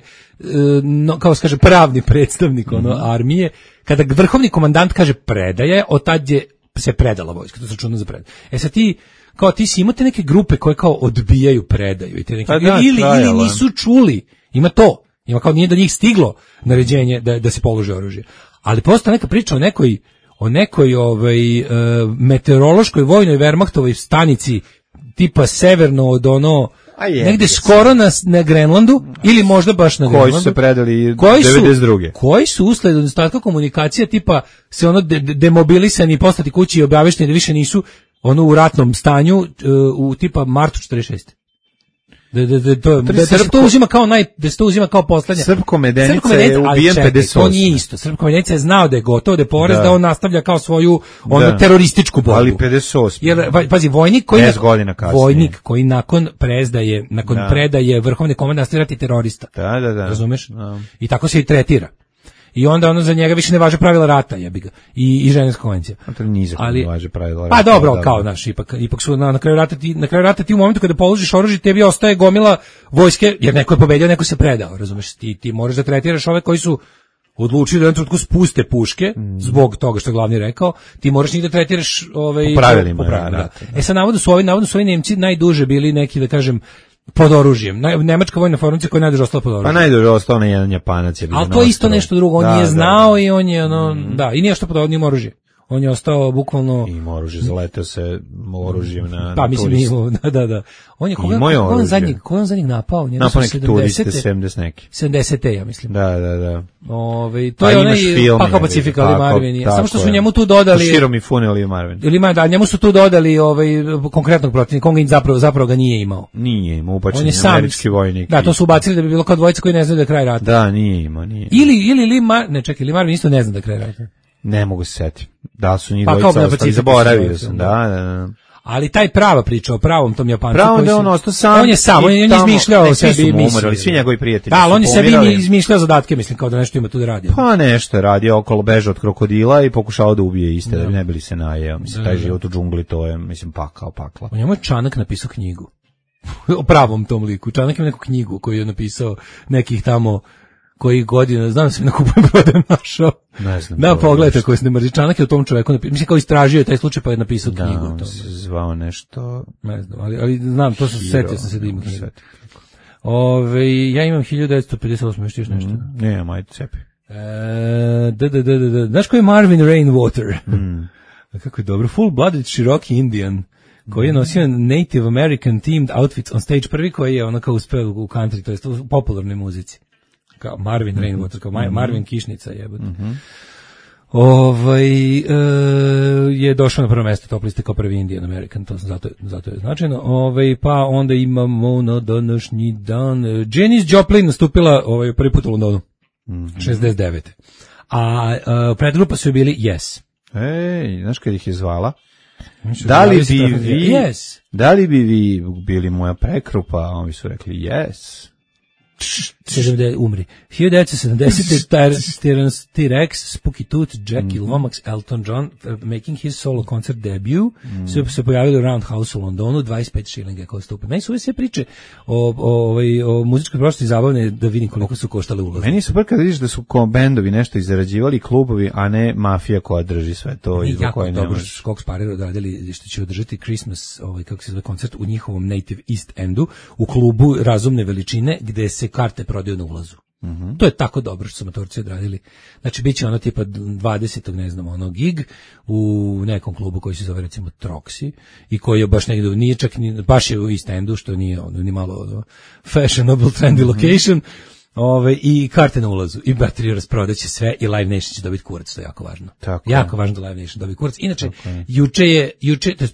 kao se kaže, pravni predstavnik armije, kada vrhovni komandant kaže predaje, od tad je se predala vojska, to se računa za predaju. Sad ti si imate neke grupe koje kao odbijaju predaju i te neke, ili nisu čuli, ima kao nije do njih stiglo naređenje da se polože oružje. Ali postoji neka priča o nekoj meteorološkoj vojnoj Wehrmachtovoj stanici tipa severno od negde skoro na Grenlandu ili možda baš na Grenlandu. Koji su se predali 92. Koji su usled nedostatka komunikacija tipa se demobilisani, poslati kući i objavešteni da više nisu u ratnom stanju u tipa martu 46. Da se to uzima kao poslednja. Srpko Medenica je ubijen 58. To nije isto. Srpko Medenica je znao da je gotovo, da je porez, da on nastavlja kao svoju terorističku borbu. Ali 58. Jer, pazi, vojnik koji nakon predaje vrhovne komande nastavljati terorista. Da. Razumeš? I tako se i tretira. I onda za njega više ne važe pravila rata, jebi ga. I Ženevska konvencija. Ali važe pravila rata. Pa dobro, kao ipak su na kraju rata ti u momentu kada položiš oružje, tebi ostaje gomila vojske, jer neko je pobedio, neko se predao, razumeš? Ti moraš da tretiraš ove koji su odlučili da u jednom trenutku spuste puške, zbog toga što je glavni rekao, ti moraš njih da tretiraš po pravilima. Da. Sad navodno su ovi Nemci najduže bili neki, da kažem, pod oružjem. Nemačka vojna formacija koja je najduže ostala pod oružjem. Pa najduže ostao na jedan Japanac. Ali to je isto nešto drugo. On nije znao i on je i nije što pod oružjem, oružje. On je ostao bukvalno... Ima oružje, zaleteo se oružjem na pa, mislim, da. On je koga zadnjeg napao? Napao neki turiste, 70 neki. 70. ja mislim. Da. To je onaj Pakao Pacifika ili Marvin. Samo što su njemu tu dodali... Širom i Fune ili Marvin. Da, njemu su tu dodali konkretnog protivnika. On zapravo ga nije imao. Nije imao, ubačen je američki vojnik. Da, to su ubacili da bi bilo kao dvojica koji ne znaju da je kraj rata. Da, nije imao. Ili Marvin isto ne zna da je kraj rata. Ne mogu se setiti. Da su njih dvojica ostali, zaboravio sam, da. Ali taj prava priča o pravom tom Japancu. Pravom da on ostao sam. On je izmišljao o sebi misli. Svi njegovi prijatelji. Da, ali on je sebi izmišljao zadatke, mislim, kao da nešto ima tu da radi. Pa nešto je radio, okolo beže od krokodila i pokušao da ubije iste, da bi ne bili se najeo. Mislim, taj život u džungli, to je, mislim, pakla. On je Čanak napisao knjigu. O pravom tom liku. Čanak ima neku knjigu koju je napisao nekih tamo koji godina, znam se na kupujem prodajem našao. Ne znam. Da, pogledajte koji se ne mrzi. Čanak je o tom čoveku napisao. Mislim, kao istražio taj slučaj pa je napisao knjigu. Da, on se zvao nešto... Ne znam, ali znam, to setio sam se da ima knjigu. Ja imam 1958, još nešto. Ne, majte cepi. Znaš ko je Marvin Rainwater? Kako je dobro. Full-blooded Cherokee Indian koji je nosio Native American themed outfits on stage. Prvi koji je kao uspeo u country, to jest u popularnoj muzici. Kao Marvin Rainwater, kao Marvin Kišnica jebote. je došao na prvo mesto top liste kao prvi Indian American, to zato je značajno. Pa onda imamo na današnji dan Janis Joplin nastupila prvi put u Londonu, 69. A predgrupa su bili Yes. Ej, znaš kad ih je zvala? Da li bi vi bili moja prekrupa? Oni su rekli yes. Umri. 1970. Terence T-Rex, Spooky Tooth, Jackie Lomax, Elton John, making his solo concert debut, su se pojavili u Roundhouse u Londonu, 25 šilinga kao stupe. Meni su ove sve priče o muzičkoj prošlosti zabavne da vidim koliko su koštale ulaze. Meni je super kad vidiš da su bendovi nešto izrađivali, klubovi, a ne mafija koja drži sve to. I jako dobro Skok Sparer odradili što će održati Christmas, kako se zove koncert, u njihovom Native East Endu, u klubu razumne veličine, gde se karte prodaju na ulazu. To je tako dobro što su motorci odradili. Znači, bit će ono tipa 20. ne znam, gig u nekom klubu koji se zove recimo Troxy i koji je baš negdje, nije čak, baš je u East Endu, što nije ni malo fashionable, trendy location, i karte na ulazu, i bateriju rasprodaće sve, i Live Nation će dobiti kurac, to je jako važno. Jako važno da Live Nation dobiti kurac. Inače,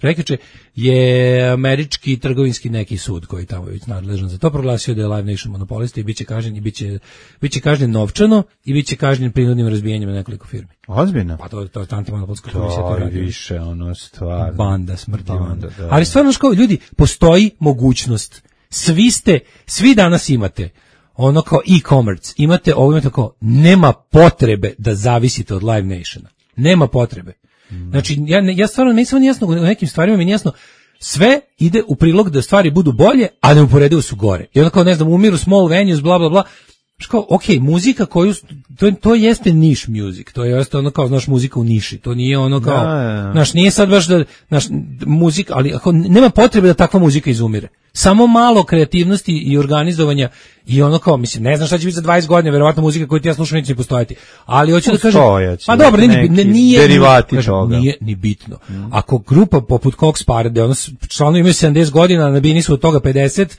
prekjuče je američki trgovinski neki sud koji tamo je nadležan za to proglasio da je Live Nation monopolista i biće kažnjen i biće kažnjen novčano i biće kažnjen prinudnim razbijanjem nekoliko firmi. Ozbiljno? Pa to je antimonopolska komisija. To je više stvarno. Banda smrti. Ali stvarno ljudi, postoji mogućnost. Svi danas imate kao e-commerce, imate kao, nema potrebe da zavisite od Live Nationa. Nema potrebe. Znači, ja stvarno, meni samo jasno, u nekim stvarima mi jasno, sve ide u prilog da stvari budu bolje, a neuporedivo su gore. I onda kao, ne znam, umiru small venues, bla, bla, bla. Kao, muzika koju, to jeste niš music, to je kao, znaš, muzika u niši, to nije kao, znaš, nije sad baš da, znaš, muzika, ali ako nema potrebe da takva muzika izumire. Samo malo kreativnosti i organizovanja i kao, mislim, ne znam šta će biti za 20 godina, verovatno muzika koju ti ja slušam neće postojati, ali hoću da kažem, pa dobro, nije derivati toga. Nije ni bitno. Ako grupa poput Cox Parade, članovi imaju 70 godina, nabijeni su od toga 50,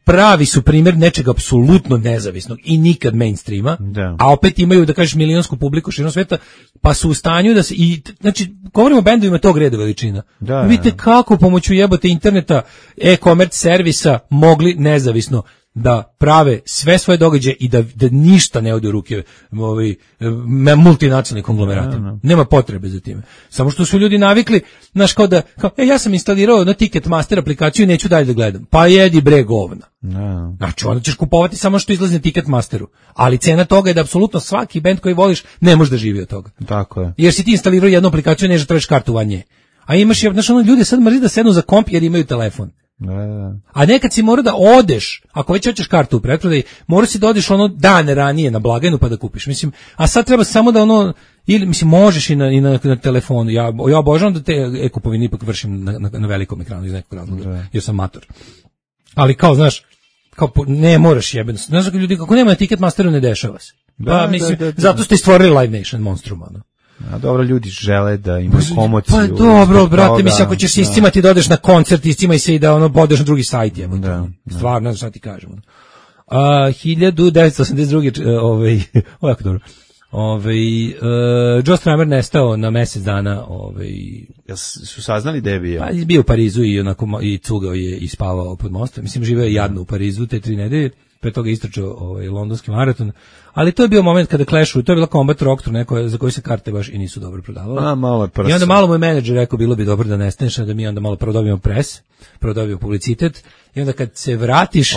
pravi su primjer nečega apsolutno nezavisnog i nikad mainstreama, a opet imaju, da kažeš, milionsku publiku širom sveta, pa su u stanju da se, znači, govorimo o bendovima tog reda veličina. Vidite kako pomoću jebote interneta, e-commerce servisa mogli nezavisno da prave sve svoje događaje i da ništa ne ode u ruke multinacionalnih konglomeratima. Nema potrebe za time. Samo što su ljudi navikli, znaš, kao ja sam instalirao na Ticketmaster aplikaciju i neću dalje da gledam. Pa jedi bre govna. Znači, onda ćeš kupovati samo što izlazi na Ticketmasteru. Ali cena toga je da apsolutno svaki bend koji voliš ne može da živi od toga. Tako je. Jer si ti instalirao jednu aplikaciju, neće tražiš kartu van nje. A imaš, znaš, ljudi sad mrzi da sednu za komp jer imaju telefon. A nekad si mora da odeš, ako već hoćeš kartu u pretprodaji, mora si da odeš dan ranije na blagajnu pa da kupiš. Mislim, a sad treba samo da ili mislim možeš i na telefonu. Ja obožavam da te e-kupovine ipak vršim na velikom ekranu iz nekog razloga, jer sam mator. Ali kao, znaš, kao ne moraš jebeno. Znaš, ljudi kako nema na Ticketmasteru ne dešava se. Pa mislim, zato ste stvorili Live Nation monstruma, A dobro, ljudi žele da imaju komociju. Pa dobro, brate, mislim, ako ćeš iscimati da odeš na koncert, iscimaj se i da odeš na drugi sajt, stvarno, ne znam šta ti kažem. 1982. Ovako dobro. Joe Strummer nestao na mjesec dana. Su saznali da je bio? Pa, bio u Parizu i cugao je i spavao pod mostom. Mislim, živeo je jadno u Parizu te 3 nedelje. Pre toga istračao londonski maraton, ali to je bio moment kada Clashu, to je bila Combat Rock tour, za koji se karte baš i nisu dobro prodavale. I onda malo moj menadžer rekao, bilo bi dobro da nestaneš, da mi onda malo prodobijemo pres, prodobijemo publicitet, i onda kad se vratiš,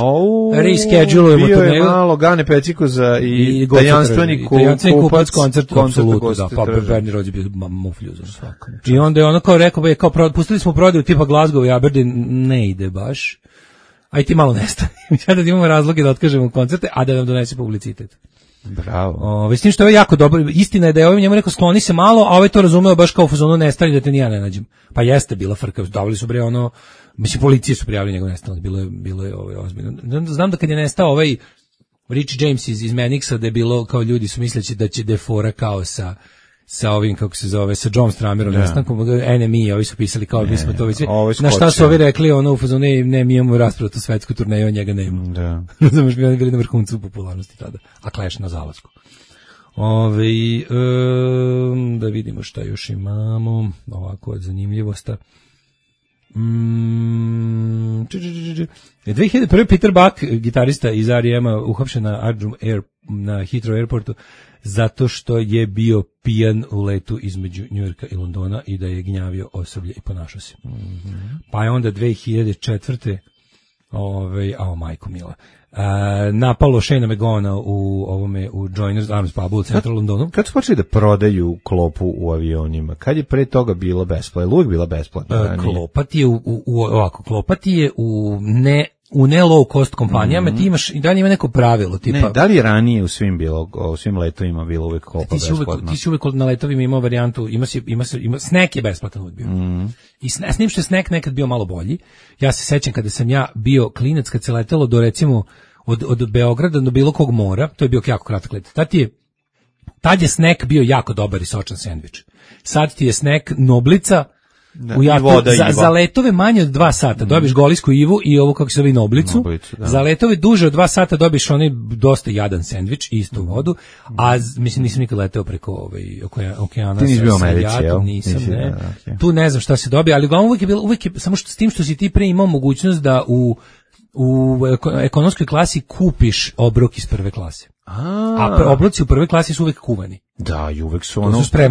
reschedulujemo turneju. Bio je malo Gane Pecikoza i tajanstveni kupac koncert, apsolutno, da, pa Bernie Rhodes je bio mufljuzom svako. I onda je ono kao rekao, pustili smo prodaju tipa Glasgow i Aberdeen, ne ide baš. Aj ti malo nestane. Sada imamo razloge da otkažemo koncerte, a da nam donese publicitet. Bravo. S tim što je jako dobro. Istina je da je ovaj njemu rekao skloni se malo, a ovaj to razumeo baš kao u fazonu nestali da te ni ja ne nađem. Pa jeste bila frka, davali su bre mislim policije su prijavili njegov nestanak, bilo je ozbiljno. Znam da kad je nestao ovaj Rich James iz Manixa, da je bilo kao ljudi su misleći da će defora kao sa ovim, kako se zove, sa John Stramerom, nestankom, NME, ovi su pisali kao mi smo to već, na šta su ovi rekli, u fazonu, ne, mi imamo raspravu tu svetsku turneju, njega nema. Da. Znaš, mi oni bili na vrhuncu popularnosti tada, a Clash na zalasku. Da vidimo šta još imamo, ovako od zanimljivosta. 2001. Peter Buck, gitarista iz R.E.M.-a, uhapšen na Heathrow Airportu zato što je bio pijan u letu između Njujorka i Londona i da je gnjavio osoblje i ponašao se. Pa je onda 2004. Majko mila, napalo Shane McGowana u Joiners Arms pubu u centru Londonu. Kad su počeli da prodaju klopu u avionima? Kad je pre toga bilo besplatno? Uvijek bila besplatna? Klopa ti je u ne low cost kompanijama, ti imaš i dalje ima neko pravilo tipa. Ne, da li je ranije u svim letovima bilo uvek klopa besplatna? Ti si uvek na letovima imao varijantu, ima snack je besplatan uvek bio. I s njim što je snack nekad bio malo bolji. Ja se sećam kada sam ja bio klinac, kad se letelo do recimo od Beograda do bilo kog mora, to je bio jako kratak let. Tad je snack bio jako dobar i sočan sendvič. Sad ti je snack Noblica, za letove manje od 2 sata dobiš golijsku ivu i ovo kako se zove Noblicu. Za letove duže od 2 sata dobiš onaj dosta jadan sendvič i istu vodu, a mislim nisam nikad leteo preko okeana. Ti nisi bio u Americi, jel? Nisam, ne. Tu ne znam šta se dobije, ali uglavnom uvijek je samo s tim što si ti pre imao mogućnost da u ekonomskoj klasi kupiš obrok iz prve klase. A obroci u prvoj klasi su uvek kuvani. Da, i uvek su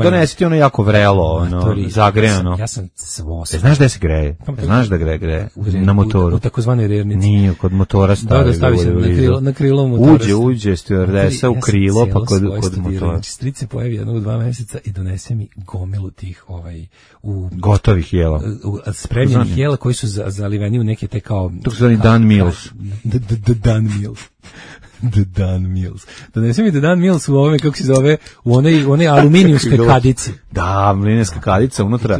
donesiti ono jako vrelo, zagrejano. Ja sam svo. Znaš gde se greje? Znaš da greje? Na motoru. U takozvanoj rernici. Nije, kod motora stavi. Da, stavi se na krilo motora. Uđe stewardesa u krilo, pa kod motora. Stric se pojavi jednog u 2 meseca i donese mi gomilu tih gotovih jela. Spremljenih jela koji su zaliveni u neke te kao... To su zvani Dan Meals. Dan Meals. The Dan Mills. Donesi mi The Dan Mills u ovome, kako se zove, u onoj aluminijumskoj kadici. Da, aluminijumska kadica, unutra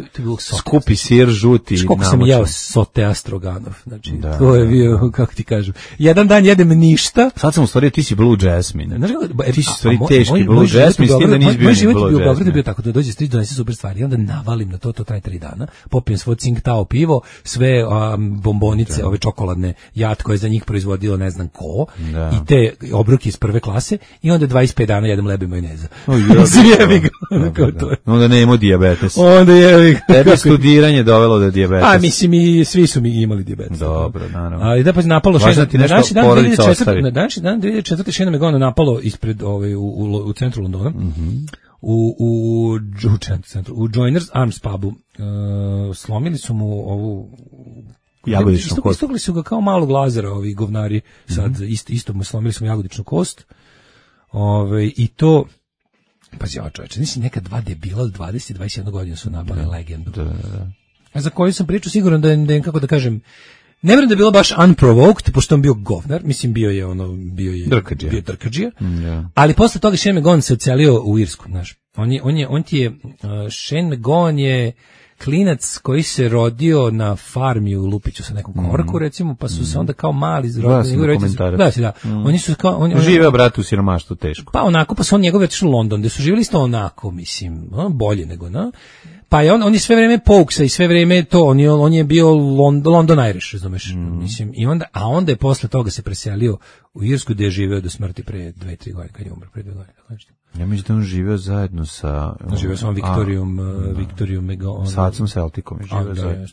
skupi sir žuti. Koliko sam jeo sotea stroganov. Znači, to je bio, kako ti kažu, jedan dan jedem ništa. Sad sam u stvari, ti si Blue Jasmine. Ti si stvari teški Blue Jasmine, s tim da nisi bio Blue Jasmine. Moj život je bio u Beogradu bio tako da dođe stric, donesi super stvari, i onda navalim na to traje 3 dana, popijem svoj Tsingtao pivo, sve bombonice, ove čokoladne jat koje za njih proizvodilo ne znam ko, i te obroke iz prve klase i onda 25 dana jedem lebe majoneza. Jebi ga. Onda nema dijabetes. Onda jebi ga. Tebi studiranje dovelo do dijabetesa. A mislim i svi su mi imali dijabetes. Dobro, naravno. Ali da pa napalo Shane. Na današnji dan 2004. Shane McGowan napalo ispred u centru Londona. U Joiners Arms pubu. Slomili su mu ovu jagodičnu kost. Istugli su ga kao malog Lazara, ovi govnari, sad isto mu slomili smo jagodičnu kost. I to, pazi, čoveče, nisi neka 2 debila od 20-21 godina su napali legendu. Da. Za koju sam pričao siguran da je, kako da kažem, ne vjerujem da je bilo baš unprovoked, pošto on bio govnar, mislim bio je drkadžija, ali posle toga Shane McGowan se ocelio u Irsku, znaš. Shane McGowan je klinac koji se rodio na farmi u Lupiću sa nekom korku, recimo, pa su se onda kao mali rodili. Oni su kao... Živeo, brat, u siromaštvu teško. Pa onako, pa su on njegove otišli u London, gde su živjeli isto onako, mislim, bolje nego, Pa je on je sve vreme Pouksa i sve vreme to, on je bio London Irish, razumeš, mislim, i onda je posle toga se preselio u Irsku, gde je živeo do smrti pre 2-3 godine, kad je umro pre 2 godine, tako nešto. Ja mislim da on živeo zajedno sa... Živeo sam Viktorijom Megon. Sa Acom Celticom je živeo zajedno.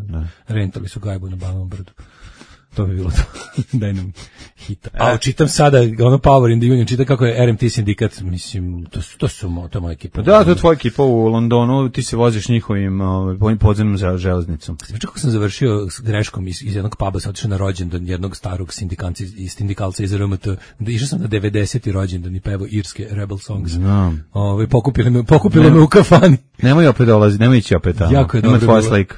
Da. Rentali su gajbu na Banovom brdu. To bi bilo to. Daj nam hita. A čitam sada, Power in the Union, čitam kako je RMT sindikat, mislim, to je moja ekipa. Da, to je tvoja ekipa u Londonu, ti se voziš njihovim podzemnom železnicom. Znači, kako sam završio s greškom iz jednog puba, sam otišao na rođendan jednog starog sindikalca iz RMT, išao sam na 90. rođendan i pevao irske Rebel Songs. Pokupilo me u kafani. Nemoj opet dolazi, nemoj ići opet tamo.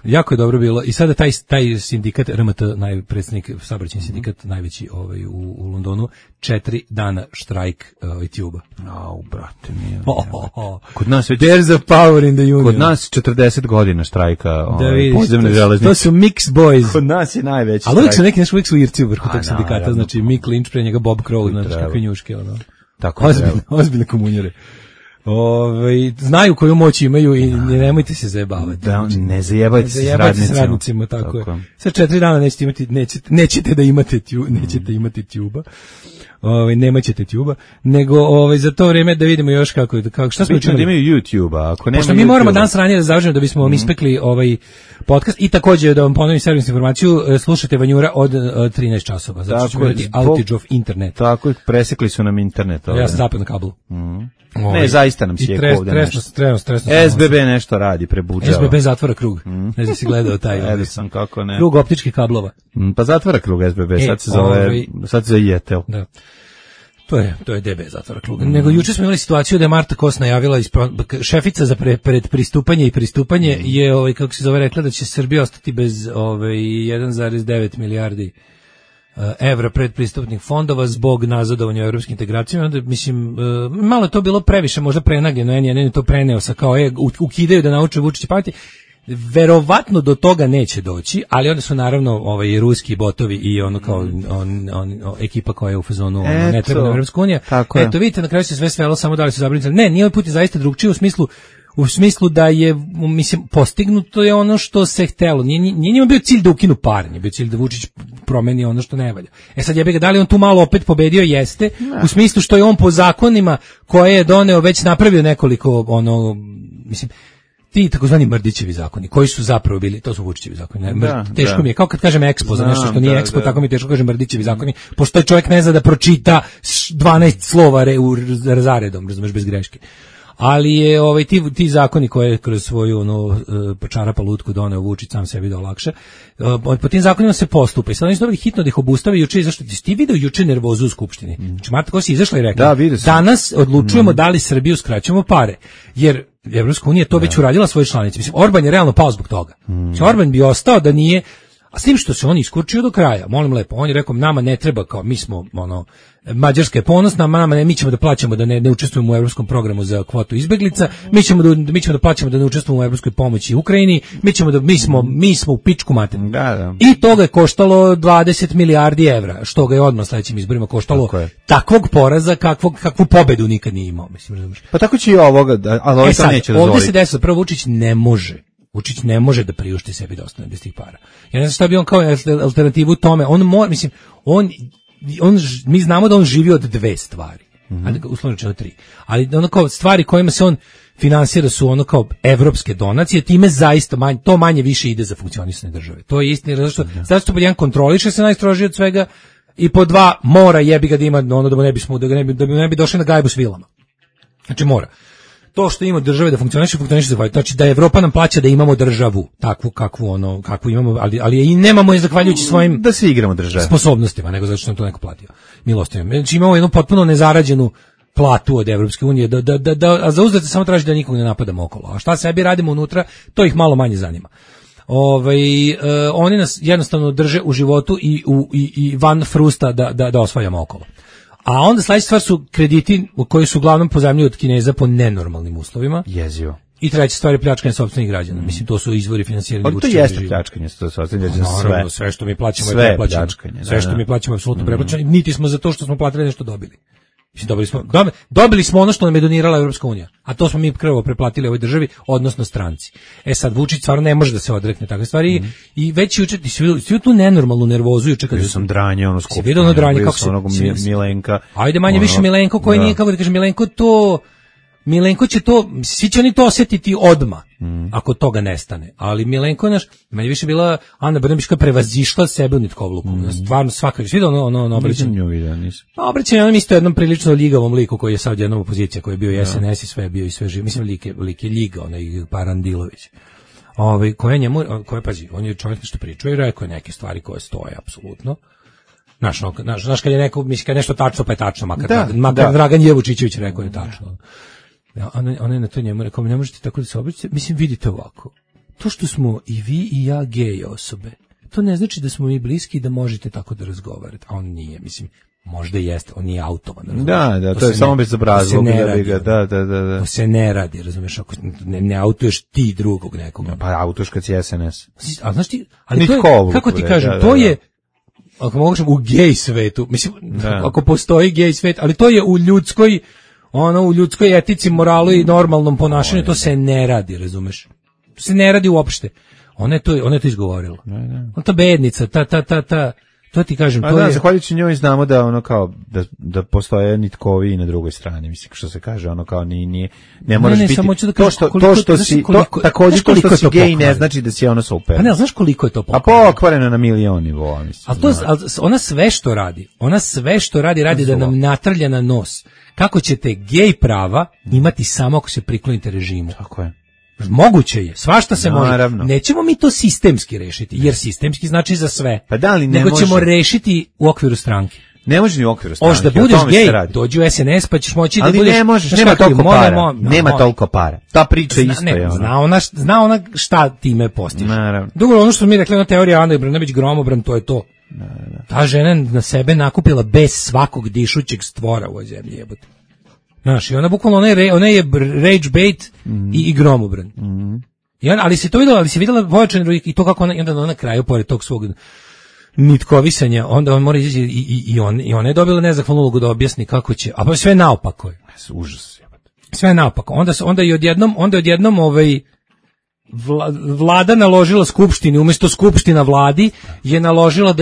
Jako je dobro bilo. I sada taj sindikat RMT, predsjednik saobraćajni sindikat, najveći u Londonu, 4 dana štrajk Tuba. Brate mi. Kod nas već there's a power in the union. Kod nas 40 godina štrajka podzemne železnice. To su mix boys. Kod nas je najveći štrajk. Ali uvijek su Irci u vrhu tog sindikata, znači Mick Lynch, pre njega Bob Crowley, znači kakve njuške. Ozbiljne komunjare. Znaju koju moć imaju i nemojte se zajebavati. Da, ne zajebajte se s radnicima. Tako je. Sad 4 dana nećete imati Tuba. nema ćete tjuba, nego za to vreme da vidimo još kako šta smo učinili. Da imaju YouTube-a, ako nema pošto mi moramo danas ranije da završimo da bismo vam ispekli podcast i takođe da vam ponovim servis informaciju, slušajte Vanjura od 13 časova, zato što ćemo imati outage of internet. Tako je, presekli su nam internet. Ja sam zapeo na kablu. Ne, zaista nam sjeko ovde nešto. Stresno. SBB nešto radi, prebuđava. SBB zatvara krug. Ne znam si gledao taj. Gledao sam, kako ne. Krug optičkih kablova. Pa zatvara krug SBB, sad se zove Jetel. Da. To je DB zatvara krug. Nego juče smo imali situaciju da je Marta Kos najavila, šefica za pred pristupanje je, kako se zove, rekla da će Srbija ostati bez 1,9 milijardi evra predpristupnih fondova zbog nazadovanja u evropskim integracijama. Onda, mislim, malo je to bilo previše, možda prenagljeno, N1 je to preneo sa kao, ukidaju da nauče Vučić pameti. Verovatno do toga neće doći, ali onda su naravno ruski botovi i ono kao ekipa koja je u fazonu ne treba nam Evropska unija. Eto, vidite, na kraju se sve svelo samo da li su zabrinuti. Ne, nije ovaj put je zaista drugčije u smislu da je, mislim, postignuto je ono što se htelo. Nije njima bio cilj da ukinu pare, nije bio cilj da Vučić promeni ono što ne valja. Sad jebi ga, da li on tu malo opet pobedio? Jeste, u smislu što je on po zakonima koje je doneo već napravio nekoliko, mislim, ti takozvani Mrdićevi zakoni, koji su zapravo bili, to su Vučićevi zakoni. Teško mi je, kao kad kažem Expo za nešto što nije Expo, tako mi je teško kažem Mrdićevi zakoni, pošto taj čovjek ne zna da pročita 12 slova zaredom, razumeš, bez greške. Ali je ti zakoni koje je kroz svoju čarapa lutku doneo Vučić sam sebi da olakša, po tim zakonima se postupa. I sad oni su dobili hitno da ih obustave juče, zašto ti video juče nervozu u Skupštini. Znači Marta Kos je izašla i rekla, danas odlučujemo da li Srbiju skraćujemo pare, jer Evropska unija to već uradila svoje članice. Mislim, Orban je realno pao zbog toga. Orban bi ostao da nije, a s tim što se on iskurčio do kraja, molim lepo, on je rekao, nama ne treba, kao mi smo, Mađarska je ponosna, mi ćemo da plaćamo da ne učestvujemo u evropskom programu za kvotu izbeglica, mi ćemo da plaćamo da ne učestvujemo u evropskoj pomoći Ukrajini, mi smo u pičku materinu. Da. I toga je koštalo 20 milijardi evra, što ga je odmah sledećim izborima koštalo takvog poraza kakvu pobedu nikad nije imao, mislim, razumiješ. Pa tako će i ovoga, ali ovo sad neće dozvoliti. Ovdje se desilo, prvo Vučić ne može da priušti sebi da ostane bez tih para. Ja ne znam šta bi on kao alternativu tome, mi znamo da on živi od dve stvari, uslovno rečeno 3, ali kao stvari kojima se on finansira su kao evropske donacije, time zaista to manje više ide za funkcionisanje države. To je istina, zato što pod jedan kontroliše se najstrožije od svega i pod dva mora jebi ga da ima da ne bi došli na gajbu s vilama. Znači mora. To što ima države da funkcioniše zahvaljujući, znači da Evropa nam plaća da imamo državu takvu kakvu imamo, ali je i nemamo je zahvaljujući svojim da se igramo države sposobnostima, nego zato što nam to neko platio milostivno. Znači imamo jednu potpuno nezarađenu platu od Evropske unije, a za uzvrat samo traži da nikog ne napadamo okolo. A šta sebi radimo unutra, to ih malo manje zanima. Oni nas jednostavno drže u životu i van frusta da osvajamo okolo. A onda sledeća stvar su krediti koji su uglavnom pozajmljeni od Kineza po nenormalnim uslovima. Jezivo. I treća stvar je pljačkanje sopstvenih građana. Mislim, to su izvori finansiranja Vučića. To jeste pljačkanje sopstvenih građana, sve što mi plaćamo je preplaćeno. Sve što mi plaćamo je apsolutno preplaćeno. Niti smo za to što smo platili nešto dobili. Mislim, dobili smo ono što nam je donirala Evropska unija, a to smo mi krvo preplatili ovoj državi, odnosno stranci. Sad Vučić stvarno ne može da se odrekne takve stvari i već juče svi tu nenormalnu nervozu juče kad sam dranje skupštine. Vidio ono dranje kako se Milenka. Ajde manje više Milenko koji nije, kako da kažem, Milenko će to, svi će oni to osjetiti odmah, ako toga nestane. Ali Milenko je manje više bila Ana Brnabić koja prevazišla sebe u nitkovluku. Stvarno svaka, svi ono obraćanje. Obraćanje onom isto jednom prilično ljigavom liku koji je sad jednom opozicija, koji je bio i SNS i sve bio i sve živ. Mislim, lik je ljiga, onaj Parandilović. Pazi, on je čovjek nešto pričao i rekao je neke stvari koje stoje apsolutno. Znaš, kad je neko, mislim, kad je nešto tačno, pa je tačno, makar Dragan Jevučićević rekao je tačno. Ona je na to njemu rekao, ne možete tako da se obraćate. Mislim, vidite ovako, to što smo i vi i ja gej osobe, to ne znači da smo mi bliski i da možete tako da razgovarate. A on nije, mislim, možda jeste, on nije automan. Da, to je samo bez obrazloga. Da. To se ne radi, razumiješ, ako ne autuješ ti drugog nekoga. Pa autuješ kad si SNS. A znaš ti, ali to je, kako ti kažem, to je, ako mogu u gej svetu, mislim, ako postoji gej svet, ali to je u ljudskoj etici, moralu i normalnom ponašanju, to se ne radi, razumeš? To se ne radi uopšte. Ona je to izgovorila. On ta bednica, To ti kažem, to je... Zahvaljujući njoj znamo da ono kao, da postoje nitkovi na drugoj strani, mislim, što se kaže, ono kao ne moraš biti... Samo ću da kažem, također to što si gej ne znači da si ono super. Pa ne, znaš koliko je to pokvareno? A pokvareno na milion nivoa, mislim. Ali ona sve što radi, radi da nam natrlja na nos. Kako ćete gej prava imati samo ako se priklonite režimu? Tako je. Moguće je, svašta se Naravno. može. Nećemo mi to sistemski rešiti, jer sistemski znači za sve. Pa da li ne nego može? Ćemo rešiti u okviru stranke. Ne može ni u okviru stranke. Hoćeš da budeš gej, dođi u SNS pa ćeš moći ali da budeš... Ali ne možeš, nema toliko para. Nema toliko para. Ta priča isto je ono. Zna ona šta time postiže. Naravno. Drugo, ono što mi rekli, ona teorija Ane Brnabić gromobran, to je to. Ta žena na sebe nakupila bez svakog dišućeg stvora u ovoj zemlji, jebote. Znaš, i ona bukvalno, ona je rage bait i gromobran. Ali se to vidjela, ali se vidjela pojačan i to kako ona na kraju, pored tog svog nitkovisanja, onda on mora izaći i ona je dobila nezahvalnu ulogu da objasni kako će, a pa sve naopako je. Užas. Sve naopako. Onda je odjednom vlada naložila skupštini, umjesto skupština vladi je naložila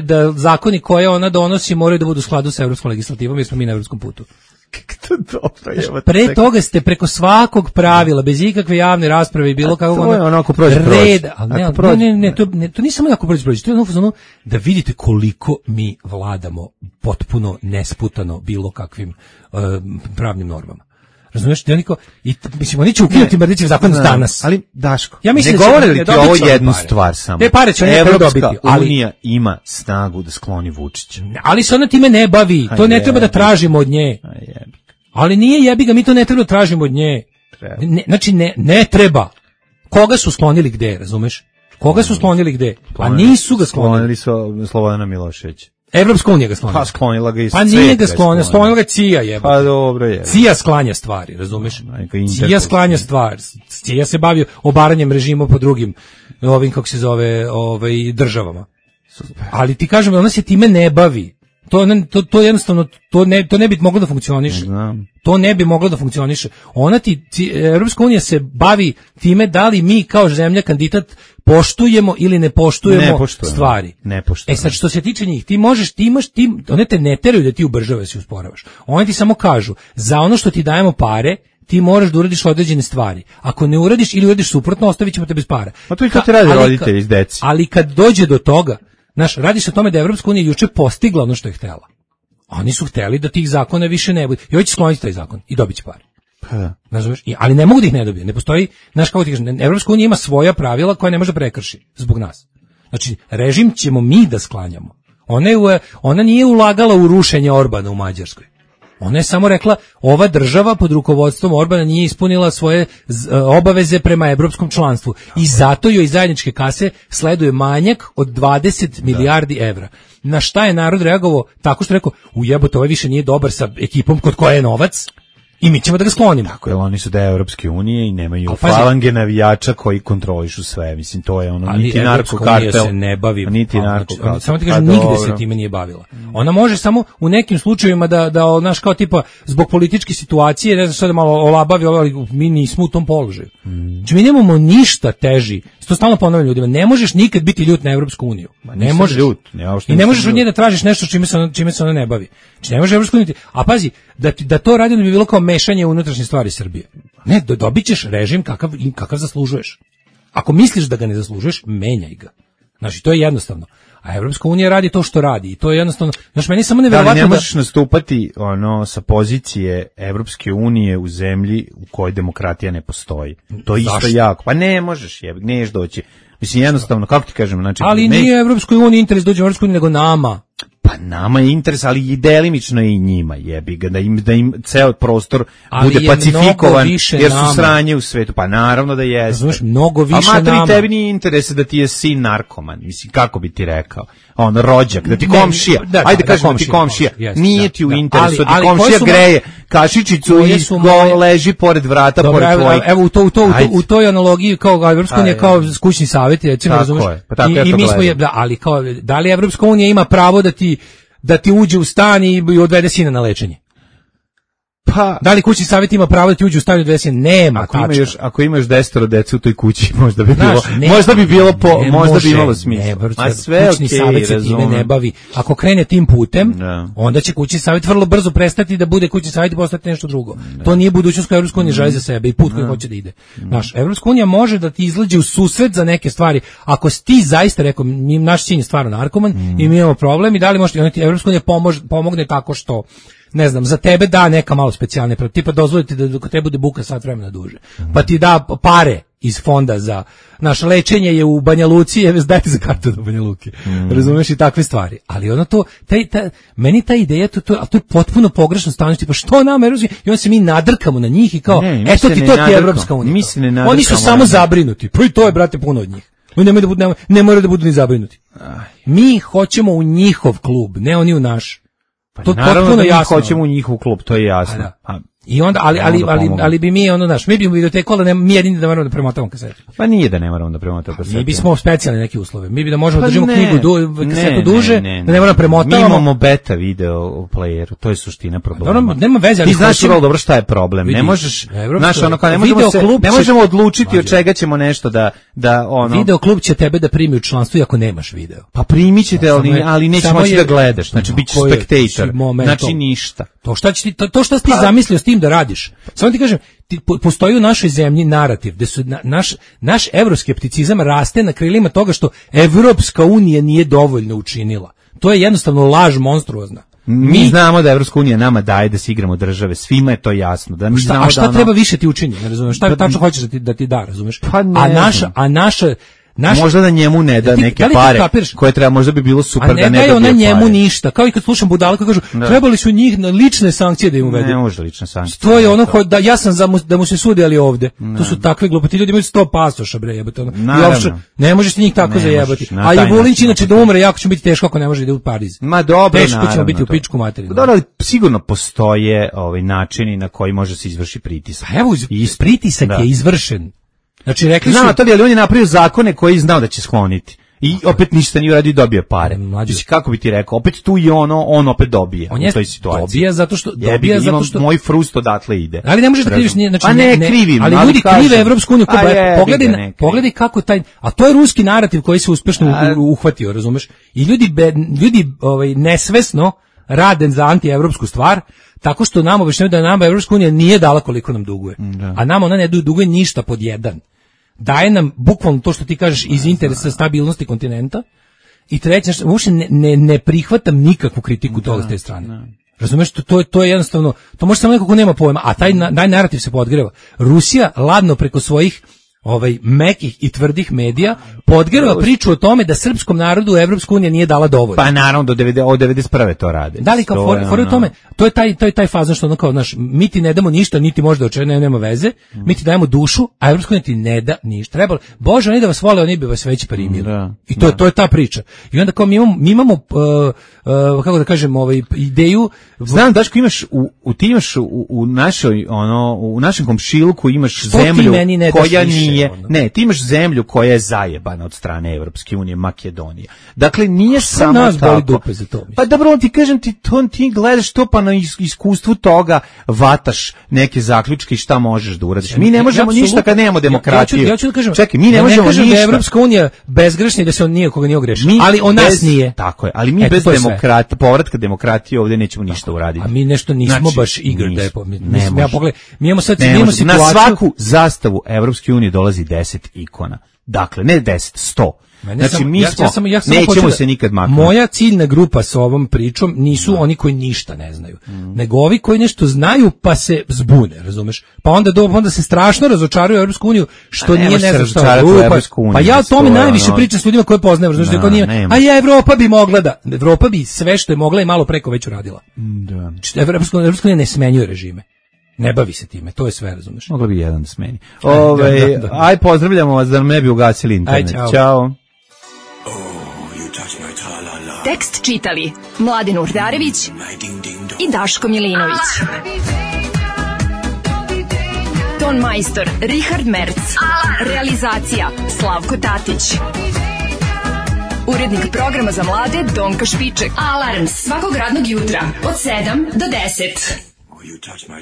da zakoni koje ona donosi moraju da budu u skladu sa evropskom legislativom, jer smo mi na evropskom putu. Pre toga ste preko svakog pravila, bez ikakve javne rasprave i bilo kakvog reda, to nije samo ako prođe, to je ono da vidite koliko mi vladamo potpuno nesputano bilo kakvim pravnim normama. Razumeš, mislim, oni će ukinuti Mrdićev zakon danas. Ali, Daško, ja ne govore li ti ovo jednu stvar samo? Ne, pare će oni dobiti. Evropska unija ima snagu da skloni Vučića. Ali se ona time ne bavi, to ne treba da tražimo od nje. Ali nije jebiga, mi to ne treba da tražimo od nje. Znači, ne treba. Koga su sklonili gde, razumeš? Koga su sklonili gde? A nisu ga sklonili. Sklonili su Slobodana Miloševića. Evropska unija ga sklonila. Pa sklonila ga i pa nije ga sklonila ga CIA jebote. Pa dobro je. CIA sklanja stvari, razumeš? CIA sklanja stvari. CIA se bavi obaranjem režima po drugim ovim kako se zove, državama. Ali ti kažem, ona se time ne bavi. To jednostavno to ne bi moglo da funkcioniše. To ne bi moglo da funkcioniše. Evropska unija se bavi time da li mi kao zemlja kandidat poštujemo ili ne poštujemo stvari. Sad što se tiče njih, one te ne teraju da ti ubržava se usporavaš. Oni ti samo kažu, za ono što ti dajemo pare, ti moraš da uradiš određene stvari. Ako ne uradiš ili uradiš suprotno, ostavit ćemo te bez para. A to i to ti radi roditelji iz deci. Ali kad dođe do toga, radi se o tome da je Evropska unija juče postigla ono što je htela. Oni su hteli da tih zakona više ne bude. I hoće skloniti taj zakon i dobit će pare. Ali ne mogu da ih ne dobije. Ne postoji, kako ti kažem, Evropska unija ima svoja pravila koja ne može da prekrši zbog nas. Znači, režim ćemo mi da sklanjamo. Ona nije ulagala u rušenje Orbana u Mađarskoj. Ona je samo rekla, ova država pod rukovodstvom Orbana nije ispunila svoje obaveze prema evropskom članstvu i zato joj iz zajedničke kase sleduje manjak od 20 milijardi evra. Na šta je narod reagovao? Tako što je rekao, ujebote, ovaj više nije dobar sa ekipom kod koje je novac i mi ćemo da ga sklonimo. Tako je, oni su deo Evropske unije i nemaju falange navijača koji kontrolišu sve. Mislim, to je ono, niti narkokartel. Se ne bavi. Niti narkokartel. Samo ti kažem, nigde se time nije bavila. Ona može samo u nekim slučajevima da kao tipa, zbog političke situacije, ne znam šta da malo olabavi, ali mi nismo u tom položaju. Znači, mi nemamo ništa teži. To stalno ponavljam ljudima, ne možeš nikad biti ljut na Evropsku uniju. Ne možeš. I ne možeš od nje da tražiš nešto čime se ona ne bavi. Znači, ne može Evropsku uniju. A pazi, da to radi bi bilo kao mešanje u unutrašnje stvari Srbije. Ne, dobit ćeš režim kakav zaslužuješ. Ako misliš da ga ne zaslužuješ, menjaj ga. Znači, to je jednostavno. A Evropska unija radi to što radi i to je jednostavno, znači meni samo neverovatno da ne možeš nastupati sa pozicije Evropske unije u zemlji u kojoj demokratija ne postoji. To je isto jako. Pa ne možeš, neš doći. Mislim, jednostavno, kako ti kažem, znači... Ali nije Evropskoj uniji interes dođe u Evropsku uniju, nego nama. Pa nama je interes, ali i delimično i njima, jebi ga, da im ceo prostor bude pacifikovan, jer su sranje u svetu. Pa naravno da jeste. Znaš, mnogo više nama. A materi tebi nije interes da ti je sin narkoman, mislim, kako bi ti rekao, rođak, da ti komšija, ajde kažem da ti komšija, nije ti u interesu, da ti komšija greje kašičicu i leži pored vrata, pored tvojih. Evo, u toj analogiji, kao Evropska unija, kao kućni savjet, recimo, razumeš? I mi smo, ali kao, da li Evropska unija ima pravo da ti uđe u stan i odvede sina na lečenje? Pa, da li kućni savjet ima pravo da ti uđe u stadion desi? Nema. Ako imaš 10 dece u toj kući, možda bi bilo možda bi imalo smisla. A sve kućni savjet se time ne bavi. Ako krene tim putem, onda će kućni savjet vrlo brzo prestati da bude kućni savjet i postati nešto drugo. To nije budućnost koju Evropska unija želi za sebe i put koji hoće da ide. Znaš, Evropska unija može da ti izlađe u susret za neke stvari. Ako ti zaista rekao, naš sin je stvarno narkoman i mi imamo problem i da li možete, Evropska unija pomogne tako što ne znam, za tebe da neka malo specijalne, tipa dozvoliti da kod tebe bude buka sat vremena duže. Pa ti da pare iz fonda za naše lečenje je u Banja Luci, dajte za kartu do Banja Luke. Razumeš i takve stvari. Ali ono to, meni ta ideja, to je potpuno pogrešno stavljeno, tipa što nam Evropska, i onda se mi nadrkamo na njih i kao, eto ti to ti je Evropska unija. Oni su samo zabrinuti, pa i to je, brate, puno od njih. Ne moraju da budu ni zabrinuti. Mi hoćemo u njihov klub, ne oni u naš. To naravno da mi hoćemo u njihov klub, to je jasno. I onda, ali bi mi mi bi u videoteku, ali mi jedini da moramo da premotamo kasetu. Pa nije da ne moramo da premotamo kasetu. Mi bismo specijalne neke uslove. Mi bi da možemo da držimo kasetu duže, da ne moramo premotavamo. Mi imamo beta video player, to je suština problema. Nema veze, ali ti znaš vrlo dobro šta je problem. Ne možeš, znaš, ne možemo odlučiti od čega ćemo nešto da ono. Video klub će tebe da primi u članstvo iako nemaš video. Pa primićete, ali neće moći da gledaš. Znači bićeš spektator. Znači ništa. To šta ti zamislio s tim da radiš. Samo ti kažem, postoji u našoj zemlji narativ gde su naš evroskepticizam raste na krilima toga što Evropska unija nije dovoljno učinila. To je jednostavno laž monstruozna. Mi znamo da Evropska unija nama daje da se igramo države, svima je to jasno. Da mi znamo šta treba više ti učini, ne razumeš? Šta tačno hoćeš da ti da, razumeš? A naša možda da njemu ne da neke pare koje treba, možda bi bilo super da ne dobije pare. A ne daje ona njemu ništa, kao i kad slušam budale koji kažu trebali su njih na lične sankcije da im uvedu. Ne može lične sankcije. To je ono da ja sam da mu se sudi, ali ovde. To su takve gluposti, ljudi imaju 100 pasoša, bre, jebote. Ne možeš ti njih tako zajebati. A i Vulinć inače da umre, jako će biti teško ako ne može da ide u Pariz. Ma dobro, teško ćemo biti u pičku materinu. Dobro, ali sigurno postoje načini na koji može se izvršiti pritisak. Evo, pritisak je izvršen. Znači rekli su, ali on je napravio zakone koji znao da će skloniti. I opet ništa nije uradio i dobio pare. Znači kako bi ti rekao, opet tu i on opet dobije u toj situaciji. Dobija zato što moj frust odatle ide. Ali ne možeš da kriviš, znači pa ne krivim, ali ljudi krive Evropsku uniju, pogledaj kako taj, a to je ruski narativ koji se uspešno uhvatio, razumeš? I ljudi nesvesno rade za antievropsku stvar, tako što nam objašnjavaju da nama Evropska unija nije dala koliko nam duguje. A nama ona ne duguje ništa pod jedan. Daje nam bukvalno to što ti kažeš iz interesa stabilnosti kontinenta i treće, uopšte ne prihvatam nikakvu kritiku toga s te strane. Razumeš, to je jednostavno, to može samo neko ko nema pojma, a taj narativ se podgreva. Rusija ladno preko svojih mekih i tvrdih medija podgreva priču o tome da srpskom narodu Evropska unija nije dala dovoljno. Pa naravno od 91. to rade. Da li kao for u tome, to je taj fazon što ono kao, znaš, mi ti ne damo ništa, niti možda očekujemo, nema veze, mi ti dajemo dušu, a Evropska unija ti ne da ništa. Trebalo, Bože, oni da vas vole, oni bi vas već primili. I to je ta priča. I onda kao mi imamo kako da kažem, ideju. Znam, Daško, imaš u našoj u našem komšiluku imaš zemlju koja nije. Ne, ti imaš zemlju koja je zajebana od strane Evropske unije, Makedonija. Dakle, nije samo nas boli dupe za to. Pa dobro, ti kažem ti gledaš to pa na iskustvu toga vataš neke zaključke i šta možeš da uradiš. Mi ne možemo ništa kad nemamo demokratiju. Ja ću da kažem, čekaj, mi ne možemo ništa. Da je Evropska unija bezgrešna i da se on nije koga nije ogrešio. Ali on nas nije. Tako je, ali mi bez povratka demokratije ovdje nećemo ništa uraditi. A mi nešto nismo baš eager da je. Mi imamo sad situaciju. Na svaku zastavu Evropske unije dolazi 10 ikona. Dakle, ne 10, 100. Znači, nećemo se nikad maknuti. Moja ciljna grupa sa ovom pričom nisu oni koji ništa ne znaju, nego ovi koji nešto znaju pa se zbune, razumeš? Pa onda se strašno razočaruju Evropsku uniju, što nije ne znam šta. Pa ja o tome najviše pričam s ljudima koje poznajem, razumeš? A ja, Evropa bi mogla da. Evropa bi sve što je mogla i malo preko već uradila. Evropska unija ne smenjuje režime. Ne bavi se time, to je sve, razumeš. Mogla bi jedan da smeni. Aj, pozdravljamo vas da nam ne bi ugasili internet. Ćao. Tekst čitali Mladin Urdarević i Daško Milinović. Ton majstor Richard Merc. Realizacija Slavko Tatić. Urednik programa za mlade Donka Špiček. Alarms svakog radnog jutra od 7 do 10. You touch my